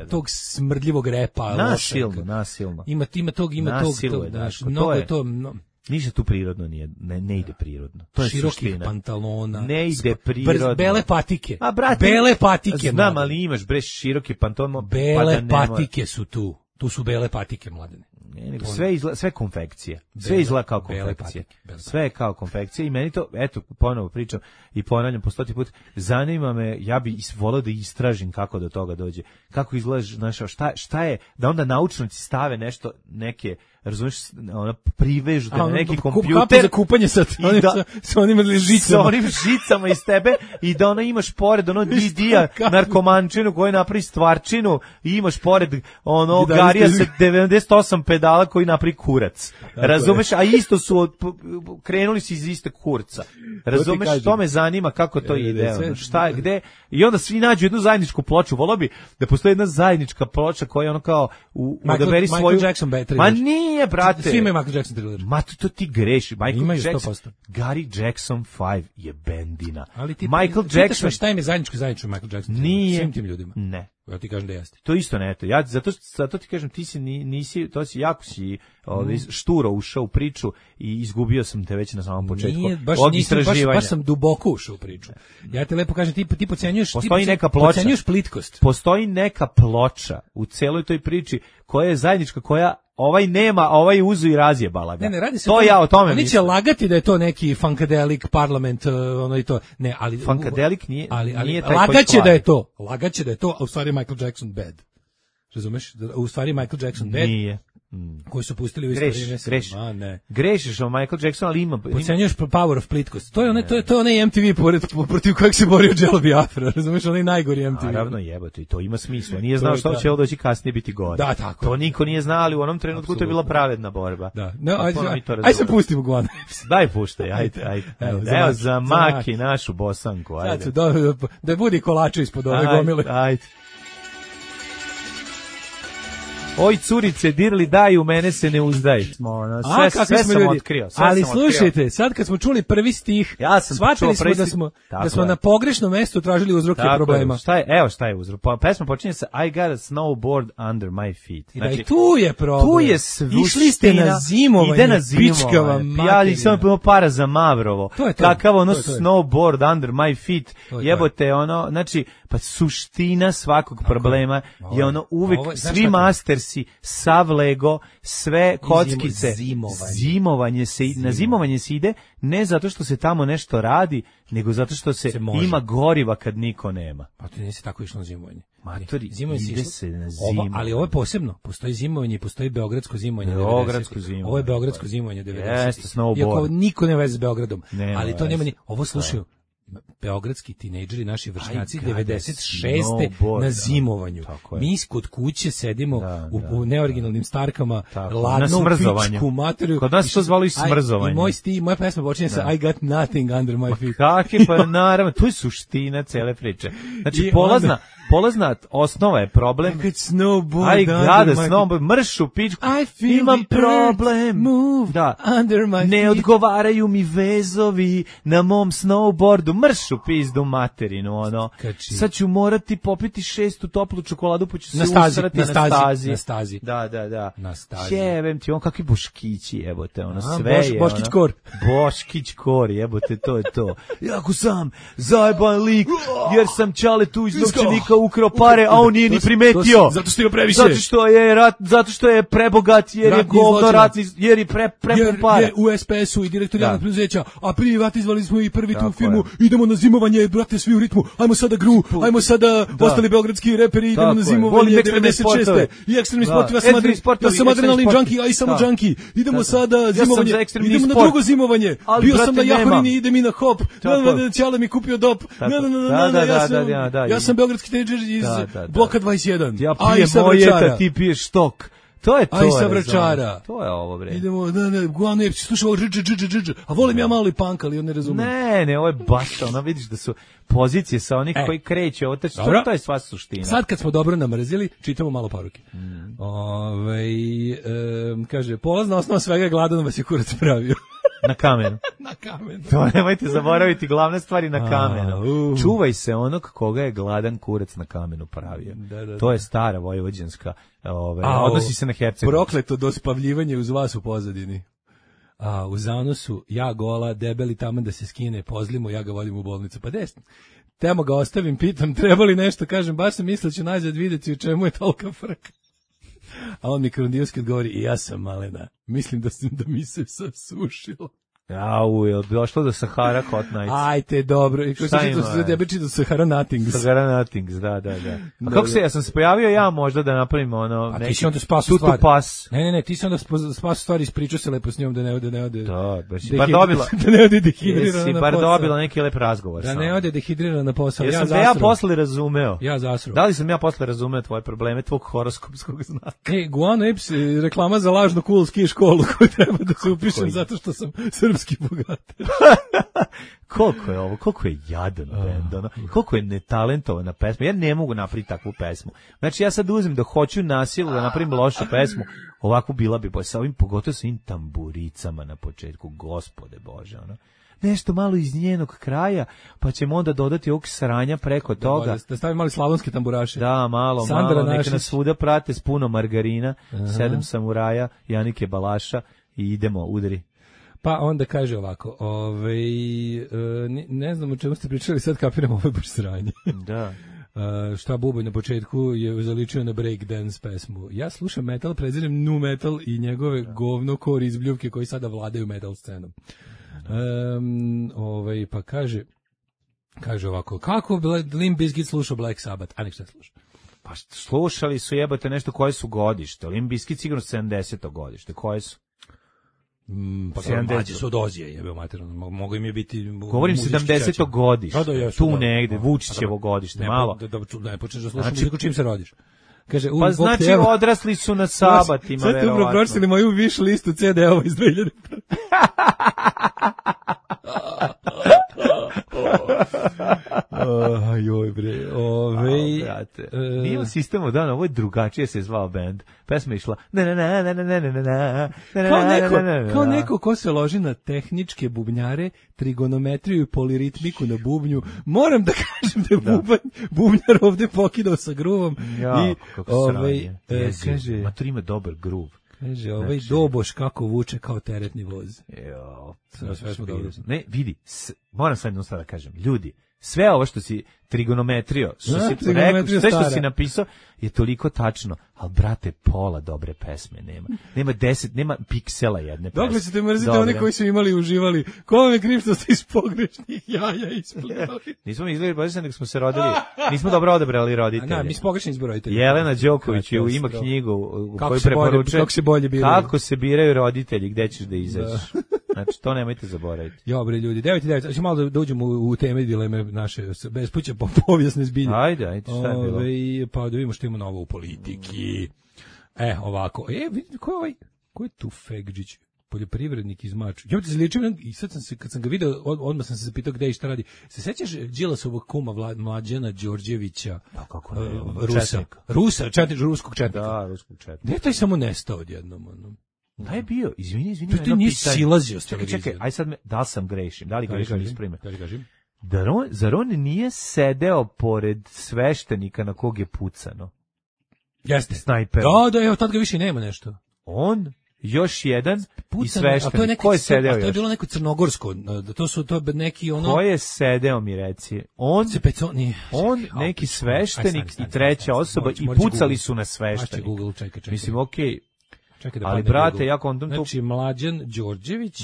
tog smrdljivog repa. Nasilno. Ima tog, znaš, mnogo je to... Ništa tu prirodno nije, ne ide prirodno. To je širokih suština. pantalona. Ne ide prirodno. Bele patike. A brate, bele patike. Znam, ali imaš široki pantalon. Bele patike su tu. Tu su bele patike, Mladene. Ne, sve konfekcije. Sve izgleda kao konfekcije. Sve je kao konfekcije i meni to, eto, ponovo pričam i ponavljam po 100 put, zanima me, ja bi voleo da istražim kako do toga dođe. Kako izgleda, znaš, šta je, da onda naučnici stave nešto, neke, razumiješ, privežu na neki kompjuter. Kapu za kupanje sa onim žicama. Sa onim žicama iz tebe i da ona imaš pored ono Didija, narkomančinu koji napravi stvarčinu i imaš pored ono Garija sa 98 pedala koji napravi kurac. Razumeš? A isto su krenuli su iz iste kurca. Razumeš? To me zanima kako to ide. Šta, gde? I onda svi nađu jednu zajedničku ploču. Volao bi da postoji jedna zajednička ploča koja ono kao odaberi svoju... Michael Jackson Battery. Ma nije, brate. Svi imaju Michael Jackson Thriller. Ma to ti greši. Michael Jackson, Gary Jackson 5 je bendina. Ali ti Michael Jackson... Šta im je zajedničko Michael Jackson? Nije. Svim tim ljudima. Ne. Ja ti kažem da jeste. To isto ne, ja zato ti kažem ti nisi to si jako si šturo ušao u priču i izgubio sam te već na samom početku. Nije, baš sam duboko ušao u priču. Ja te lepo kažem ti podcenjuješ, podcenjuješ plitkost. Postoji neka ploča u celoj toj priči koja je zajednička, koja ovaj nema, a ovaj uzu i razjebala ga. Ne, radi se to ja o tome oni će lagati da je to neki funkadelic parlament, ono i to. Ne, ali funkadelic nije taj lagaće da je to, a u stvari Michael Jackson bad. Razumeš? U stvari Michael Jackson bad. Nije. Koji su pustili u istoriji. Grešiš o Michael Jackson, ali ima... Podcenjuješ power of plitkost. To je onaj MTV protiv kojeg se borio Jello Biafra, razumiješ, onaj najgori MTV. Naravno jebote, i to ima smisla. Nije znao što će ovo doći kasnije biti gore. Da, tako. To niko nije znao, ali u onom trenutku to je bila pravedna borba. Da. No, aj se pustimo Guana. Daj puštaj, ajde. Evo za Maki našu bosanku, ajde. Da budi kolače ispod ove gomile. Ajde. Oj, curice, dirli daj, u mene se ne uzdaj. Sve sam otkrio. Ali slušajte, sad kad smo čuli prvi stih, shvatili smo da smo na pogrešnom mestu tražili uzroke problema. Šta je uzrok? Pesma počinje sa I got a snowboard under my feet. Znači, da i tu je problem. Tu je suština. Išli ste na zimovanje. Ide na zimovanje. Ja nisam imao para za Mavrovo. Kakav ono snowboard under my feet. Jebote, ono, znači, pa suština svakog problema je ono uvek, svi mastersi, sav Lego, sve kockice, na zimovanje se ide ne zato što se tamo nešto radi, nego zato što se ima goriva kad niko nema. Pa ti nisi tako išlo na zimovanje. Matori, ide se na zimovanje. Ali ovo je posebno, postoji zimovanje i postoji beogradsko zimovanje. Ovo je beogradsko zimovanje 90. Jeste, snowboard. Iako niko ne veze s Beogradom, ali to nema ni, ovo slušaju beogradski tinejdžeri, naši vršnjaci 96. na zimovanju. Mi kod kuće sedimo u neoriginalnim starkama, ladnom pičku materiju. Kod nas to zvalo i smrzovanje. I moja pesma počinje sa I got nothing under my feet. Kakve, pa naravno, to je suština cele priče. Znači, polazna osnova je problem. I got snowboard, mršu pičku, imam problem. Ne odgovaraju mi vezovi na mom snowboardu, mršu pizdu materinu, ono. Sad ću morati popiti 6. toplu čokoladu, pa ću se usrati na stazi. Da. Na stazi. Jebem ti, on kakvi boškići, jebote, ono, sve je. Boškić kor. Boškić kor, jebote, to je to. Jako sam zajeban lik, jer sam čale tu iz novčanika ukrao pare, a on nije ni primetio. Zato što je previše. Zato što je prebogat, jer je govno ratni, jer je prepun para. Jer je u SPS-u i direktor javnog preduzeća, a privatizovali smo i prvi tu firmu, idemo na zimovanje, brate, svi u ritmu, ajmo sada gru, ajmo sada ostali beogradski reperi, idemo na zimovanje 96. I ekstremni sport, ja sam adrenalin junkie, a i samo junkie, idemo sada zimovanje, idemo na drugo zimovanje, bio sam na Jahorini, idem i na hop, Ćale mi kupio dop, ja sam beogradski tinejdžer iz bloka 21. Ja pijem mojeta, ti piješ štok. To je to. Aj sa vračara. To je ovo, bre. Idemo, Guano Epsi, slušaj ovo, a volim ja malo i punk, ali on ne razumem. Ne, ovo je baš, ono vidiš da su pozicije sa onih koji kreće, to je sva suština. Sad kad smo dobro namrzili, čitamo malo poruke. Kaže, polazna osnova svega je gladan vas je kurac pravio. Na kamenu. Na kamenu. To nemojte zaboraviti, glavne stvari na kamenu. Čuvaj se onog koga je gladan kurac na kamenu pravio. To je stara vojvođanska, odnosi se na Hercegovinu. Prokleto dospavljivanje uz vas u pozadini. U zanosu, ja gola, debeli taman da se skine, pozlimo, ja ga volim u bolnicu. Pa desno. Temo ga ostavim, pitam, treba li nešto, kažem, baš sam mislio ću nazad vidjeti u čemu je tolika frka. A on mi krondijski odgovori, i ja sam malena, mislim da mi se sasušilo. Je došlo do Sahara Hot Nights. Ajte, dobro. I šta ima? Do Sahara Nothings. Sahara Nothings, da. A kako se, ja sam se pojavio ja možda da napravim ono... A ti si onda spasu stvari. Ne, ti si onda spasu stvari, ispričao se lepo s njom da ne ode... Da, bar dobila... Da ne ode dehidrirana na posao. Bar dobila neki lep razgovor. Da ne ode dehidrirana na posao. Ja posle razumeo. Ja zasro. Da li sam ja posle razumeo tvoje probleme, tvog horoskopskog znaka? Guano Eps, reklama za lažnu cool ski školu koju treba da se upišem zato što sam srpski bogater. Koliko je jadan bend, ono, koliko je netalentovana pesma. Ja ne mogu napraviti takvu pesmu. Znači ja sad uzmem da hoću na silu da napravim lošu pesmu, ovako bila bi sa ovim, pogotovo sa ovim tamburicama na početku, Gospode Bože, ono. Nešto malo iz njenog kraja, pa ćemo onda dodati ovog sranja preko toga. Da stavim mali slavonske tamburaše. Da, malo, neka nas svuda prate s puno margarina, 7 samuraja, Janike Balaša i idemo, udari. Pa onda kaže ovako, ne znam o čemu ste pričali, sad kapiram, ovo je baš sranje. Da. Šta Bubanj na početku je zaličio na breakdance pesmu. Ja slušam metal, prezirem nu metal i njegove govno core izbljuvke koji sada vladaju metal scenom. Pa kaže ovako, kako Limp Bizkit slušao Black Sabbath, a nek šta sluša? Pa slušali su, jebate, nešto koje su godište. Limp Bizkit sigurno 70. godište, koje su? Pa mlađi su od Ozije, jebeo materijalno, mogu im je biti... Govorim 70. godište, tu negde, Vučićevo godište, malo. Ne počneš da slušaš muziku čim se rodiš. Kaže, pa znači odrasli su na sabatima, verovatno. Sad tu pročitali moju wish listu CD-ova iz 2000. Joj bre, brate. Nije u sistemu dana, ovo je drugačije se zvao band. Pesma je išla kao neko ko se loži na tehničke bubnjare, trigonometriju i poliritmiku na bubnju. Moram da kažem da je bubnjar ovde pokidao sa gruvom. Ja, kako sranje. Kaže, ma to ima dobar gruv. Kaže, doboš kako vuče kao teretni voz. Sve smo dobro. Ne, vidi, moram sad jednu stvar da kažem. Ljudi, sve ovo što si trigonometrio, sve što si napisao je toliko tačno, ali brate, pola dobre pesme nema. Nema piksela jedne pesme. Dokle ćete mrziti one koji su imali i uživali? Ko vam je kriv što ste iz pogrešnih jaja isplivali? Nismo mi izgledali pogrešno, nego smo se rodili. Nismo dobro odabrali roditelje. Mi smo pogrešni izbor roditelji. Jelena Đoković ima knjigu u kojoj preporučuje kako se biraju roditelji, gde ćeš da izađeš. Znači, to nemojte zaboraviti. Bre, ljudi, 9:09, hoćemo malo da uđemo u teme dileme naše, bespuće po povijesne zbilje. Ajde, šta je bilo? Pa da vidimo što ima novo u politiki. Ovako. Ko je tu Fegđić? Poljoprivrednik iz Maču. Ja ti zličim, i sad kad sam ga video, odmah sam se zapitao gde i šta radi. Se sećaš Đilasovog kuma Mlađana Đorđevića? Pa kako ne? Ruskog četnika. Da, ruskog četnika. Gde je taj samo nestao odjednom? Da je bio, izvini. To nije silazio s televizije. Čekaj, aj sad da li sam grešim? Da li grešim isprime? Zar on nije sedeo pored sveštenika na kog je pucano? Jeste. Snajper. Da, tad ga više nema nešto. On, još jedan i sveštenik. Ko je sedeo još? To je bilo neko crnogorsko. To je neki ono... Ko je sedeo, mi reci? On, neki sveštenik i treća osoba i pucali su na sveštenik. Google, čekaj. Mislim, okej. Ali, brate, ja kontam to... Znači, Mlađan Đorđević...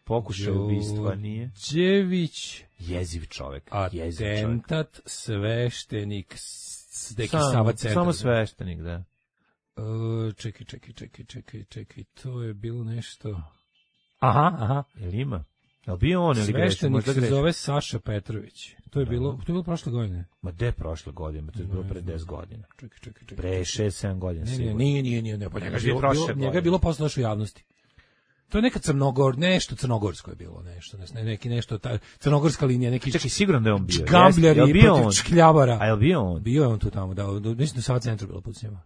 Pokušaj ubistva, nije? Đorđević... Jeziv čovek. Atentat, sveštenik, neki Sava Centar. Samo sveštenik, da. Čekaj, to je bilo nešto... Aha. Jel ima? Jel bio on ili grešio? Sveštenik se zove Saša Petrović. To je bilo prošle godine. Ma de prošle godine, to je bilo pre 10 godina. Čekaj. Pre 6-7 godina. Nije, pa njega je bilo posle našu javnosti. To je neka nešto crnogorsko je bilo, nešto crnogorska linija, neki čekaj, sigurno da je on bio. Gambljari i protiv škljavara. A je li bio on? Bio je on tu tamo, da, mislim da Sava centru bilo pucnjava.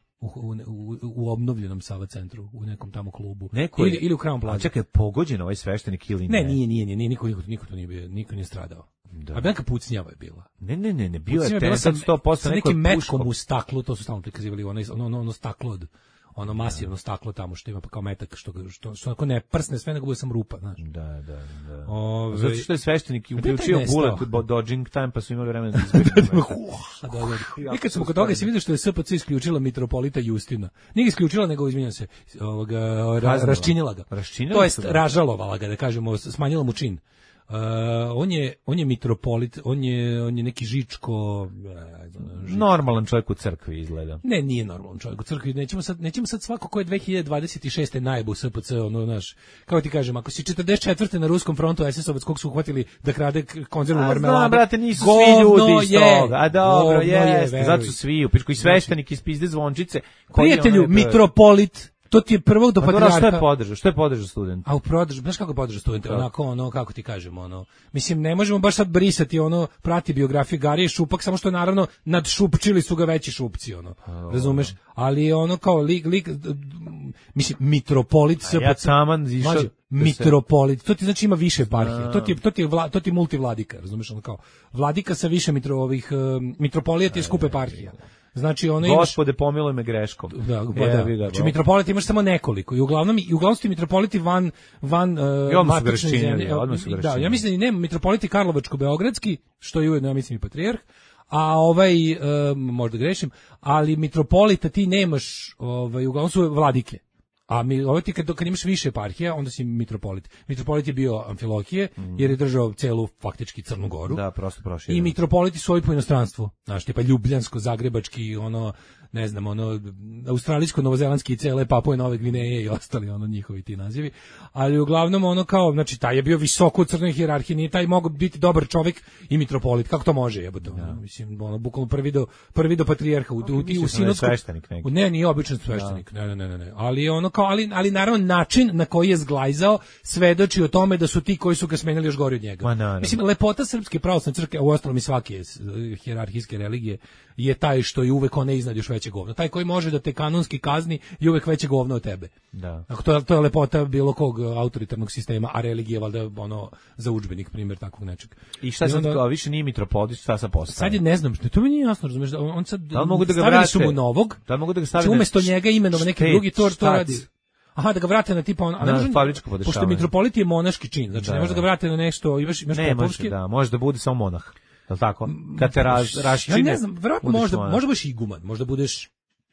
U obnovljenom Sava centru, u nekom tamo klubu. Ili u Crown Plaza. Čekaj, pogođen ovaj sveštenik ili ne? Ne, nije, niko tu nije bio, niko nije stradao. Da. A neka pucnjava je bila. Ne, bio je tensan 100%. Sa nekim metkom u staklu, to su stalno prikazivali, ono staklo od masivno staklo tamo što ima pa kao metak što ako ne prsne sve nego bude sam rupa, znaš. Da. Zato što je sveštenik uključio bullet dodging time pa su imali vremena da izbegnu. I kad smo kod toga se vidi što je SPC isključila mitropolita Justina. Nije isključila nego izvinjam se, raščinila ga. To jest ražalovala ga, da kažemo, smanjila mu čin. On je mitropolit, on je neki Žičko, normalan čovjek u crkvi izgleda. Ne, nije normalan čovjek u crkvi. Nećemo sad svako ko je 2026. najebu SPC, naš, kako ti kažem, ako si 44. na ruskom frontu SS-ovac kog su uhvatili da krade konzervu marmelade. Znam, brate, nisu svi ljudi iz toga. A dobro, jeste, zato su svi, upičko i sveštenik iz pizde zvončice. Prijatelju, mitropolit, to ti je prvog do patrijarha. Što je podržao student? A u podržao, znaš kako podržao student? Onako, kako ti kažemo, mislim, ne možemo baš sad brisati, prati biografiju Garije Šupak, samo što naravno nadšupčili su ga veći šupci, razumeš? Ali kao mislim, mitropolit se... Ja saman zišao... Mitropolit, to ti znači ima više eparhije, to ti multivladika, razumeš, kao vladika sa više mitropolija ti je skup eparhija. Znači Gospode, pomiluj me greškom. Da. Znači mitropolit imaš samo nekoliko i uglavnom su mitropoliti van matične zemlje. Da, ja mislim da nema mitropoliti Karlovačko-beogradski, što je ujedno ja mislim i patrijarh, a možda grešim, ali mitropolita ti nemaš, uglavnom su vladike. A ti kad imaš više eparhija, onda si mitropolit. Mitropolit je bio Amfilohije, jer je držao celu faktički Crnu Goru. Da, prosto proširio. I mitropoliti su ovi po inostranstvu. Znaš, tipa Ljubljansko, Zagrebački, ne znam, australijsko, novozelandski i cele Papue Nove Gvineje i ostali njihovi ti nazivi. Ali uglavnom znači taj je bio visoko u crnoj hijerarhiji, nije taj mogao biti dobar čovjek i mitropolit. Kako to može, jebote? Mislim, bukvalno prvi do patrijarha u sinodsku. Ne, nije običan sveštenik. Ne. Ali naravno način na koji je zglajzao svedoči o tome da su ti koji su ga smenili još gori od njega. Mislim, lepota Srpske pravoslavne crkve, a uostalom i svake hijerarhijske religije, je taj što je uvek one iznad još veće govno. Taj koji može da te kanonski kazni je uvek veće govno od tebe. Da. To je lepota bilo kog autoritarnog sistema, a religija valjda za udžbenik primjer takvog nečeg. I šta sad, kao više nije mitropolit, šta sad postaje? Sad je, ne znam, to mi nije jasno, razumeš, on sad stavili su mu novog, umesto njega imenova neki drugi, to radi. Aha, da ga vrate na tipa fabričko podešavanje. Pošto mitropolit je monaški čin, znači ne može da ga vrate na nešto, imaš popovski. Ne, može da bude samo monah. Je li tako? Kad te raščine. Ja ne znam, verovatno možda budeš iguman, možda budeš.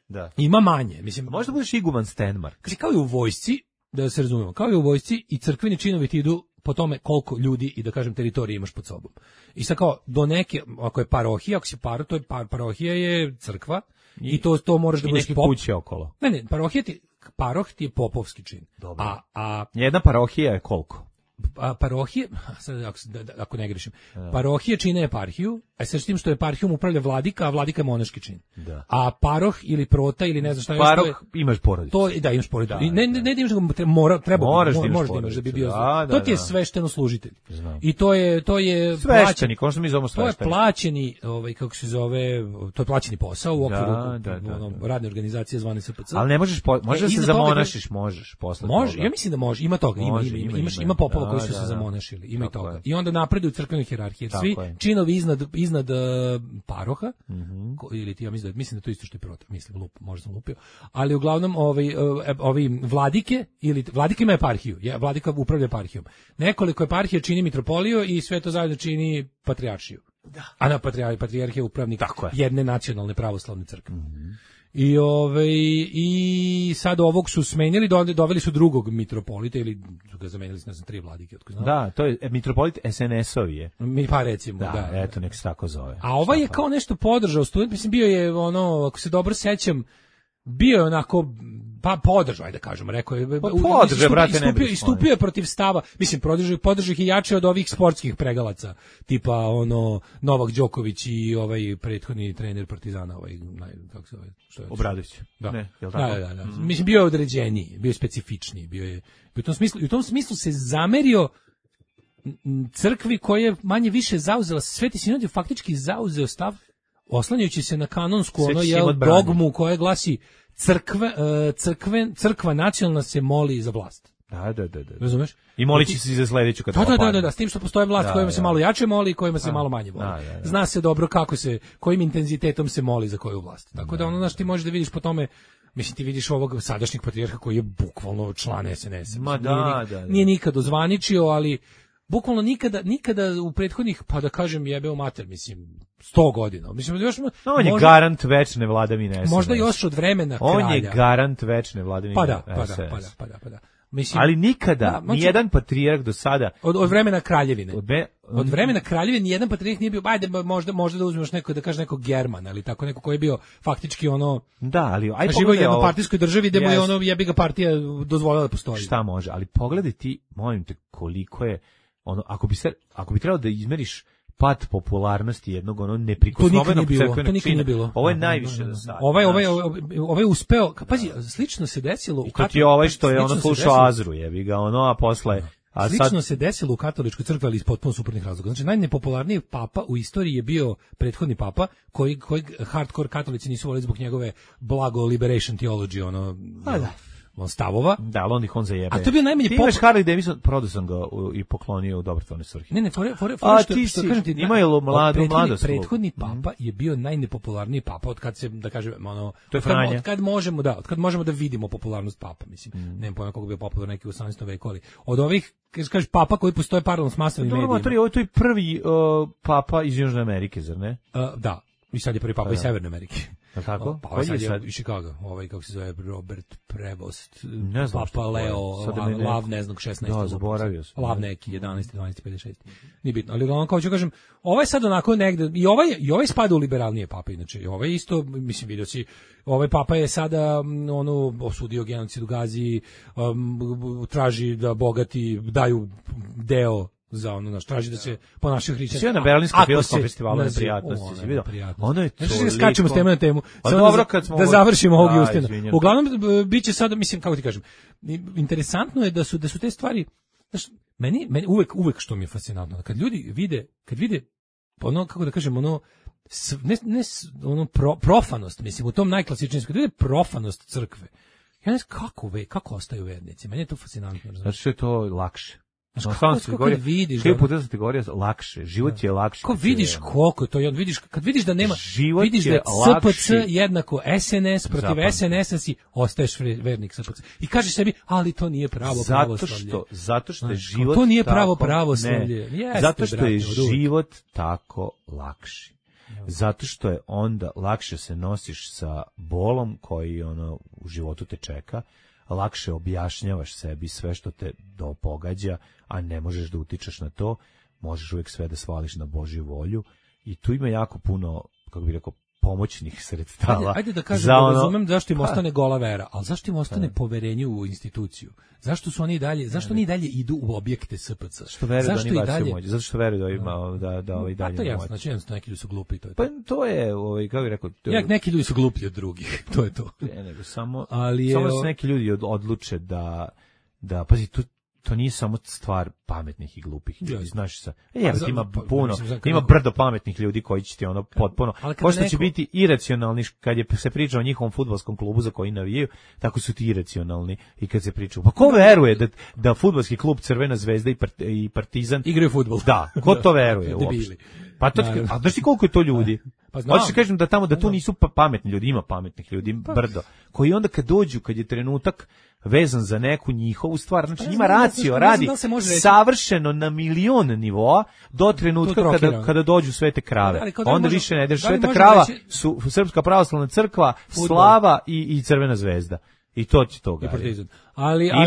Da. Ima manje, mislim. Možda budeš iguman Stenmark. Kaže, kao i u vojsci, da se razumemo, kao i u vojsci i crkveni činovi ti idu po tome koliko ljudi i da kažem teritorije imaš pod sobom. I sad kao do neke, ako je parohija, ako si to je parohija je crkva i to moraš da budeš pop. I neke kuće okolo. Ne, paroh ti je popovski čin. Dobro. Jedna parohija je koliko? Parohije, ako ne grešim, parohije čine eparhiju, a sa tim što eparhijom upravlja vladika, a vladika je monaški čin. Da. A paroh ili prota ili ne znam šta je. Paroh imaš porodicu. Da, imaš porodicu. Ne da imaš, možeš da imaš da bi bio. To ti je svešteno služitelj. I to je sveštenik, ono što mi zovemo sveštenik. To je plaćeni, kako se zove, to je plaćeni posao u okviru radne organizacije zvane SPC. Ali ne možeš, možeš se zamonašiš, možeš posle. Može, ja mislim da može, ima toga, ima popova koji su se zamonašili, ima i toga. I onda napreduju crkvene hijerarhije. Svi činovi iznad paroha, ili ti, ja mislim da to isto što je prota, možda sam lupio, ali uglavnom ovi vladike, ili vladike ima eparhiju, vladika upravlja eparhijom. Nekoliko eparhija čini mitropoliju i sve to zajedno čini patrijaršiju. Da. A na patrijarh je upravnik jedne nacionalne pravoslavne crkve. I sad ovog su smenili, doveli su drugog mitropolita ili su ga zamenili na 3 vladike. Da, to je mitropolit SNS-ovi je. Pa recimo, da. Eto, nek se tako zove. A ovaj je kao nešto podržao student, mislim bio je ako se dobro sećam, bio je onako pa podržao, ajde da kažemo, rekao je, istupio je protiv stava, mislim, podržao ih i jače od ovih sportskih pregalaca, tipa ono Novak Đoković i ovaj prethodni trener Partizana, kako se zove, što je Obradović. Da. Ne, jel tako? Da. Mislim, bio je određeniji, bio je specifičniji, bio je u tom smislu se zamerio crkvi koja je manje više zauzela, Sveti sinod je faktički zauzeo stav oslanjajući se na kanonsku dogmu koja glasi crkva nacionalna se moli za vlast. Da. Razumeš? I molići se za sledeću kad Da, s tim što postoje vlast kojima se malo jače moli i kojima se malo manje voli. Zna se dobro kojim intenzitetom se moli za koju vlast. Tako da znaš, ti možeš da vidiš po tome. Mislim, ti vidiš ovog sadašnjeg patrijarha koji je bukvalno član SNS-a. Nije nikad ozvaničio, ali bukvalno nikada u prethodnih, pa da kažem jebeo mater, mislim, 100 godina. Mislim, on je garant večne vladavine SNS. Možda još od vremena kralja. On je garant večne vladavine SNS. Pa da. Mislim, ali nikada, nijedan patrijarh do sada... Od vremena kraljevine. Od vremena kraljevine nijedan patrijarh nije bio, ajde, možda da uzmeš neko, da kaže neko German, ali tako neko koji je bio faktički ono... Da, ali... Živo u jednopartijskoj državi gde mu je ono jebi ga partija dozvolila da postoji. Šta može, ali pogledaj ti, molim te, koliko je... ono, ako bi trebalo da izmeriš pad popularnosti jednog neprikosnovenog crkvenog čina. Ovo je najviše do sada. Ovaj uspeo, pazi, slično se desilo i to ti je ovaj što je slušao Azru, jebi ga, a posle... Slično se desilo u katoličkoj crkvi, ali iz potpuno suprotnih razloga. Znači, najnepopularniji papa u istoriji je bio prethodni papa, koji hardcore katolici nisu volili zbog njegove blago liberation theology, stavova. Da, ali on zajebe. A to je bio najmanje imaš Harley Davidson, prodao sam ga i poklonio u dobrotvorne svrhe. Ne, što kažem ti, imaju mladost. Prethodni papa je bio najnepopularniji papa od kad se, da kažem, od kad možemo da vidimo popularnost papa, mislim. Nemam pojma koliko je bio popularan neki u 18. veku, ali od ovih, kažeš papa koji postoje paralelno s masovnim medijima. Ovo je prvi papa iz Južne Amerike, zar ne? Da, i sad je prvi papa iz Severne Amerike. Tako? Pa sad je iz Chicago, kako se zove, Robert Prevost, Papa Leo, Lav, ne znam, 16. Da, zaboravio sam. Lav neki, 11. 12. 56. Nije bitno, ali uglavnom, kao ću kažem, ovaj sad onako negde, i ovaj spada u liberalnije pape, inače, ovaj isto, mislim, vidio si, ovaj papa je sada, osudio genocid u Gazi, traži da bogati daju deo za traži da se ponašaju hrišćanski. Sve na Berlinskom filmskom festivalu neprijatnosti, si vidio? Ono je toliko... Skačemo s teme na temu. Da završimo ovog Justina. Uglavnom, bit će sada, mislim, kako ti kažem, interesantno je da su te stvari, meni uvek što mi je fascinantno, kad ljudi vide, kako da kažem, profanost, mislim, u tom najklasičnijem, kad vide profanost crkve, ja ne znam kako ostaju vernici, meni je to fascinantno. Zato što je to lakše. Kako vidiš, lakše, život je lakše. Kako vidiš koliko to je, kad vidiš da nema, vidiš da je SPC jednako SNS, protiv SNS-a si ostaješ vernik SPC. I kažeš sebi, ali to nije pravo pravoslavlje. Zato što je život to nije pravo pravoslavlje. Zato što je život tako lakši. Zato što je onda lakše se nosiš sa bolom koji u životu te čeka, lakše objašnjavaš sebi sve što te pogađa, a ne možeš da utičeš na to, možeš uvijek sve da svališ na Božju volju i tu ima jako puno, kako bih rekao, pomoćnih sredstava. Ajde da kažem, razumem zašto im ostane gola vera, ali zašto im ostane poverenje u instituciju? Zašto oni i dalje idu u objekte SPC? Što veruju da oni bacaju moć? Zato što veruju da ima da ovaj dalje moć. To je jasno, znači jednostavno neki ljudi su glupi. Pa to je, kako bih rekao... Neki ljudi su gluplji od drugih, to je to. Samo se neki ljudi odluče da pazi, to nije samo stvar pametnih i glupih ljudi, znaš sa. Ima brdo pametnih ljudi koji će ti potpuno, pošto će biti iracionalni kad se priča o njihovom fudbalskom klubu za koji navijaju, tako su ti iracionalni i kad se priča. Pa ko veruje da fudbalski klub Crvena zvezda i Partizan igraju fudbal? Da, ko to veruje uopšte? Pa to, a znaš ti koliko je to ljudi? Hoćeš kažem da tu nisu pametni ljudi, ima pametnih ljudi, brdo, koji onda kad dođu, kad je trenutak vezan za neku njihovu stvar, znači njima racio radi savršeno na milion nivoa do trenutka kada dođu Svete krave. Onda više ne ideš, Sveta krava su Srpska pravoslavna crkva, Slava i Crvena zvezda. I to će toga.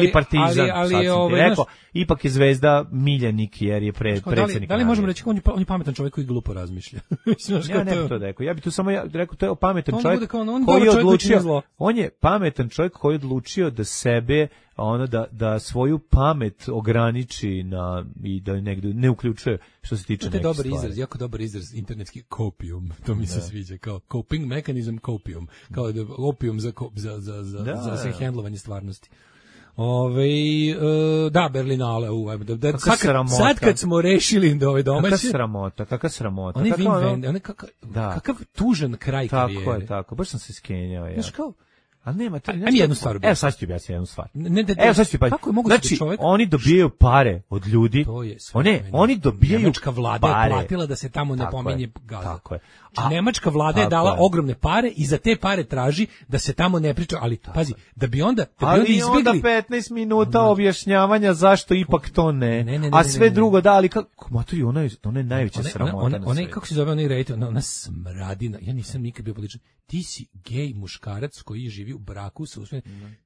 ili Partizan, sad sam ti rekao, ipak je Zvezda miljenik jer je predsjednik. Da li možemo reći on je pametan čovjek koji glupo razmišlja? Ja ne bih to rekao. Ja bih tu samo rekao to je pametan čovjek koji je odlučio. On je pametan čovjek koji je odlučio da sebe da svoju pamet ograniči i da negdje ne uključuje što se tiče nekih stvari. To je dobar izraz, jako dobar izraz, internetski copium, to mi se sviđa, kao coping mechanism copium, kao opium za handlovanje stvarnosti. Da, Berlinale, sad kad smo rešili da ove domaće... Kakva sramota. Kakav tužan kraj karijere. Tako, baš sam se skenjao. Znaš kao, a nema to. Ajme jednu stvar. Evo sad ću ti objasniti jednu stvar. Kako je moguće da čovjek... oni dobijaju pare od ljudi. Oni dobijaju Nemačka vlada je platila da se tamo ne pominje Gaza. Tako je. Nemačka vlada je dala ogromne pare i za te pare traži da se tamo ne priča, ali pazi, da bi onda izbjegli... onda 15 minuta objašnjavanja zašto ipak to ne. A sve drugo da, ali kako matori, ona je najveća sramota. Ona kako se zove onaj rejte, ona smradina. Ja nisam nikad bio političan. Ti si gej muškarac koji živi u braku sa usvojenim.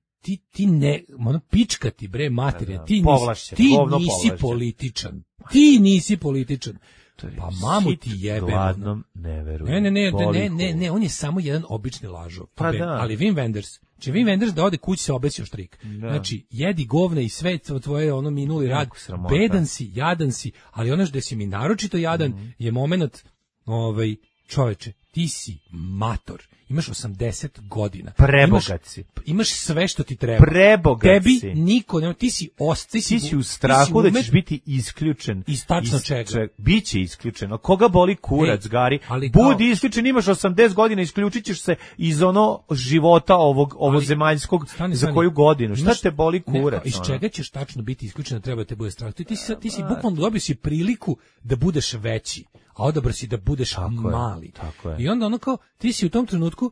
Ti ne, pička ti bre materija, ti nisi političan. Ti nisi političan. Pa mamu ti jebe. Gladnom ne veruje. Ne, on je samo jedan obični lažov. Ali Wim Wenders, Wim Wenders da ode kući se obesio štrik. Znači, jedi govna i sve tvoje minuli rad. Bedan si, jadan si, ali ono što si mi naročito jadan je moment, čoveče, ti si mator. Imaš 80 godina. Prebogat si. Imaš sve što ti treba. Prebogat si. Tebi niko ne... Ti si u strahu da ćeš biti isključen. Iz tačno čega. Biće isključeno. Koga boli kurac, Gari? Budi isključen, imaš 80 godina, isključit ćeš se iz života ovog zemaljskog za koju godinu. Šta te boli kurac? Iz čega ćeš tačno biti isključen, treba te bude strah. Ti si bukvalno dobio si priliku da budeš veći. A odabra si da budeš mali. I onda kao, ti si u tom trenutku,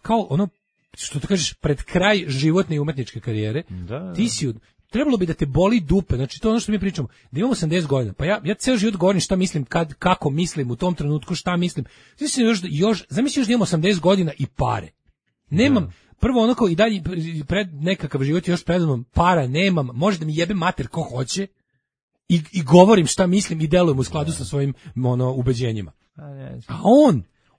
kao što ti kažeš, pred kraj životne i umetničke karijere, ti si, trebalo bi da te boli dupe, znači to je ono što mi pričamo, da imamo 80 godina, pa ja ceo život govorim šta mislim, kako mislim, u tom trenutku šta mislim, zamisli još da imamo 80 godina i pare. Nemam, prvo kao i dalje, pred nekakav život još predavnom, para nemam, može da mi jebe mater ko hoće, i govorim šta mislim i delujem u skladu sa svojim ubeđenjima. A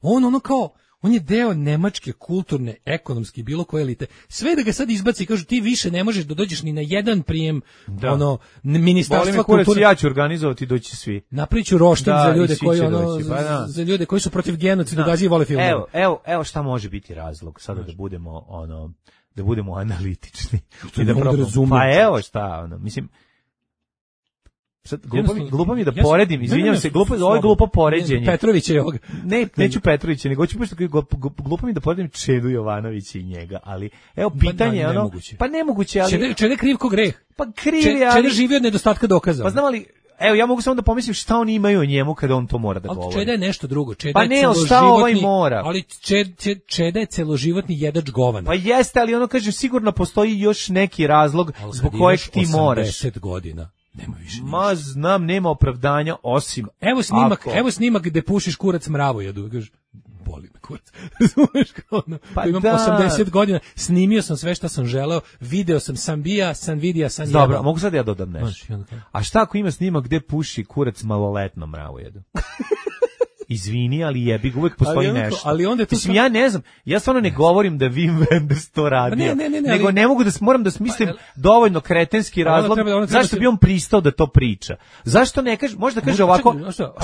on je deo nemačke kulturne, ekonomske, bilo koje elite. Sve da ga sad izbaci i kažu ti više ne možeš da dođeš ni na jedan prijem ministarstva kulture. Ja ću organizovati, doći svi. Napravit ću roštilj za ljude koji za ljude koji su protiv genocida, Gazi i vole filmove. Evo šta može biti razlog sada da budemo analitični. Pa evo šta, mislim, sad, glupo mi je da poredim, izvinjam se, ovo je glupo poređenje. Petrovića je ovoga. Neću Petrovića, nego ću glupo mi da poredim Čedu Jovanovića i njega, ali evo pitanje je pa nemoguće, ali... Čede kriv ko greh. Pa kriv je, ali... Čede živi od nedostatka dokaza. Pa znam ali, evo ja mogu samo da pomislim šta oni imaju o njemu kada on to mora da govori. Čeda je nešto drugo, pa ne, šta ovaj mora? Ali Čeda je celoživotni jedač govana. Pa jeste, ali kaže sigurno postoji još neki razlog zbog kojeg ti moraš. 80 godina. Nema više ništa. Ma znam, nema opravdanja osim... Evo snimak gde pušiš kurac mravojedu. Kažeš, boli me kurac. Razumeš kao imam 80 godina, snimio sam sve što sam želeo, video sam bija, sam vidija, sam jebao. Dobro, mogu sad ja dodam nešto. A šta ako ima snimak gde puši kurac maloletnom mravojedu? Izvini, ali jebi, uvek postoji nešto. Ali onda mislim, ja ne znam, ja stvarno ne govorim da Wim Wenders to radio, nego ne mogu moram da smislim dovoljno kretenski razlog zašto bi on pristao da to priča. Zašto ne kaže, možda kaže ovako,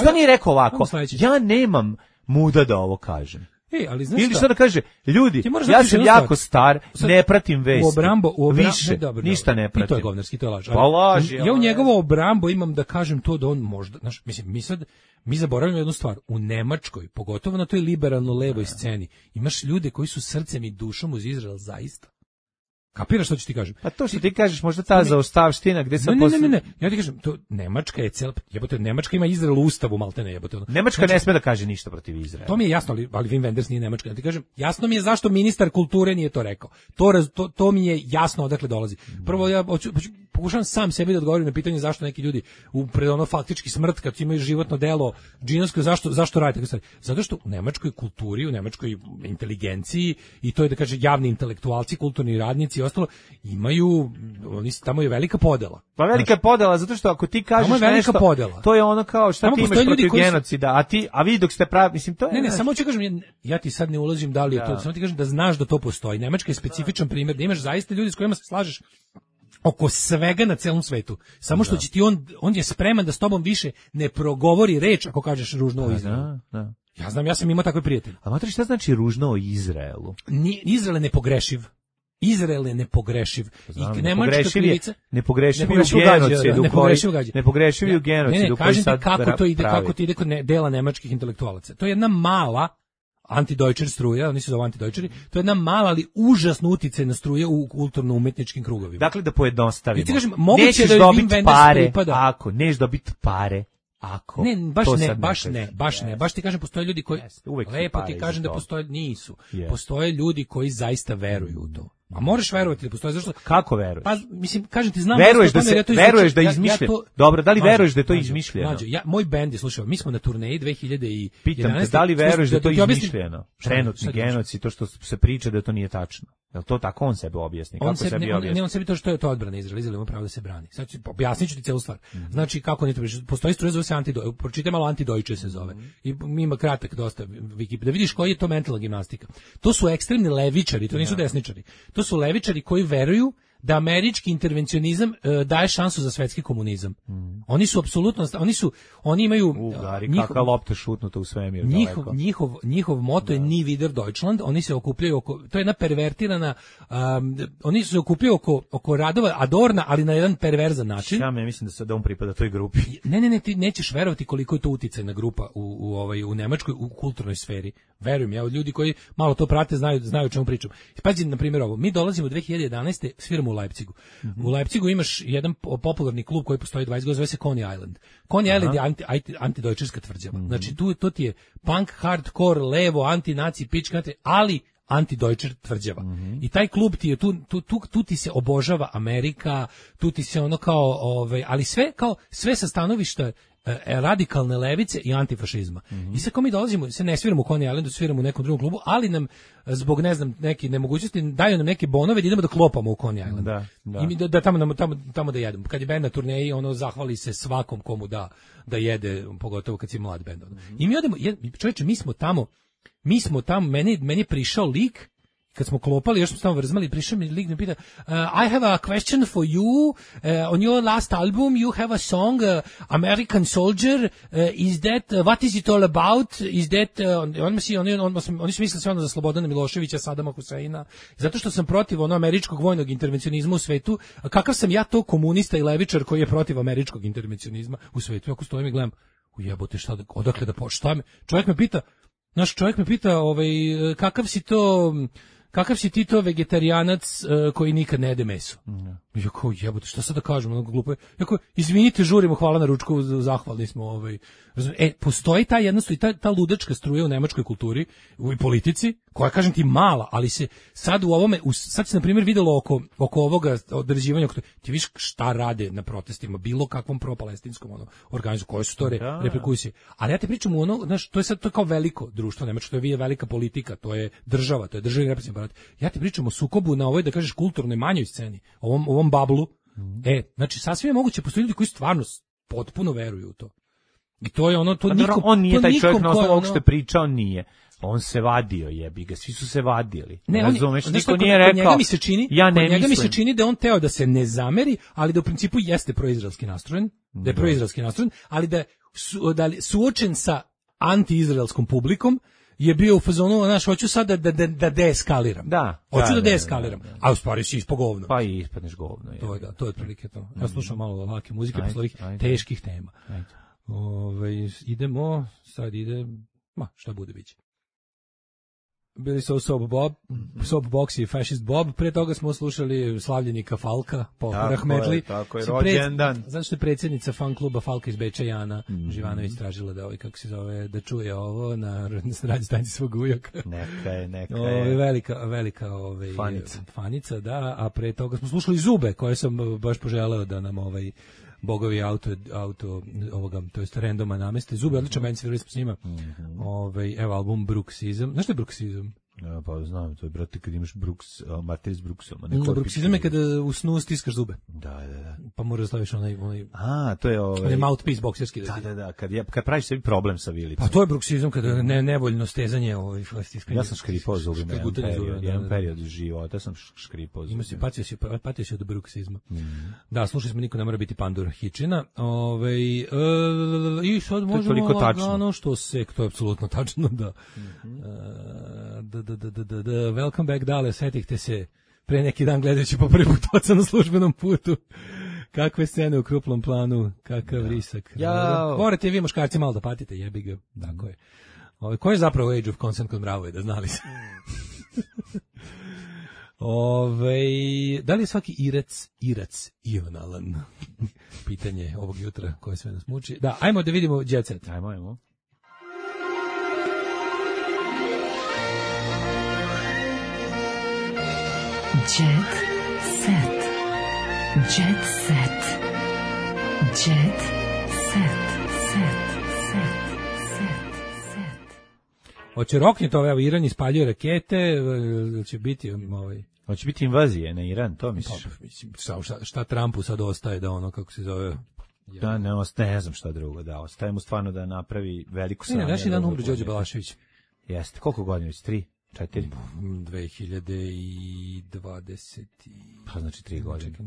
što nije rekao ovako, ja nemam muda da ovo kažem. Ali znaš ili što da kaže, ljudi, ja sam jako star, ne pratim vesti, više, ništa ne pratim. I to je govnarski, to je laž. Pa laži. Ja u njegovo obrambo imam da kažem to da on možda, znaš, mislim, mi zaboravljamo jednu stvar, u Nemačkoj, pogotovo na toj liberalno-levoj sceni, imaš ljude koji su srcem i dušom uz Izrael zaista. Kapiraš što ću ti kažem? Pa to što ti kažeš, možda ta zaostavština gde sad Ne, ja ti kažem, to Nemačka je Nemačka ima Izrael u ustavu, maltene jebote. Nemačka ne sme da kaže ništa protiv Izraela. To mi je jasno, ali Wim Wenders nije Nemačka. Ja ti kažem, jasno mi je zašto ministar kulture nije to rekao. To mi je jasno odakle dolazi. Prvo ja pokušavam sam sebi da odgovorim na pitanje zašto neki ljudi pred ono faktički smrt kad imaju životno delo džinovsko, zašto rade tako stvari? Zato što u nemačkoj kulturi, u nemačkoj inteligenciji i to je da kaže javni intelektualci, kulturni radnici i ostalo imaju, tamo je velika podela. Pa velika podela zato što ako ti kažeš nešto, podela. To je ono kao šta ti imaš protiv genocida, a vi dok ste pravi, mislim to je. Ne, samo ću kažem, ja ti sad ne ulazim da li je to, samo ti kažem da znaš da to postoji. Nemačka je specifičan primjer, da imaš zaista ljudi s kojima se slažeš oko svega na celom svetu. Samo što će ti on je spreman da s tobom više ne progovori reč ako kažeš ružno o Izraelu. Da. Ja znam, ja sam imao takve prijatelje. A mater, šta znači ružno o Izraelu? Izrael je nepogrešiv. Izrael je nepogrešiv. I nemačka krivica... Nepogrešiv u genocidu. Kažem ti kako to ide kod dela nemačkih intelektualaca. To je jedna mala antidojčer struja, oni se zove antidojčeri, to je jedna mala, ali užasno uticajna struja u kulturno-umetničkim krugovima. Dakle, da pojednostavimo. Ti kažem, nećeš dobiti pare, ako, nećeš dobiti pare, ako. Ne, baš ne. Baš ti kažem, postoje ljudi koji, lepo ti kažem da postoje, nisu. Postoje ljudi koji zaista veruju u to. A moraš verovati da postoji, zašto? Kako veruješ? Pa mislim, kažem ti, znam veruješ da je izmišljeno. Dobro, da li veruješ da je to izmišljeno? Moj bend je, slušaj, mi smo na turneji 2011. Pitam te, da li veruješ da je to izmišljeno? Trenutni genocid, to što se priča da to nije tačno. Jel to tako on sebe objasni? Kako sebi objasni? On sebi to što je to odbrana Izraela. Izrael ima pravo da se brani. Sad objasnit ću ti celu stvar. Znači, kako ne to postoji struja, zove se pročitaj malo antidojče se zove. I ima kratak dosta Wikipedia. Da vidiš koji je to mentalna gimnastika. To su ekstremni levičari, to nisu desničari. To su levičari koji veruju da američki intervencionizam daje šansu za svetski komunizam. Oni su apsolutno, oni imaju kakva lopta šutnuta u svemir. Njihov moto je Nie wieder Deutschland. Oni se okupljaju oko, to je jedna pervertirana, oni se okupljaju oko radova Adorna, ali na jedan perverzan način. Ja mislim da on pripada toj grupi. Ne, ti nećeš verovati koliko je to uticajna grupa u Nemačkoj u kulturnoj sferi. Verujem, ja, ljudi koji malo to prate znaju o čemu pričam. Pazi, na primjer ovo, mi dolazimo 2011. sviramo u Leipzigu. U Leipzigu imaš jedan popularni klub koji postoji 20 godina, zove se Coney Island. Coney Island je antidojčerska tvrđava. Znači, to ti je punk, hardcore, levo, anti-naci, pička, ali antidojčer tvrđava. I taj klub ti je tu ti se obožava Amerika, tu ti se ono kao, ali sve sa stanovišta radikalne levice i antifašizma. I sad ko mi dolazimo, se ne sviramo u Coney Islandu, sviramo u nekom drugom klubu, ali nam zbog, ne znam, neke nemogućnosti daju nam neke bonove da idemo da klopamo u Coney Island. I mi da tamo da jedemo. Kad je bend na turneji, ono zahvali se svakom komu da jede, pogotovo kad si mlad bend. I mi odemo, čovječe, mi smo tamo, meni je prišao lik. Kad smo klopali, još smo tamo vrzmali, prišao mi lik, me pita, I have a question for you, on your last album you have a song, American Soldier, is that, what is it all about, is that, oni su mislili sve ono za Slobodana Miloševića, Sadama Huseina, zato što sam protiv američkog vojnog intervencionizma u svetu, kakav sam ja to komunista i levičar koji je protiv američkog intervencionizma u svetu, ako stojim i gledam, ujebote, odakle da šta me, čovjek me pita, kakav si ti to vegetarijanac koji nikad ne jede meso? Ja kao, jebote, šta sad da kažem, ono glupo je. Ja kao, izvinite, žurimo, hvala na ručku, zahvalni smo. Postoji ta jednostavno, ta ludačka struja u nemačkoj kulturi i politici, koja, kažem ti, mala, ali se sad u ovome, sad se, na primjer, videlo oko ovoga određivanja, ti viš šta rade na protestima, bilo kakvom pro-palestinskom organizu, koje su to reperkusije. Ali ja te pričam u znaš, to je kao veliko društvo nemačko, to je velika politika, to je država, to je državni represivni aparat. Ja te pričam o sukobu na ovoj, da kažeš, kulturnoj manjoj sceni, ovom bablu. Znači, sasvim je moguće, postoji ljudi koji stvarno potpuno veruju u to. I to je on nije taj čovjek na osnovu ovog što je pričao, nije. On se vadio, jebi ga, svi su se vadili. Ne, razumeš, niko nije rekao. Njega mi se čini da on teo da se ne zameri, ali da u principu jeste proizraelski nastrojen, ali da suočen sa anti-izraelskom publikom je bio u fazonu, znaš, hoću sad da deeskaliram. Hoću da deeskaliram. A u stvari si ispo govno. Pa i ispadneš govno. To je otprilike to. Ja slušam malo lake muzike posle ovih teških tema. Idemo, sad ide, šta bude biće. bili su Soap Box i Fascist Bob, pre toga smo slušali slavljenika Falka, po Rahmetli. Tako je, rođendan. Zato što je predsjednica fan kluba Falka iz Beča, Jana Živanović, tražila da kako se zove, da čuje ovo na radio stanici svog ujaka. Neka je. Velika fanica, da, a pre toga smo slušali Zube, koje sam baš poželeo da nam bogovi auto ovoga, to jest randoma nameste. Zube, odličan band, svirali smo s njima. Evo album Bruksizam. Znaš što je Bruksizam? Ja, pa znam, to je, brate, kad imaš Martir s Bruksom. Bruksizam je kada u snu stiskaš zube. Da. Pa moraš da staviš onaj... to je onaj mouthpiece bokserski. Da, kad praviš sebi problem sa vilicom. Pa to je Bruksizam, kada nevoljno stezanje stiskanje. Ja sam škripao zubima jedan period života, sam škripao zubima. Patio si od Bruksizma. Da, slušali smo, niko ne mora biti pandur Hičina. I sad možemo lagano što se, to je apsolutno tačno, da. Welcome back, Dale, setihte se pre neki dan gledajući po prvi put oca na službenom putu. Kakve scene u krupnom planu, kakav risak. Morate vi muškarci malo da patite, jebi ga. Tako je. Ko je zapravo Age of Consent kod Mravoje, da znali se? Da li je svaki irac ionalan? Pitanje ovog jutra koje sve nas muči. Da, ajmo da vidimo Jet Set. Ajmo. Jet set. Jet set. Jet set. Hoće rokniti ove, Iran ispaljuje rakete, će biti Hoće biti invazije na Iran, to misliš? Šta Trumpu sad ostaje da ono, kako se zove... Da, ne znam šta drugo, da, ostaje mu stvarno da napravi veliku sranju. Daš dan umro Đorđe Balašević. Jeste, koliko godina već? 3? 4? 2020. Pa znači 3 godine.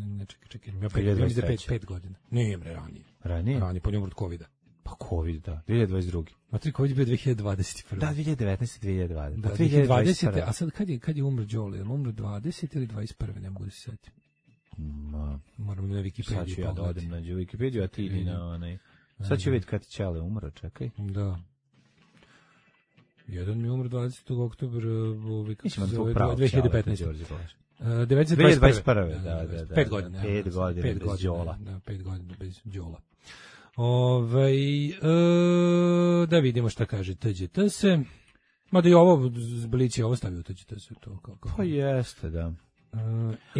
Čekaj. Ja 5 godina. Nije, ranije. Ranije, po njemu od COVID-a. Pa COVID, da. 2022. A COVID je bio 2021. Da, 2019. 2020. Da, 2020. A sad kad je umro Đole? Je li umro 20 ili 21? Ne mogu da se setim. Moram na Wikipediju. Sad ću ja da odem na Wikipediju, a ti idi na onaj... Sad ću vidjeti kad je Ćale umro, čekaj. Da. Jedan mi umro 20. oktobra, 2015. 2021. Da. 5 godina. 5 godina bez Đola. Da, 5 godina bez Đola. Da vidimo šta kaže TGT se. Mada i ovo Blić je ovo stavio TGT se. Pa jeste, da.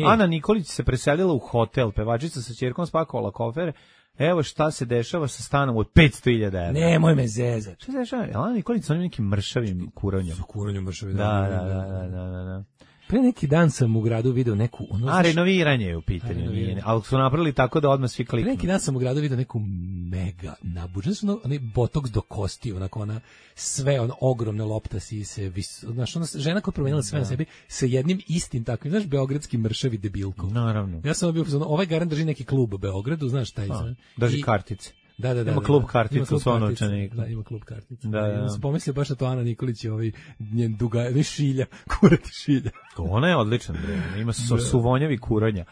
Ana Nikolić se preselila u hotel, pevačica sa ćerkom spakovala kofere. Evo šta se dešava sa stanom od 500.000 €. Nemoj me zezati. Šta se dešava? Ana Nikolić sa onim nekim mršavim kuranjem. Kuranjem mršavim. Da. Pre neki dan sam u gradu video neku... renoviranje je u pitanju. Ali su napravili tako da odmah svi kliknu. Pre neki dan sam u gradu video neku mega nabuđenu. Znači, onaj botoks do kosti, onako ona sve, ona ogromna lopta sise. Znaš, ona žena koja promenila sve na sebi sa jednim istim takvim, znaš, beogradski mršavi debilkov. Naravno. Ja sam bio, ovaj garant drži neki klub u Beogradu, znaš taj. Drži kartice. Da. Ima klub karticu sa novčanika. Da, ima klub karticu. Da. Ja sam pomislio baš na to Ana Nikolić je njen šilja, kurati šilja. Ona je odličan, bre. Ima suvonjavi kuronja.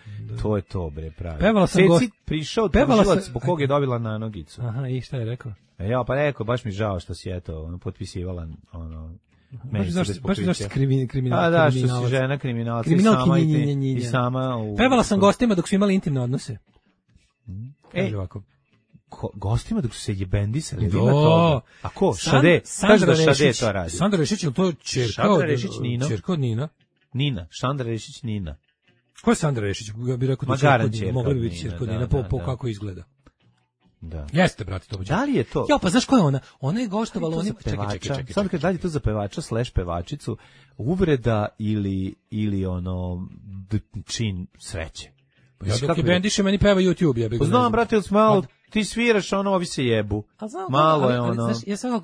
To je to, bre, pravi. Pevala sam prišao tužilac zbog kog je dobila na nogicu. Aha, i šta je rekao? Ja, pa rekao, baš mi žao što si potpisivala baš zašto kriminal. Da, što si žena kriminalca i sama u... Pevala sam gostima dok su imali intimne odnose. Kaže ovako. Gostima dok su se jebendisali. A ko? Šade? Kaže da Šade to radi. Sandra Rešić, ili to je čerka od Nina? Nina. Sandra Rešić Nina. Ko je Sandra Rešić? Ja bih rekao da čerka od Nina. Mogla bi biti čerka od Nina po kako izgleda. Da. Jeste, brate, to. Da li je to? Ja, pa znaš ko je ona? Ona je gostovala, čekaj. Sad kad dalje to za pevača / pevačicu, uvreda ili čin sreće. Ja dok je bendiše, meni peva YouTube, ja bih ga. Znam, brate, malo ti sviraš, ovi se jebu. Malo je ono. Ja sam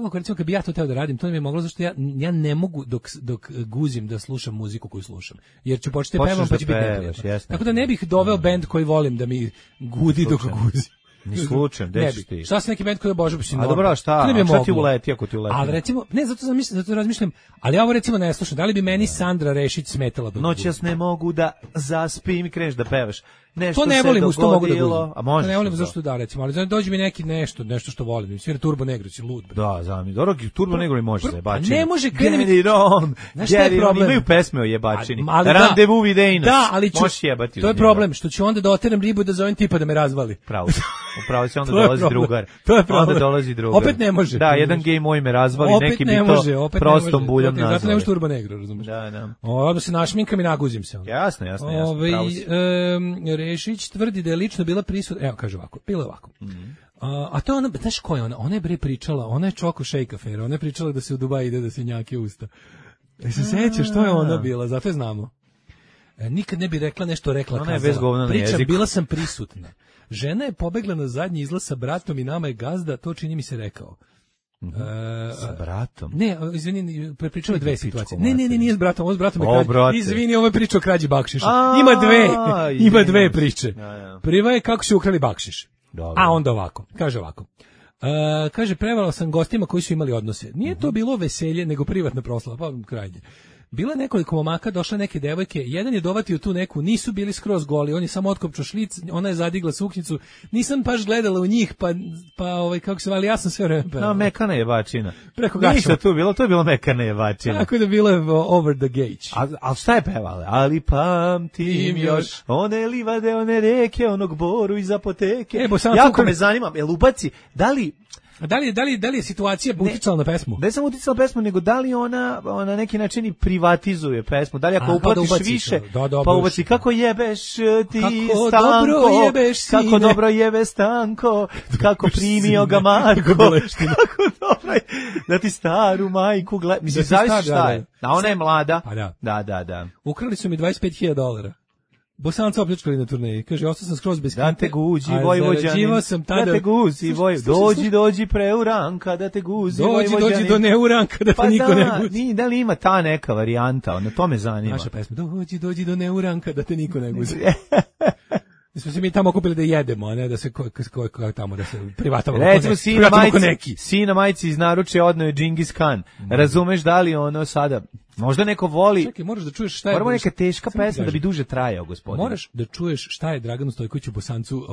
kako recimo kad bi ja to teo da radim, to mi je moglo zašto ja ne mogu dok guzim da slušam muziku koju slušam. Jer ću početi pevam pa će biti neprijatno. Tako da ne bih doveo bend koji volim da mi gudi dok guzim. Ni slučajem, gde ćeš ti? Šta si neki bend koji obožavam? A dobro, šta ti uleti ako ti uleti? Ali recimo, ne, zato razmišljam, ali ja ovo recimo ne slušam. Da li bi meni Sandra Rešić smetala? Noćas ne mogu da zaspim i kreneš da pevaš. nešto to ne se volim, što mogu da dogodilo, a može. ne volim zašto da recimo, ali dođe mi neki nešto što volim. Svira Turbo Negro, si lud. Da, zami. Dobro, Turbo Negro može se jebačini. Ne može Get it on. Znaš šta je problem? Imaju pesme o jebačini. Randevu videjnos. Da, ali možeš jebati. To je problem, što ću onda da oteram ribu da zovem tipa da me razvali. Upravo će onda dolazi drugar. To je problem. Onda dolazi drugar. Opet ne može. Da, jedan gej moj me razvali, neki bi to prostom buljom nazvali. Zato ne može Turbo Negro, razumiješ? Da. Onda se našminkam i naguzim se. Jasno. Rešić tvrdi da je lično bila prisutna. Evo, kaže ovako, bilo je ovako. A to je ona, znaš ko je ona? Ona je bre pričala, ona je Čoko Shake afera, ona je pričala da se u Dubai ide da se njake usta. Se sećaš, što je ona bila, zato je znamo. Nikad ne bi rekla nešto, rekla ona kazala. Pričam, bila sam prisutna. Žena je pobegla na zadnji izlaz sa bratom i nama je gazda, to čini mi se rekao. Sa bratom? Ne, izvini, prepričala dve situacije. Ne, nije s bratom, ovo s bratom je krađi. Izvini, ovo je priča o krađi bakšiša. Ima dve priče. Prva je kako su ukrali bakšiš. A onda ovako, kaže ovako. Kaže, prevarala sam gostima koji su imali odnose. Nije to bilo veselje, nego privatna proslava, pa krajnje. Bila je nekoliko momaka, došle neke devojke, jedan je dovatio tu neku, nisu bili skroz goli, on je samo otkopčao šlic, ona je zadigla suknjicu, nisam baš gledala u njih, pa kako se vali, ja sam sve vreme pevala. Mekana jebačina. Preko gača. Ništa tu bilo, to je bilo mekana jebačina. Tako da bilo je over the gauge. A šta je pevala? Ali pamtim još one livade, one reke, onog boru iz apoteke. Jako me zanima, jel ubaci, da li je situacija uticala na pesmu? Ne samo uticala na pesmu, nego da li ona na neki način i privatizuje pesmu? Da li ako uplatiš više, pa ubaci kako jebeš ti kako dobro jebe Stanko, kako primio ga Marko, kako dobro je, da ti staru majku gleda. Mislim, zavisi šta je. A ona je mlada. Da. Ukrali su mi $25,000. Bosanca opljačkali na turneji. Kaže, ostao sam skroz bez kinte. Da te guzi, Vojvođanin. Da te guzi, dođi preuranka, da te guzi, Vojvođanin. Dođi do neuranka, da te niko ne guzi. Da li ima ta neka varijanta, to me zanima. Naša pesma, dođi do neuranka, da te niko ne guzi. Smo se mi tamo okupili da jedemo, a ne da se tamo da se privatamo. Recimo sina majci iz naručja odneo je Džingis Khan. Razumeš da li ono sada možda neko voli. Čekaj, moraš da čuješ šta je. Moramo neka teška pesma da bi duže trajao, gospodine. Moraš da čuješ šta je Draganu Stojkoviću Bosancu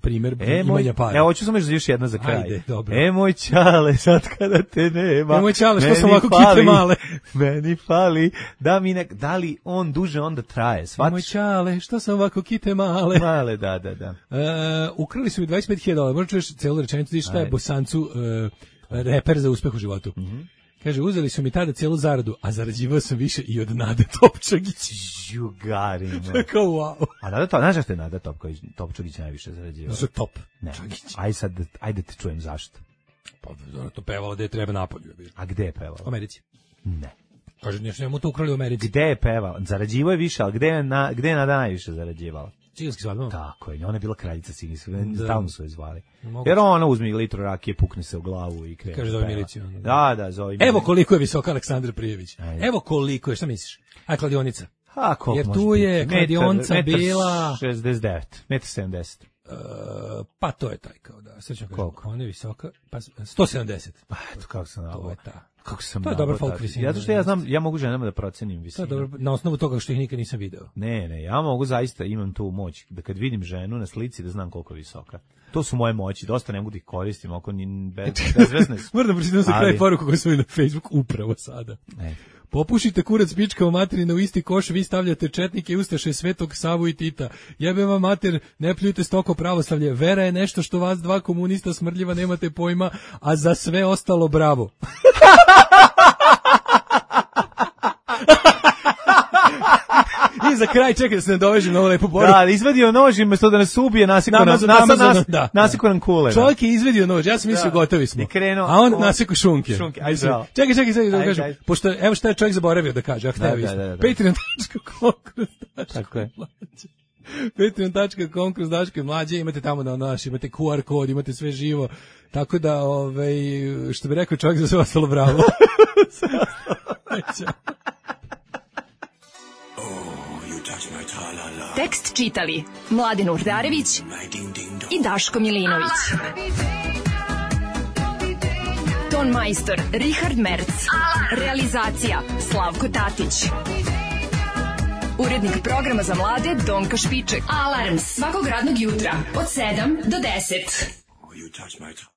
primer imanja para. Evo hoću samo još jedna za kraj. Ajde, dobro. Moj čale, sad kada te nema. Moj čale, što sam ovako kite male. Meni fali da li on duže onda traje, shvatiš? Moj čale, što sam ovako kite male. Male, da. Ukrali su mi $25,000. Možda čuješ celu rečenicu, šta je Bosancu reper za uspeh u životu. Kaže, uzeli su mi tada cijelu zaradu, a zarađivao sam više i od Nade Topčagić. Jugarino. Tako, wow. A znaš zašto je Nada Topčagić najviše zarađivao? Za top. Ne. Ajde te čujem zašto. Pa, to pevala da je treba napolju. A gde je pevala? U Americi. Ne. Kaže, njemu to ukrali u Americi. Gde je pevala? Zarađivao je više, ali gde je Nada najviše zarađivala? Ciganski svadbama? Tako je, ona je bila kraljica ciganskih, stalno su je zvali. Jer ona uzme litru rakije, pukne se u glavu i krene. Kaže, zove miliciju. Da, zove miliciju. Evo koliko je visoka Aleksandar Prijević. Evo koliko je, šta misliš? A kladionica? Jer tu je kladionica bila... 69, 1,70 m. Pa to je taj kao da. Koliko? Ona je visoka, pa 170. Pa eto kako sam nabao. To je ta. To je dobar folk visina. Zato što ja mogu ženama da procenim visinu. To je dobro, na osnovu toga što ih nikad nisam video. Ne, ja mogu zaista, imam tu moć da kad vidim ženu na slici da znam koliko je visoka. To su moje moći, dosta ne mogu da ih koristim, oko bezvezne su. Moram da pročitam za kraj poruku koju sam vidio na Facebook upravo sada. Popušite kurac pička u materina u isti koš, vi stavljate četnike i ustaše Svetog Savu i Tita. Jebe vam mater, ne pljujte stoko pravoslavlje. Vera je nešto što vas dva komunista smrdljiva nemate pojma, a za sve ostalo bravo. I za kraj, čekaj da se ne dovežem na ovo lepo poruku. Da, izvadio nož i umjesto da nas ubije, nasikao nam kule. Čovjek je izvadio nož, ja sam mislio gotovi smo. A on nasikao šunke. Čekaj, da kažem. Pošto, evo šta je čovjek zaboravio da kaže, Patreon.com kroz Daško i Mlađe, imate tamo imate QR kod, imate sve živo. Tako da, što bi rekao čovjek za sve ostalo bravo. Tekst čitali Mladen Urdarević i Daško Milinović. Ton majstor Richard Merc. Realizacija Slavko Tatić. Urednik programa za mlade Donka Špiček. Alarms svakog radnog jutra od 7 do 10. You touch my